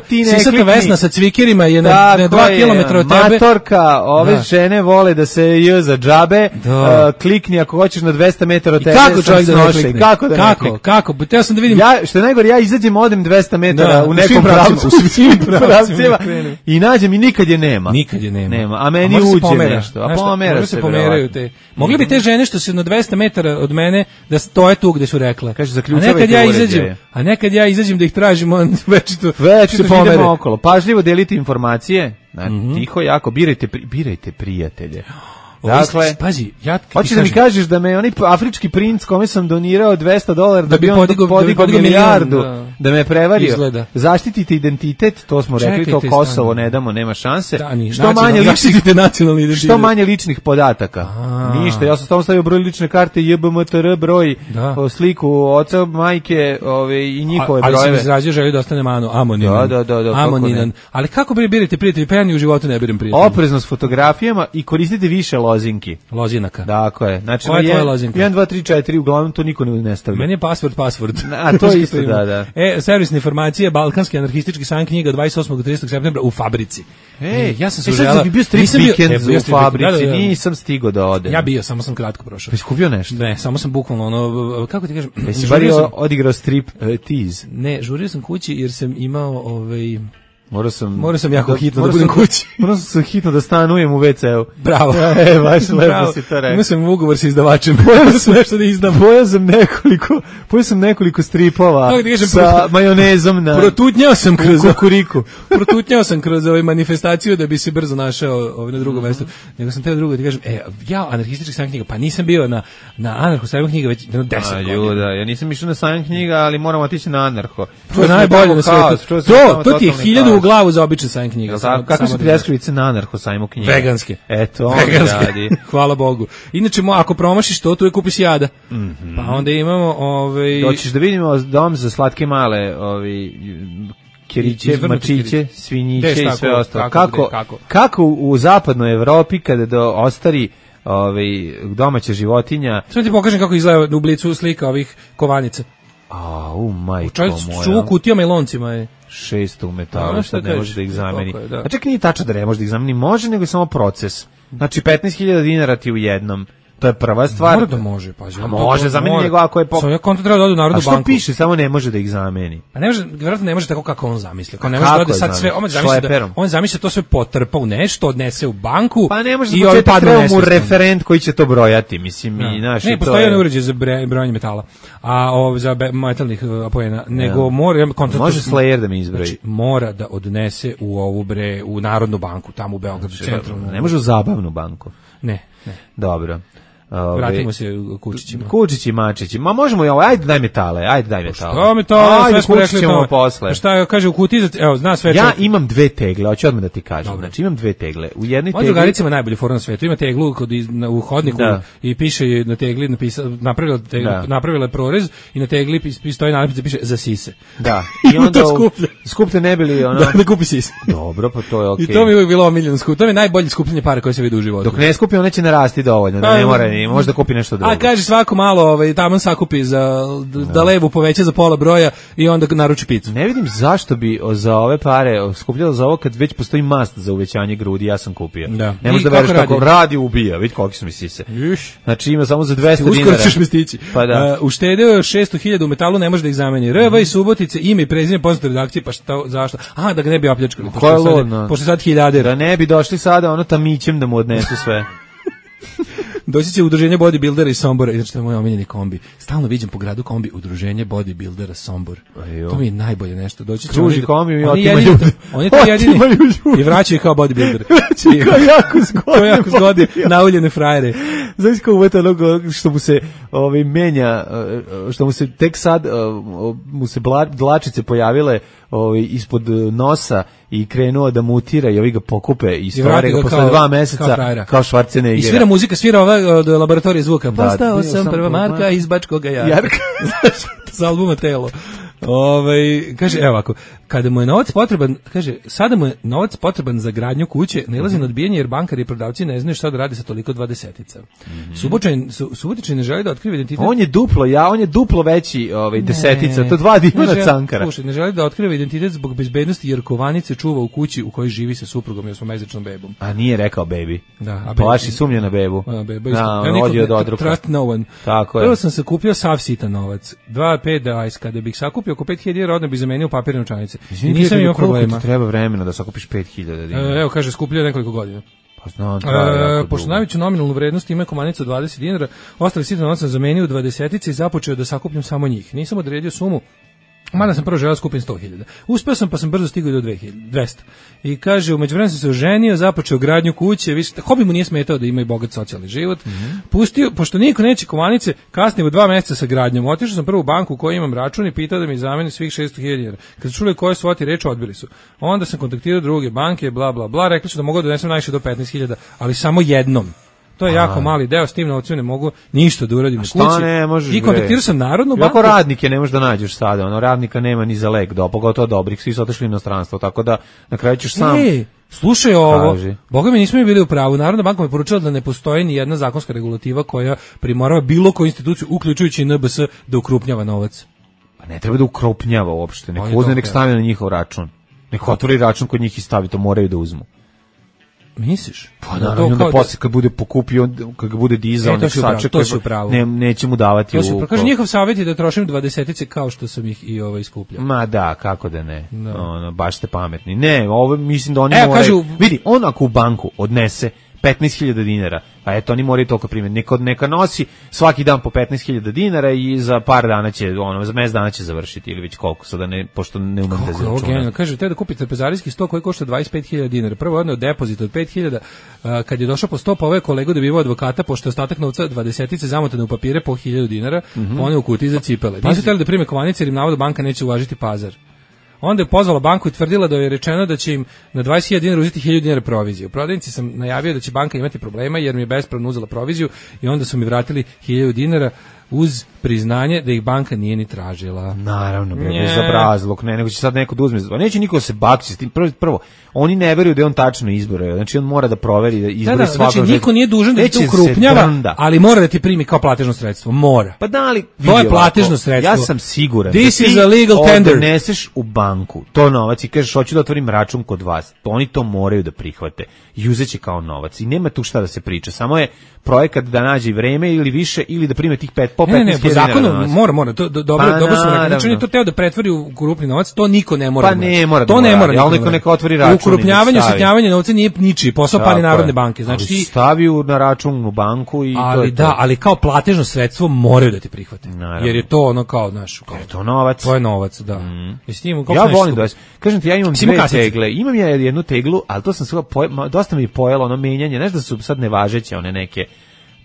Vesna sa cvikerima je na 2 km od tebe.
Matorka, ove žene vole da se za džabe, klikni ako hoćeš na 200 metara od tebe.
Kako čovjek da ne klikne?
Kako da ne klikne?
Kako? Teo sam da vidim.
Što je najgore, ja izađem, odem 200 metara u nekom pravcu, u svim pravcima i nađem i nikad je nema.
Nikad je nema.
A meni uđe nešto. A pomera se.
Pomeraju te. Mogli bi te žene što su na 200 metara od mene da stoje tu gde su rekle.
Kaže, zaključavajte uređaje.
A nekad ja izađem da ih tražim, on već
se pomere okolo. Pažljivo delite informacije, tiho, jako, birajte prijatelje. Dakle,
pazi,
hoćeš da mi kažeš da me onaj afrički princ kome sam donirao $200 da bi on podigao milijardu, da me prevario.
Izgleda.
Zaštitite identitet, to smo rekli, to Kosovo ne damo, nema šanse. Što manje ličnih podataka. Ništa, ja sam tamo stavio broj lične karte, JBMTR broj, sliku oca, majke, i njihove brojeve.
Ali sam izrazio želju da ostane amoniman.
Da.
Ali kako birate prijatelji? Pa ja ni u životu ne biram prijatelji.
Oprezno s fotografijama i koristite više lozinki.
Lozinaka.
Dakle, znači
koja je tvoja lozinka?
1, 2, 3, 4, uglavnom to niko ne stavlja.
Meni je password.
A to je isto, da.
Servisne informacije, balkanski anarhistički san knjiga 28. do 30. septembra u Fabrici.
Ja sam se uželao. Bio strip weekend u Fabrici, nisam stigao da odem.
Ja bio, samo sam kratko prošao.
Jesi kupio nešto?
Ne, samo sam bukvalno kako ti kažem.
Jesi bar odigrao strip tease?
Ne, žurio sam kući jer sam imao
Morao sam jako
hitno da budem kući.
Morao sam hitno da stanujem u WC-u.
Bravo.
Baš lepo si to rekao.
Imao sam ugovor sa izdavačem. Pojao sam nešto da izdam.
Pojao sam nekoliko stripova sa majonezom na
protutnjao sam kroz
kukuriku.
Protutnjao sam kroz manifestaciju da bi se brzo našao na drugom mestu. Nego sam teo drugo ti kažem, ja anarhistički sajam knjiga, pa nisam bio na anarho sajam knjiga već 10 godina.
Ja nisam išao na sajam knjiga, ali moram otići na anarho.
To je najbolje na svetu. To ti je 1000 u glavu za običan sajam knjiga.
Kako su pljeskavice na anarho sajmu knjiga?
Veganske.
Eto, radi.
Hvala Bogu. Inače, ako promašiš to, tu je kupiš jada. Pa onda imamo...
Hoćeš da vidimo dom za slatke male kiriće, mačiće, svinjiće i sve ostalo. Kako u zapadnoj Evropi kada ostari domaća životinja...
Sve ti pokažem kako izgleda u Blicu slika ovih kovanica.
Majko moja.
Čuvu kutijama i loncima je.
600 u metalu, sad ne može da ih zameni. A čak nije tačno da ne može da ih zameni, može, nego je samo proces. Znači 15.000 dinara ti u jednom. To je prva stvar.
Mora da može, pazi.
Može zameni nego ako je...
Svoje konto treba da ode u Narodnu banku.
A što piše, samo ne može da ih zameni?
Pa ne može, vjerojatno ne može tako kako on zamisli. Ne može da ode sad sve, on zamisli to sve potrpa u nešto, odnese u banku.
Pa ne može da treba mu referent koji će to brojati, mislim.
Ne, postoji jedan uređaj za brojanje metala, a za metalnih apojena, nego mora...
Može Slayer da mi izbroji.
Znači, mora da odnese u ovu u Narodnu banku, tamo u Beogradu, centralnu.
Ne može u Zabavnu banku?
Ne.
Dobro.
Vratimo se kučićima.
Kučići, mačići. Ma možemo i ovo, ajde daj metale.
Šta metale, sve smo rekli to.
Posle.
Šta kaže u kutiji, evo, zna sve.
Ja imam 2 tegle, hoću odmah da ti kažem. Znači imam 2 tegle. U jednoj tegli...
drugaricima najbolji fora na svetu. Ima teglu u hodniku i piše na tegli, napravila je prorez i na tegli stoji napis da piše za sise.
Da. I onda skuplje ne bili ono...
Da kupi sise.
Dobro, pa to je okej.
I to mi je uvijek bilo omiljeno skup. To je najbolje skupljenje para koje se vidi u životu.
Dok ne skupi, one će narasti dovoljno, da ne mora ni, možda kupi nešto drugo.
A kaže svako malo tamo sakupi da levu poveća za pola broja i onda naruči picu.
Ne vidim zašto bi za ove pare skupljalo za ovo kad već postoji mast za uvećanje grudi, ja sam kupio.
Da.
Ne možeš da veriš kako radi ubija, vidi koliko su mi sise. Znači ima samo za 200 dinara.
Uskoro ćeš mi stići.
Pa da.
Uštedeo 600.000 u metalu, ne može da ih zameni. RV i Subotice, ime i prezime poznate redakcije, pa šta, zašto? Aha, da ga ne bi opljačkali. Pošto sad hiljadera.
Da ne bi došli sada tamićem da mu odnesu sve.
Doći će udruženje bodybuildera iz Sombora, znači to je moj omiljeni kombi. Stalno viđem po gradu kombi udruženje bodybuildera Sombor. To mi je najbolje nešto. Doći će
kruži kombi i otima ljudi.
Oni to jedini i vraćaju kao bodybuilder.
To je jako zgodno.
Nauljene frajere.
Znaš kao uvete onog što mu se menja, što mu se tek sad mu se dlačice pojavile ispod nosa i krenuo da mutira i ovi ga pokupe i stvore ga posle 2 meseca kao Schwarzenegger.
I svira muzika, svira od laboratorije zvuka. Postao sam prva Marka iz Bačkoga Jarka. Sa albuma Telo. Kaže, evo ovako, kada mu je novac potreban, kaže, sada mu je novac potreban za gradnju kuće, nailazi na odbijanje jer bankari i prodavci ne znaju šta da radi sa toliko 20-ica. Subotičani ne želi da otkrije identitet.
On je duplo veći desetica, to 2 divna cankara.
Slušaj, ne želi da otkrije identitet zbog bezbednosti jer kovanice čuva u kući u kojoj živi sa suprugom i 8-mesečnom bebom.
A nije rekao baby.
Da,
Plaši sumnja na bebu.
Trust no one.
Tako je.
Prvo sam se kupio sav sitan novac. 2-5 kada bih sakupio oko 5.000 dinara, odmah bih zamenio papirne novčanice. I nisam imao problema.
Treba vremena da sakupiš 5.000 dinara.
Evo, kaže, skupljio nekoliko godina.
Pa znam,
pošto najveću nominalnu vrednost ima komanica od 20 dinara, ostali sitan novac sam zamenio u 20 i započeo da sakupljam samo njih. Nisam odredio sumu, mada sam prvo želeo skupim 100.000. Uspeo sam, pa sam brzo stigao do 200. I kaže, u međuvremenu sam se oženio, započeo gradnju kuće, hobi mu nije smetao da ima i bogat socijalni život. Pustio, pošto niko neće kovanice, kasnije u 2 meseca sa gradnjom. Otišao sam prvo u banku u kojoj imam račun i pitao da mi zameni svih 600.000 dinara. Kad su čuli koje su oti reč, odbili su. Onda sam kontaktirao druge banke, bla bla bla, rekli su da mogu da donesem najviše do 15.000, ali samo jednom. To je jako mali deo, s tim novcem ne mogu ništa da uradim u kući.
Ne možeš?
I kontaktirao sam Narodnu banku.
Kako radnike ne možeš da nađeš sada, radnika nema ni za lek, pogotovo dobrih, svi su otišli u inostranstvo, tako da na kraju ćeš sam.
Slušaj ovo, boga mi nismo mi bili u pravu. Narodna banka mi je poručila da ne postoji ni jedna zakonska regulativa koja primorava bilo koju instituciju, uključujući NBS, da ukrupnjava novac.
Pa ne treba da ukrupnjava uopšte, nek uzme, nek stavi na njihov račun. Nek otvori račun kod njih i stavi, to moraju da uzmu.
Misliš?
Pa naravno, da posle kad bude pokupio, kad ga bude dizao, nek sačeka, neće mu davati u...
Kaže, njihov savjet je da trošim 20 kao što sam ih i iskupljao.
Ma da, kako da ne. Baš ste pametni. Ne, ovo mislim da oni moraju... Vidi, on ako u banku odnese 15.000 dinara, a eto, oni moraju toliko primiti. Neka nosi svaki dan po 15.000 dinara i za par dana će, za mesec dana će završiti, ili već koliko, sada ne, pošto ne umem da izračunam.
Kaže, te da kupi trpezarijski sto koji košta 25.000 dinara. Prvo odneo depozit od 5.000, kad je došao po sto, pa ovaj kolegu dobivao advokata, pošto je ostatak novca 20 zamotane u papire po 1.000 dinara, one u kutiji za cipele. Nisu htjeli da prime kovanice jer im navodno banka neće uvažiti pazar. Onda je pozvala banku i tvrdila da je rečeno da će im na 20.000 dinara uzeti 1.000 dinara proviziju. U prodavnici sam najavio da će banka imati problema jer mi je bespravno uzela proviziju i onda su mi vratili 1.000 dinara uz priznanje da ih banka nije ni tražila.
Naravno, za brazluk, nego će sad neko da uzme. Neće niko se bakći s tim. Prvo, oni ne veruju da je on tačno izbore. Znači on mora da proveri da izbori svakog.
Znači niko nije dužan da te ukrupnjava, ali mora da ti primi kao platežno sredstvo. Mora.
Pa da li
to je platežno sredstvo.
Ja sam siguran.
This is a legal tender.
Odneseš u banku to novac i kažeš hoću da otvorim račun kod vas. Oni to moraju da prihvate i uzeće kao novac. I nema tu šta da se priča. Samo je projekat da nađe vreme ili više ili da prime tih 15.000
po zakonu mora, to dobro su rekli. Znači on je to teo da pretvori u krupni novac, to niko ne mora.
Pa ne mora.
To ne mora.
Neka otvori račun.
Ukrupnjavanje, usitnjavanje novca nije ničiji posao, pa ni Narodne banke. Znači ti
stavi na račun u banku i
to je to. Ali kao platežno sredstvo moraju da ti prihvate. Jer je to kao naš,
kao to novac.
To je novac, da.
Ja volim da kažem ti, ja imam dve tegle. Imam ja jednu teglu, al to sam sve dosta mi pojelo menjanje. Znaš da su sad nevažeće one neke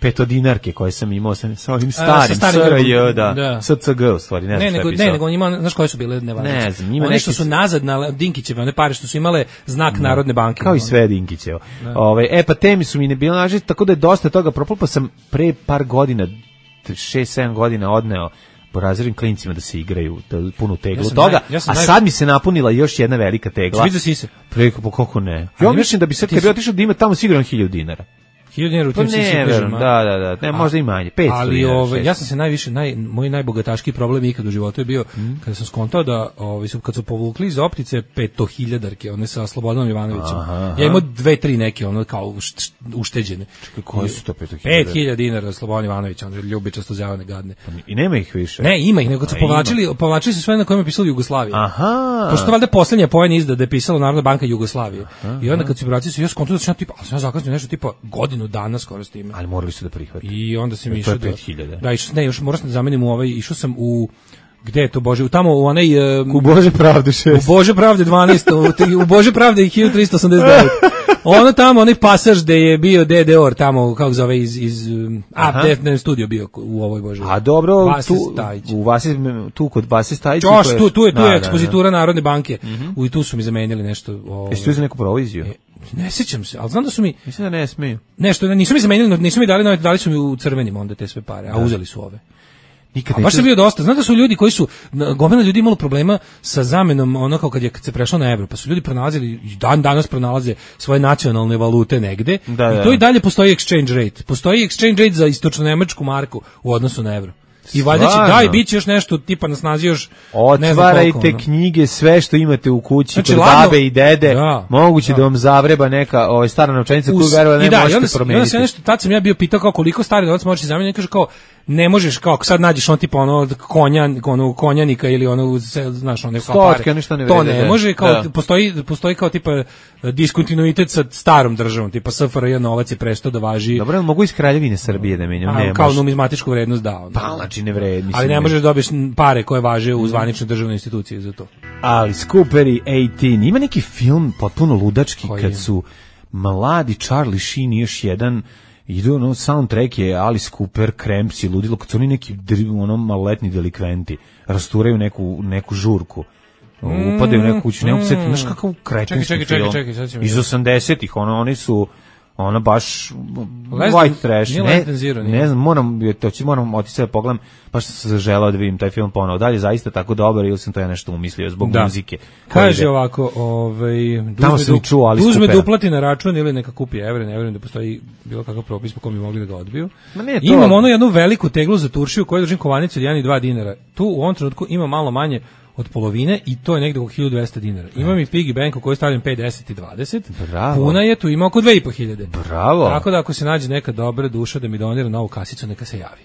petodinarke koje sam imao sa ovim starim SRJ, da, SCG u stvari, ne znam šta je pisao.
Ne, nego ima, znaš koje su bile nevažeće?
Ne znam, ima
nešto su nazad na Dinkićeve, one pare što su imale znak Narodne banke.
Kao i sve Dinkićevo. Pa temi su mi ne bile nažiti, tako da je dosta toga propalo, pa sam pre par godina, 6-7 godina odneo razrednim klincima da se igraju punu teglu toga, a sad mi se napunila još jedna velika tegla.
Vidio si se?
Preko, po kako ne? Ja mislim da bi sad, kad bi otišao da ima tamo sigurno 1.000 dinara.
1.000 dinara u tim si
da, ne, možda i manje, 500
ali
dinara.
Ja sam se najviše, moj najbogataški problem ikad u životu je bio kada sam skontao da kad su povukli iz optice 500.000-darke, one sa Slobodanom Ivanovićem. Ja imao 2-3 neke, ono kao ušteđene.
Čekaj, koji su to
500.000? 5.000 dinara Slobodan Ivanović, on ljubičasto zjavane gadne.
I nema ih više?
Ne, ima ih, nego kad su povlačili su sve na kojima je pisalo Jugoslavija. Pošto valjda posljednja poen izda da je pisalo Narodna banka Jugoslavije. I onda kad su vratili se, ja skontao da sam tipa, ali sam zakasnio nešto tipa godinu dana skoro s time.
Ali morali su da prihvati.
I onda sam išao
da 5.000.
Da, još morao sam da zamenim išao sam u gde je to Bože, tamo u onaj
u Bože pravde 6.
U Bože pravde 12, u Bože pravde 1389. Ono tamo, onaj pasaž gde je bio DDR tamo, kako zove, iz Defner studio bio u ovoj Bože.
A dobro, tu kod Vase Stajića.
Tu je ekspozitura Narodne banke. I tu su mi zamenili nešto.
Jesi tu za neku proviziju?
Ne sjećam se, ali znam da su mi...
Mislim da ne smiju.
Nešto, nisu mi zamenili, nisu mi dali su mi u crvenim onda te sve pare, a uzeli su ove.
A
baš je bio dosta. Znate da su ljudi koji su, gomila ljudi imalo problema sa zamenom, ono kao kad se prešlo na evro, pa su ljudi pronalazili, danas pronalaze svoje nacionalne valute negde, i to i dalje postoji exchange rate. Postoji exchange rate za istočno-nemačku marku u odnosu na evro. I valjda će, bit će još nešto tipa na snazi još...
Otvarajte knjige, sve što imate u kući, znači, kod babe i dede, moguće da vam zavreba neka stara novčanica koju verovatno ne možete promeniti.
Tad sam ja bio pitao kao koliko stari novac možeš zameniti, kaže kao ne možeš, kao sad nađeš on tipa konjanika ili znaš, one
stotke, ništa ne vrede.
To ne može, kao postoji kao tipa diskontinuitet sa starom državom, tipa SFRJ novac je prestao da važi.
Dobro, mogu iz Kraljevine Srbije da menjam, ne
kao numizmatičku vrednost da.
Pa znači ne vredi.
Ali ne možeš da dobiješ pare koje važe u zvaničnoj državnoj instituciji za to.
Alice Cooper i 18. Ima neki film potpuno ludački kad su mladi Charlie Sheen i još jedan idu, soundtrack je Alice Cooper, Cramps i ludilo, kad su oni neki maloletni delikventi, rasturaju neku žurku, upadaju u neku kuću, ne mogu se setiti, znaš kakav kretenski film, iz 80-ih, oni su baš white trash, ne znam, moram otići da pogledam, baš sam se želeo da vidim taj film ponovo, dalje zaista tako dobar ili sam to ja nešto umislio zbog muzike.
Kaže ovako, uzme da uplati na račun ili neka kupi evre, ne vjerujem da postoji bilo kakav propis po kom bi mogli da ga odbiju. Imam jednu veliku teglu za turšiju koju držim kovanicu od 1 i 2 dinara, tu u ovom trenutku ima malo manje od polovine i to je negde oko 1200 dinara. Imam i piggy bank u kojoj stavljam 5, 10 i 20.
Bravo.
Puna je, tu ima oko 2500.
Bravo.
Tako da ako se nađe neka dobra duša da mi donira novu kasicu, neka se javi.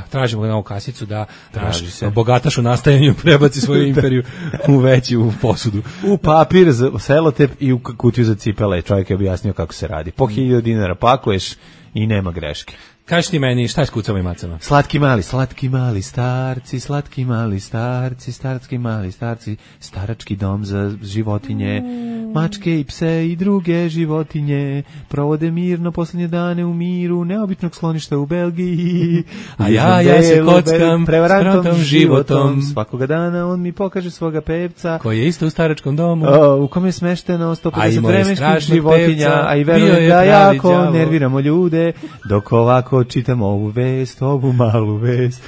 Tražimo novu kasicu da naš bogataš u nastajanju prebaci svoju imperiju u veću posudu.
U papir, selotep i u kutiju za cipele. Čovjek je objasnio kako se radi. Po 1000 dinara pakuješ i nema greške.
Kaži ti meni, šta je s kucama i macama?
Slatki mali starci, slatki mali starci, starski mali starci, starački dom za životinje, mačke i pse i druge životinje, provode mirno posljednje dane u miru, neobičnog skloništa u Belgiji.
A ja se kockam prevarantom životom.
Svakoga dana on mi pokaže svoga pevca.
Koji je isto u staračkom domu.
U kome je smešteno 150 vremenskih životinja, a i verujem da jako nerviramo ljude, dok ovako čitam ovu malu vest.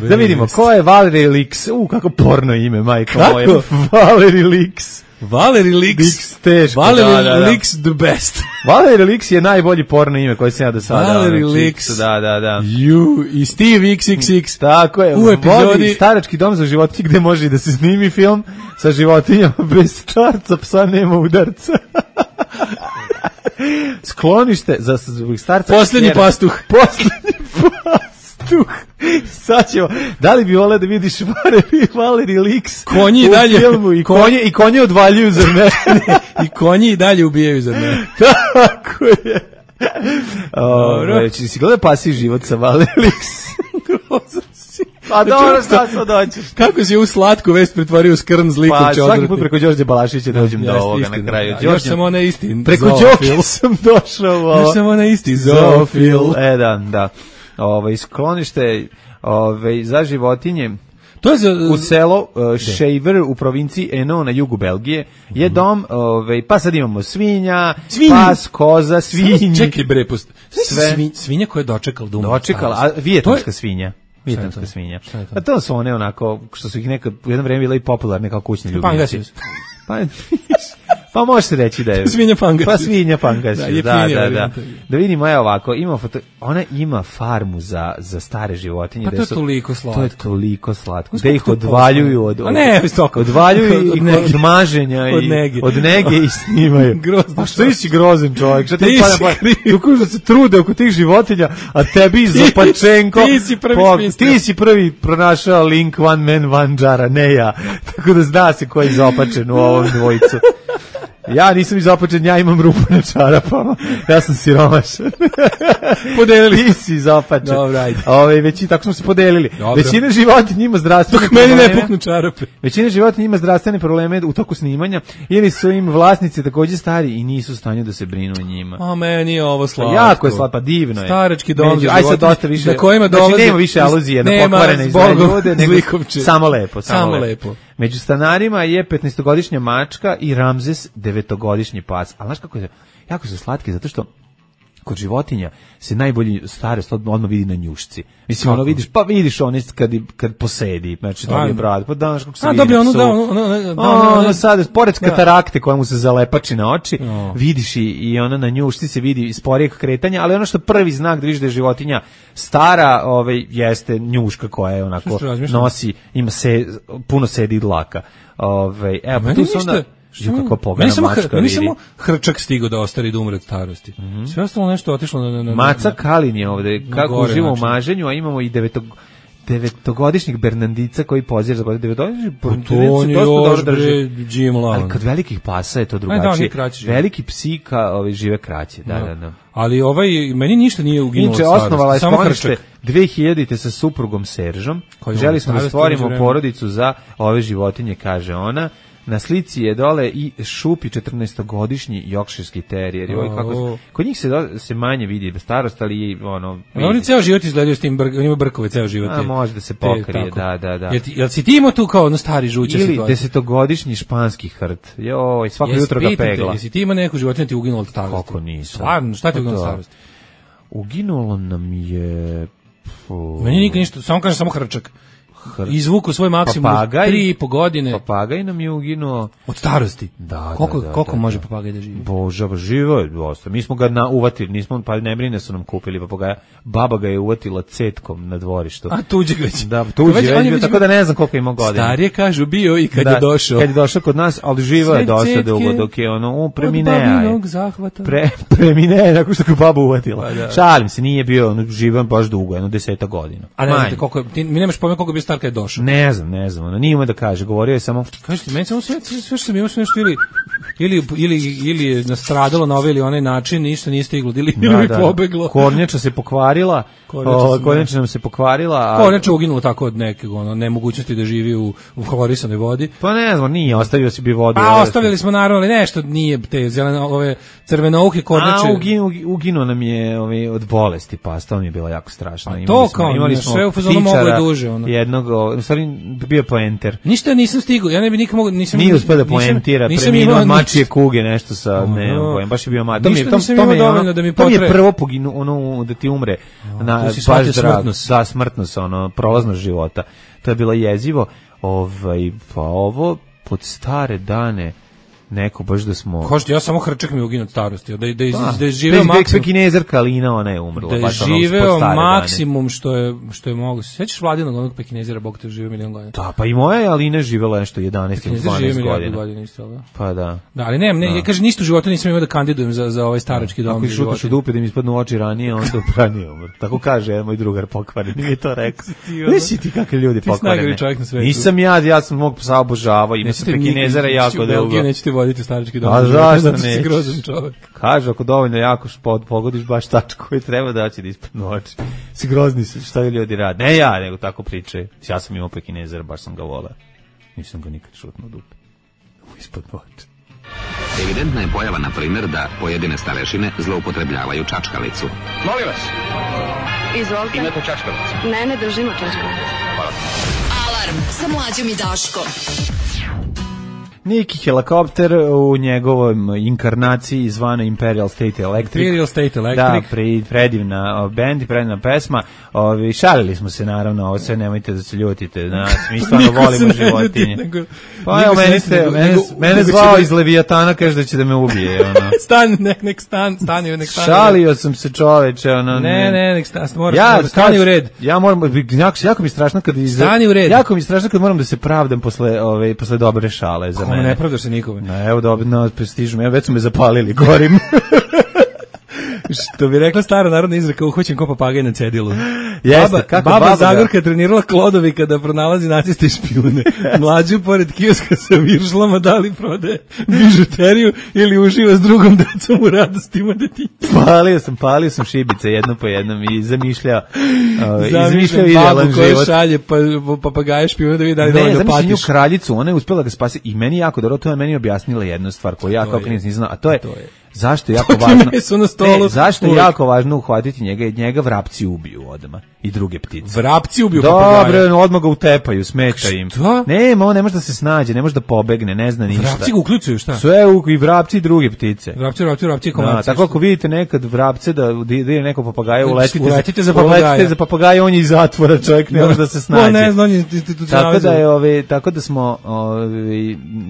Da vidimo, ko je Valerie Lix? Kako porno ime, majko moje. Valerie Lix.
Valerie Lix,
teško.
Valerie Lix the best.
Valerie Lix je najbolji porno ime koji sam ja do sada.
Valerie Lix.
Da.
You i Steve XXX.
Tako je. U epizodi starački dom za životinje gde može da se snimi film sa životinjama bez starca, psa nema udarca. Sklonište za starca.
Posljednji pastuh.
Sad ćemo, da li bi voleo da vidiš Valerie Lix
konji u dalje,
filmu i konje odvaljuju za mene.
I konji i dalje ubijaju za mene.
Tako je. Si gledao Pasiji život sa Valerie Lix? Pa dobro, šta sad dođeš?
Kako si u slatku vest pretvorio skrn zlikom će odvrti?
Pa svaki put preko Đorđe Balašića dođem do ovoga na kraju.
Još sam ona isti
preko Đoke sam došao.
Još sam ona isti zoofil.
Da. Sklonište za životinje
to je
u selo Shaver u provinciji Eno na jugu Belgije je dom, pa sad imamo svinja, pas, koza, svinji.
Čekaj bre, svinja koja je dočekala,
a vijetnamska svinja. Vijetnamska svinja. A to su one onako, što su ih nekad u jedno vreme bile i popularne kao kućni ljubimci. Pa može se reći da je
svinja pangas.
Pa svinja pangas. Da. Da vidimo, evo ovako, ona ima farmu za stare životinje.
Pa to je toliko slatko.
To je toliko slatko. Da ih odvaljuju od maženja i od nege i snimaju.
Pa
što si grozan čovjek? Što ti da se trude oko tih životinja, a tebi Zopačenko. Ti si prvi pronašao link One Man, One Jar, ne ja. Tako da zna se ko je Zopačen u ovom dvojicu. Ja nisam izopačen, ja imam rupu na čarapama. Ja sam siromašan.
Podelili.
Ti si izopačen.
Dobro, ajde.
Većina, tako smo se podelili.
Dobro.
Većina životinja ima zdravstvene probleme.
Dok meni ne puknu čarape.
Većina životinja ima zdravstvene probleme u toku snimanja ili su im vlasnici takođe stari i nisu u stanju da se brinu o njima.
A meni je ovo slatko.
Jako je slatko, divno je.
Starački dom za životinje.
Aj sad dosta više.
Na kojima dolaze.
Znači nema više aluzije na pokvarene i zle ljude, nego samo lepo.
Samo lepo.
Među stanarima je 15-godišnja mačka i Ramzes 9-godišnji pas. Ali znaš kako je, jako su slatki, zato što kod životinja se najbolji starost odmah vidi na njušci. Mislim, ono vidiš one kad posedi, znači dobije bradu, pa danas kako se vidi.
Dobije
ono sad, pored katarakte koja mu se zalepači na oči, vidiš i ona na njušci se vidi sporijeg kretanja, ali ono što prvi znak da vidiš da je životinja stara, jeste njuška koja je onako nosi, ima puno sedi dlaka. Evo, pa tu su onda...
Meni samo hrčak stigao da ostari da umre od starosti. Sve ostalo nešto otišlo na
Maca Kalin je ovde, kako uživa u maženju, a imamo i 9-godišnjeg Bernardica koji pozira za godine. 9-godišnjeg
Bernardica dosta dobro drži.
Ali kod velikih pasa je to drugačije. Veliki psika žive kraće. Da.
Ali meni ništa nije uginulo od starosti.
Inče, osnovala je sklonište 2000-te sa suprugom Seržom. Želi smo da stvorimo porodicu za ove životinje, kaže ona. Na slici je dole i Šupi 14-godišnji jokširski terijer. Kod njih se manje vidi starost, ali
oni ceo život izgledaju s tim, ima brkove ceo život.
Može da se pokrije, da.
Jel si ti imao tu kao stari žuća situacija?
Ili 10-godišnji španski hrt. Joj, svako jutro ga pegla.
Jesi ti imao neku životinju ti uginulo od starosti?
Kako nisam.
Stvarno, šta ti uginulo od starosti?
Uginulo nam je...
Meni nikad ništa, samo hrčak. Izvuku svoj maksimum 3,5 godine.
Papagaj nam je uginuo
od starosti.
Da.
Koliko može papagaj da živi?
Bože, živo je dosta. Mi smo ga uvatili, pa ne brine su nam kupili papagaja. Baba ga je uvatila cetkom na dvorištu.
A tuđeg već.
Da, tuđeg već, tako da ne znam koliko ima godina.
Starije kažu bio i kad je došao.
Kad je došao kod nas, ali živo je dosta dugo dok je premineja. Premineja, nakon što ga baba uvatila. Šalim se, nije bio živan baš dugo, 10 godina.
A ne znate koliko, mi nemaš pojma koliko bi star kad je došao.
Ne znam, nije ima da kaže, govorio je samo...
Kažete, meni samo sve što sam imao nešto ili je nastradalo na ovaj ili onaj način, ništa nije stiglo, ili mi pobeglo.
Kornjača se pokvarila, kornjača nam se pokvarila.
Kornjača uginulo tako od nekog nemogućnosti da živi u hlorisanoj vodi.
Pa ne znam, nije, ostavio si bi vodu.
A ostavili smo naravno, ali nešto nije te ove crvenouhe kornjače.
Uginuo nam je od bolesti, pa to mi je bilo jako strašno.
To kao, sve u fazonu mogo je duže.
Jednog, u stvari bio poenter.
Ništa nisam stigao, ja ne bi nikad mogu...
Nije uspio da poentira, preminuo od mačije kuge, nešto sa, baš je bio mač.
Ništa nisam imao dovoljno da mi potre.
To mi je prvo poginu, da ti umre, baš drag, smrtnost, prolaznost života. To je bilo jezivo, pa ovo, pod stare dane, neko baš da smo...
Kažete, ja samo hrčak mi uginuo od starosti, da je živeo maksimum...
Pekinezerka Alina, ona je umrla.
Da je živeo maksimum što je mogu. Sećaš Vladinog onog Pekinezera, Bog te živeo 1.000.000 godina?
Da, pa i moja je Alina živela nešto 11 ili 12 godina.
Pekinezer živeo 1.000.000 godina isto, da?
Pa da.
Da, ali ja kažem, ništa u životu nisam imao da kandidujem za ovaj starački dom.
Ako i šutaš u dupe da mi ispadnu oči ranije, onda ranije umr. Tako kaže jedan moj drugar pokvaren, mi je to rekao. Nisi ti kakvi ljudi pokvareni. Nisam ja sam mog psa obožavao, imao sam Pekinezera jako dugo.
Voditi starački dom.
A zašto ne?
Si grozan čovjek.
Kaže, ako dovoljno jako pogodiš baš tačku koju treba da će da ispadnu oči. Si grozni se, šta ljudi rade? Ne ja, nego tako pričaju. Ja sam imao Pekinezera, baš sam ga volao. Nisam ga nikad šutnuo dupe. Ispod oči.
Evidentna je pojava, na primjer, da pojedine starešine zloupotrebljavaju čačkalicu.
Molim vas.
Izvolite.
Imate čačkalicu?
Ne držimo čačkalicu.
Hvala.
Alarm sa Mlađom i Daškom.
Neki helikopter u njegovom inkarnaciji zvana Imperial State Electric.
Imperial State Electric.
Da, predivna band i predivna pesma. Šalili smo se naravno, ovo sve nemojte da se ljutite. Mi stvarno volimo životinje. Pa evo, mene zvao iz Leviatana, kaže da će da me ubije.
Stani.
Šalio sam se čoveče.
Ne, stani u red.
Ja moram, jako mi je strašno kad
stani u red.
Jako mi je strašno kad moram da se pravdam posle dobre šale za mene.
Ne pravdaš se nikome.
Evo stižu me, već su me zapalili, gorim.
Što bi rekla stara narodna izreka, uhvaćen ko papagaj na cedilu.
Jeste,
baba Zagorka trenirala Klodovika da pronalazi naciste i špijune. Mlađu pored kioska sa viršlama da li prodaje bižuteriju ili uživa s drugom decom u radostima detinjstva.
Palio sam šibice jedno po jednom i zamišljao
babu koja šalje papagaje špijune da vidi da li dovoljno patiš.
Ne, zamišljam nju kraljicu, ona je uspjela da spasi i meni jako dobro, to je meni objasnila jednu stvar koju ja kao klinac nisam znao, a to je zašto je jako važno. Zašto je jako važno uhvatiti njega vrapci ubiju odmah i druge ptice.
Vrapci ubiju papagaja.
Dobro, odmah ga utepaju, smeta im.
Šta?
Nema, on ne može da se snađe, ne može da pobegne, ne zna ništa.
Vrapci ga uključuju, šta?
Sve i vrapci i druge ptice.
Vrapci komarci.
Tako ako vidite nekad vrapce da ide neko papagaja,
uletite
za papagaja, on je iz zatvora, čovjek ne može da se snađe.
Ne zna, on je institucionalizovan.
Tako da smo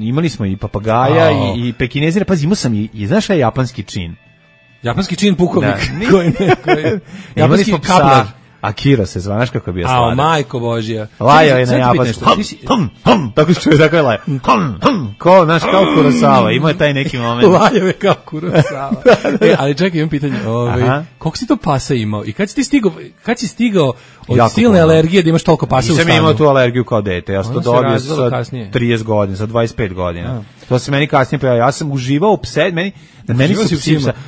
imali smo i papagaja i pekinezira, pazi, imao sam i znaš šta je japanski čin?
Japanski čin pukovnik.
Japanski kaplar. Akira se zvanaš kako bi je stvarno.
Majko Božija.
Lajao je na japansku. Tako što je tako je lajao. Ko, znaš, kao Kurosawa. Ima je taj neki moment.
Lajao je kao Kurosawa. Ali čekaj, imam pitanje. Koliko si to pasa imao? I kad si stigao od silne alergije da imaš toliko pasa u stanu?
Nisam imao tu alergiju kao dete. Ja sam to dobio sa 30 godina, sa 25 godina. To se meni kasnije pojavio. Ja sam uživao u pse,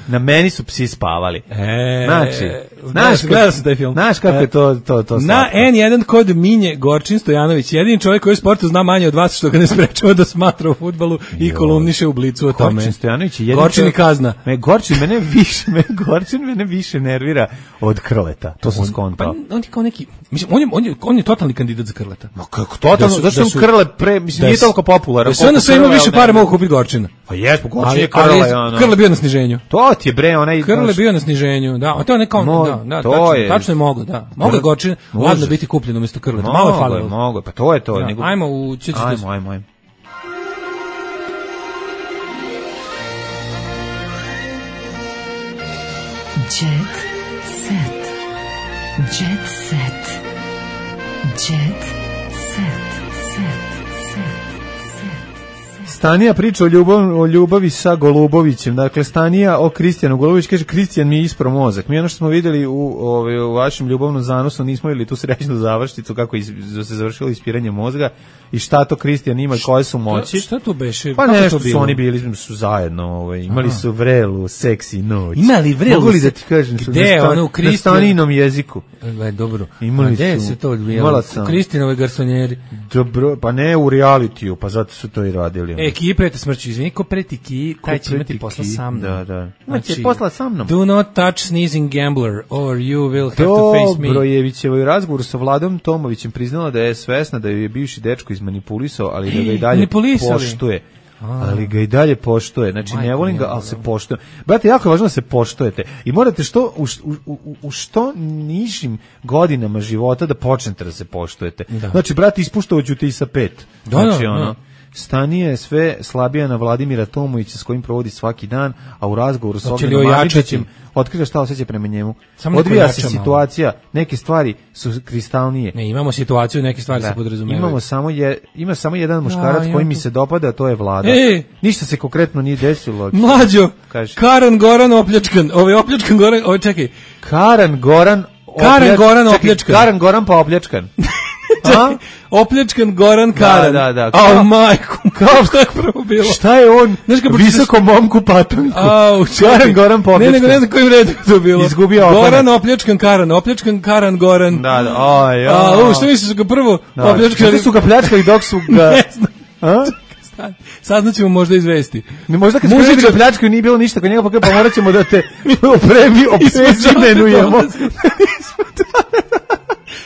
na meni su psi spavali.
Gledao sam taj film.
Znaš kako je to
na N1 kod Minje Gorčin Stojanović, jedini čovjek koji u sportu zna manje od vas što ga ne sprečava da smatra u fudbalu i kolumniše u Blicu o tome.
Gorčin Stojanović je
Gorčin i kazna.
Gorčin mene više nervira od Krleta. To sam skontao.
On je kao neki, mislim, on je totalni kandidat za Krleta.
Ma kako totalno? Zašto su Krle mislim nije toliko popularan.
Da sve ima više pare mogu kupiti Gorčina.
Pa jesmo, Gorčin je Krle.
Krle bio na sniženju.
To ti je bre, onaj
Krle bio na sniženju, da. A to je neko, da, tačno je mogo, da. Mogu Gorčin ladno biti kupljen umjesto Krleta. Malo je falilo.
Mogu, pa to je to.
Ajmo u
Ajmo.
Jet set. Jet set. Jet set.
Stanija priča o ljubavi sa Golubovićem. Dakle, Stanija o Kristijanu Golubović kaže, Kristijan mi je ispro mozak. Mi ono što smo vidjeli u vašem ljubavnom zanosu, nismo vidjeli tu srećnu završnicu kako se završilo ispiranje mozga i šta to Kristijan ima, koje su moći.
Šta to beše?
Pa nešto su oni bili su zajedno, imali su vrelu, seksi noć.
Imali vrelu?
Mogu li da ti kažem?
Gde ono u Kristijan?
Na Stanijinom jeziku.
Dobro.
Imali
gde
su,
se to odvijalo? U Kristinove garsonjeri.
Dobro, pa ne u realitiju, pa zato su to i radili.
Kiji preti smrću, izvini, ko preti Kiji, taj će imati posla sa mnom.
Da. Imati posla sa mnom.
Do not touch sneezing gambler, or you will have to face me.
Dobrojevićevo je razgovor sa Vladom Tomovićem priznala da je svesna da ju je bivši dečko izmanipulisao, ali da ga i dalje poštuje. Ali ga i dalje poštuje. Znači, ne volim ga, ali se poštuje. Brate, jako je važno da se poštujete. I morate u što nižim godinama života da počnete da se poštujete. Znači, brate, ispuštovat ti i sa 5. Znači, Stanija je sve slabija na Vladimira Tomovića s kojim provodi svaki dan, a u razgovoru s Ogledom Mamičićem otkriva šta osjeća prema njemu. Odvija se situacija, neke stvari su kristalnije.
Ne, imamo situaciju, neke stvari se podrazumevaju.
Ima samo jedan muškarac koji mi se dopada, a to je Vlada. Ništa se konkretno nije desilo.
Mlađo, Karan Goran opljačkan. Opljačkan Goran, čekaj.
Karan Goran opljačkan. Karan Goran pa opljačkan.
Opljačkan Goran Karan.
Da.
A majku, šta je prvo bilo?
Šta je on? Visoko momku patanku. Karan Goran pa opljačkan.
Ne znam kojim redom to bilo.
Izgubio
Goran opljačkan Karan. Opljačkan Karan Goran.
Da.
Što misliš su ga prvo opljačkali?
Što su ga pljačkali dok su ga...
Ne znam. Saznaćemo možda izvesti.
Možda kad smo ga pljačkali nije bilo ništa kod njega, pa morat ćemo da te oprezimenujemo.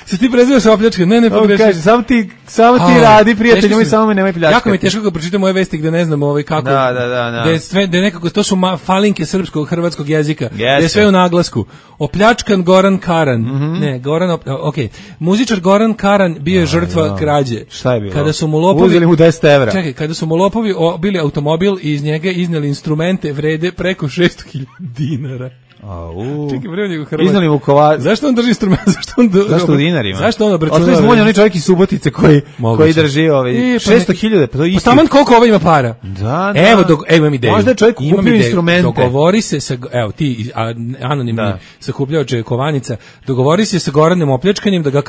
Se ti prezivaš opljačkan? Ne, pogrešim.
Kaže, samo ti radi, prijatelj, moj, samo me nemoj pljačkati.
Jako mi je teško kad pročitam ove vesti gde ne znam kako.
Da.
Gde nekako, to su falinke srpskog, hrvatskog jezika. Gde je sve u naglasku. Opljačkan Goran Karan. Ne, Goran, muzičar Goran Karan bio je žrtva krađe.
Šta je bilo?
Kada su mu lopovi...
Uzeli mu 10 evra.
Čekaj, kada su mu lopovi bili automobil i iz njega izneli instrumente vrede preko 600.000 dinara. Čekaj, vremenu Hrvat.
Iznali mu kova.
Zašto on drži instrument?
Zašto u dinarima?
Zašto on obračunava?
Otvorili smo onaj čovjek iz Subotice koji drži 600.000, pa to isti.
Taman koliko ovaj ima para.
Da.
Evo imam ideju.
Možda je čovjek kupio instrumente.
Dogovori se sa, evo ti, anonimni sakupljaoče kovanica, dogovori se sa Goranom Opljačkanjem da ga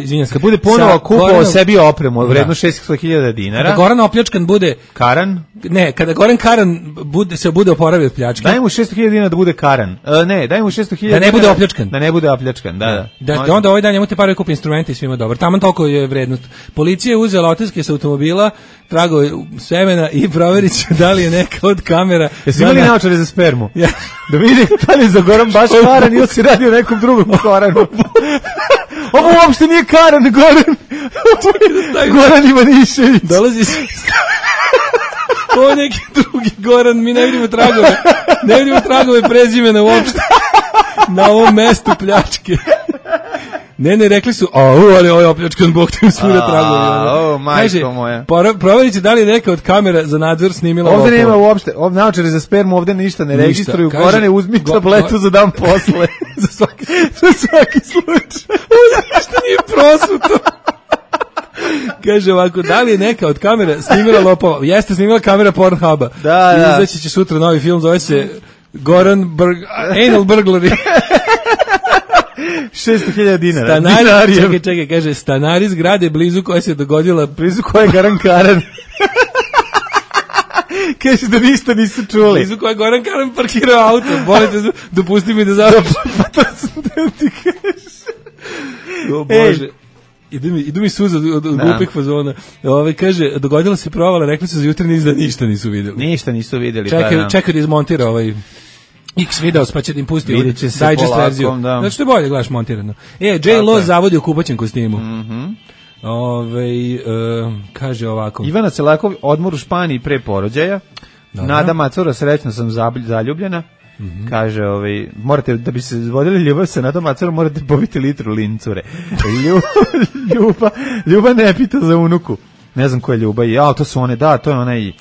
izvinjam se.
Da bude ponovo kupao sebi opremu vredno 600.000 dinara.
Kada Goran Opljačkan bude
Karan?
Ne, kada Goran Karan bude oporavio od pljačke.
Daj mu 600.000 dinara da bude Karan. Ne, daj mu 600.000
da ne bude opljačkan.
Da ne bude opljačkan, da.
Da onda ovaj dan njemu te pare kupi instrumente i svima dobro. Taman toliko je vrednost. Policija je uzela otiske sa automobila, tragove semena i proverit će da li je neka od kamera.
Jesi imali naočare za spermu? Da vidi da li je za Goran baš Karan ili si radio nekom drugom Koranu. Ovo uopšte nije Karan, Goran Ivanišević.
Dolazi se... Ovo je neki drugi Goran, mi ne vidimo tragove prezimena uopšte na ovom mestu pljačke. Ne, rekli su, ali ovo je opljačkan, Bog te im svira tragovi.
Majko moja.
Proverite da li je neka od kamera za nadzor snimila
ovde lopova. Nema uopšte, naočare za spermu ovde ništa ne registruju. Gorane, uzmi tabletu za dan posle.
za svaki slučaj. Ovo ništa nije prosuto. Kaže ovako, da li je neka od kamera snimila lopova? Jeste snimila kamera Pornhuba.
Da.
Izaći će sutra novi film, zove se Anal Burglary.
600.000 dinara.
Čekaj, kaže, stanari zgrade blizu koje se dogodila.
Blizu koje je Goran Karan. Kaže da ništa nisu čuli.
Blizu koje je Goran Karan parkirao auto. Bolite, dopusti mi da završim.
Pa to sam da ti kažeš.
O Bože. Idu mi suza od glupih fazona. Kaže, dogodila se provala, rekli su za jutra da ništa nisu vidjeli.
Ništa nisu vidjeli.
Čekaj da izmontira X videos, pa će da im pusti
digest
verziju. Znači što je bolje, gledaš montirano. J-Lo zavodi u kupaćem kostimu. Kaže ovako.
Ivana Celakov, odmor u Španiji pre porođaja. Nada Macura, srećno sam zaljubljena. Kaže, morate, da bi se vodili ljubav sa Nadom Macurom, morate pobiti litru lincure. Ljuba ne pita za unuku. Ne znam ko je Ljuba, to su one, to je onaj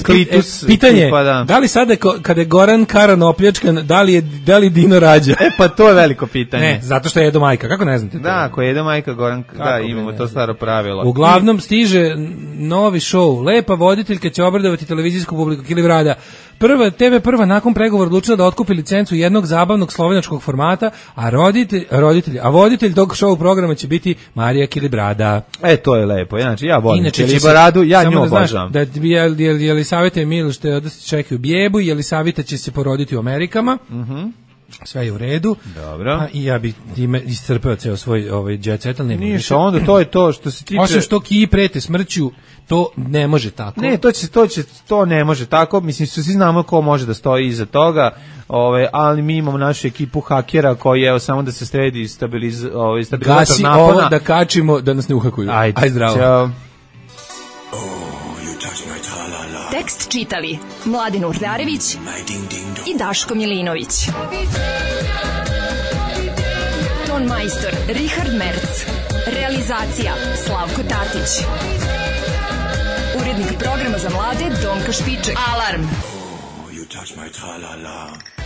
klitus.
Pitanje, da li sada kada je Goran Karan opljačkan, da li Dino rađa?
Pa to je veliko pitanje.
Ne, zato što je Edo majka, kako ne znate to?
Da, ako je Edo majka, Goran, imamo to staro pravilo.
Uglavnom stiže novi show, lepa voditeljka će obradovati televizijsku publiku Kilibrada. TV1 nakon pregovora odlučila da otkupi licencu jednog zabavnog slovenačkog formata, a voditelj tog show programa će biti Marija Kilibrada.
To je lepo, znači ja volim Kilibradu, ja nju obožavam.
Jelisaveta Emil što je čekaju bjebu, Jelisaveta će se poroditi u Amerikama. Sve je u redu.
Dobro.
Pa i ja bi time iscrpeo ceo svoj jet set, ali nema
više. Ništa, onda to je to što se tiče...
Osim što Kiji prete smrću, to ne može tako.
Ne, to ne može tako. Mislim, svi znamo ko može da stoji iza toga, ali mi imamo našu ekipu hakera koji je samo da se sredi stabilizator napona.
Gasi ovo da kačimo, da nas ne uhakuju. Ajde zdravo.
Ćao.
Tekst čitali Mladin Urdarević i Daško Milinović. Ton majstor Richard Merc. Realizacija Slavko Tatić. Urednik programa za mlade Donka Špiček. Alarm! You touch my tra-la-la.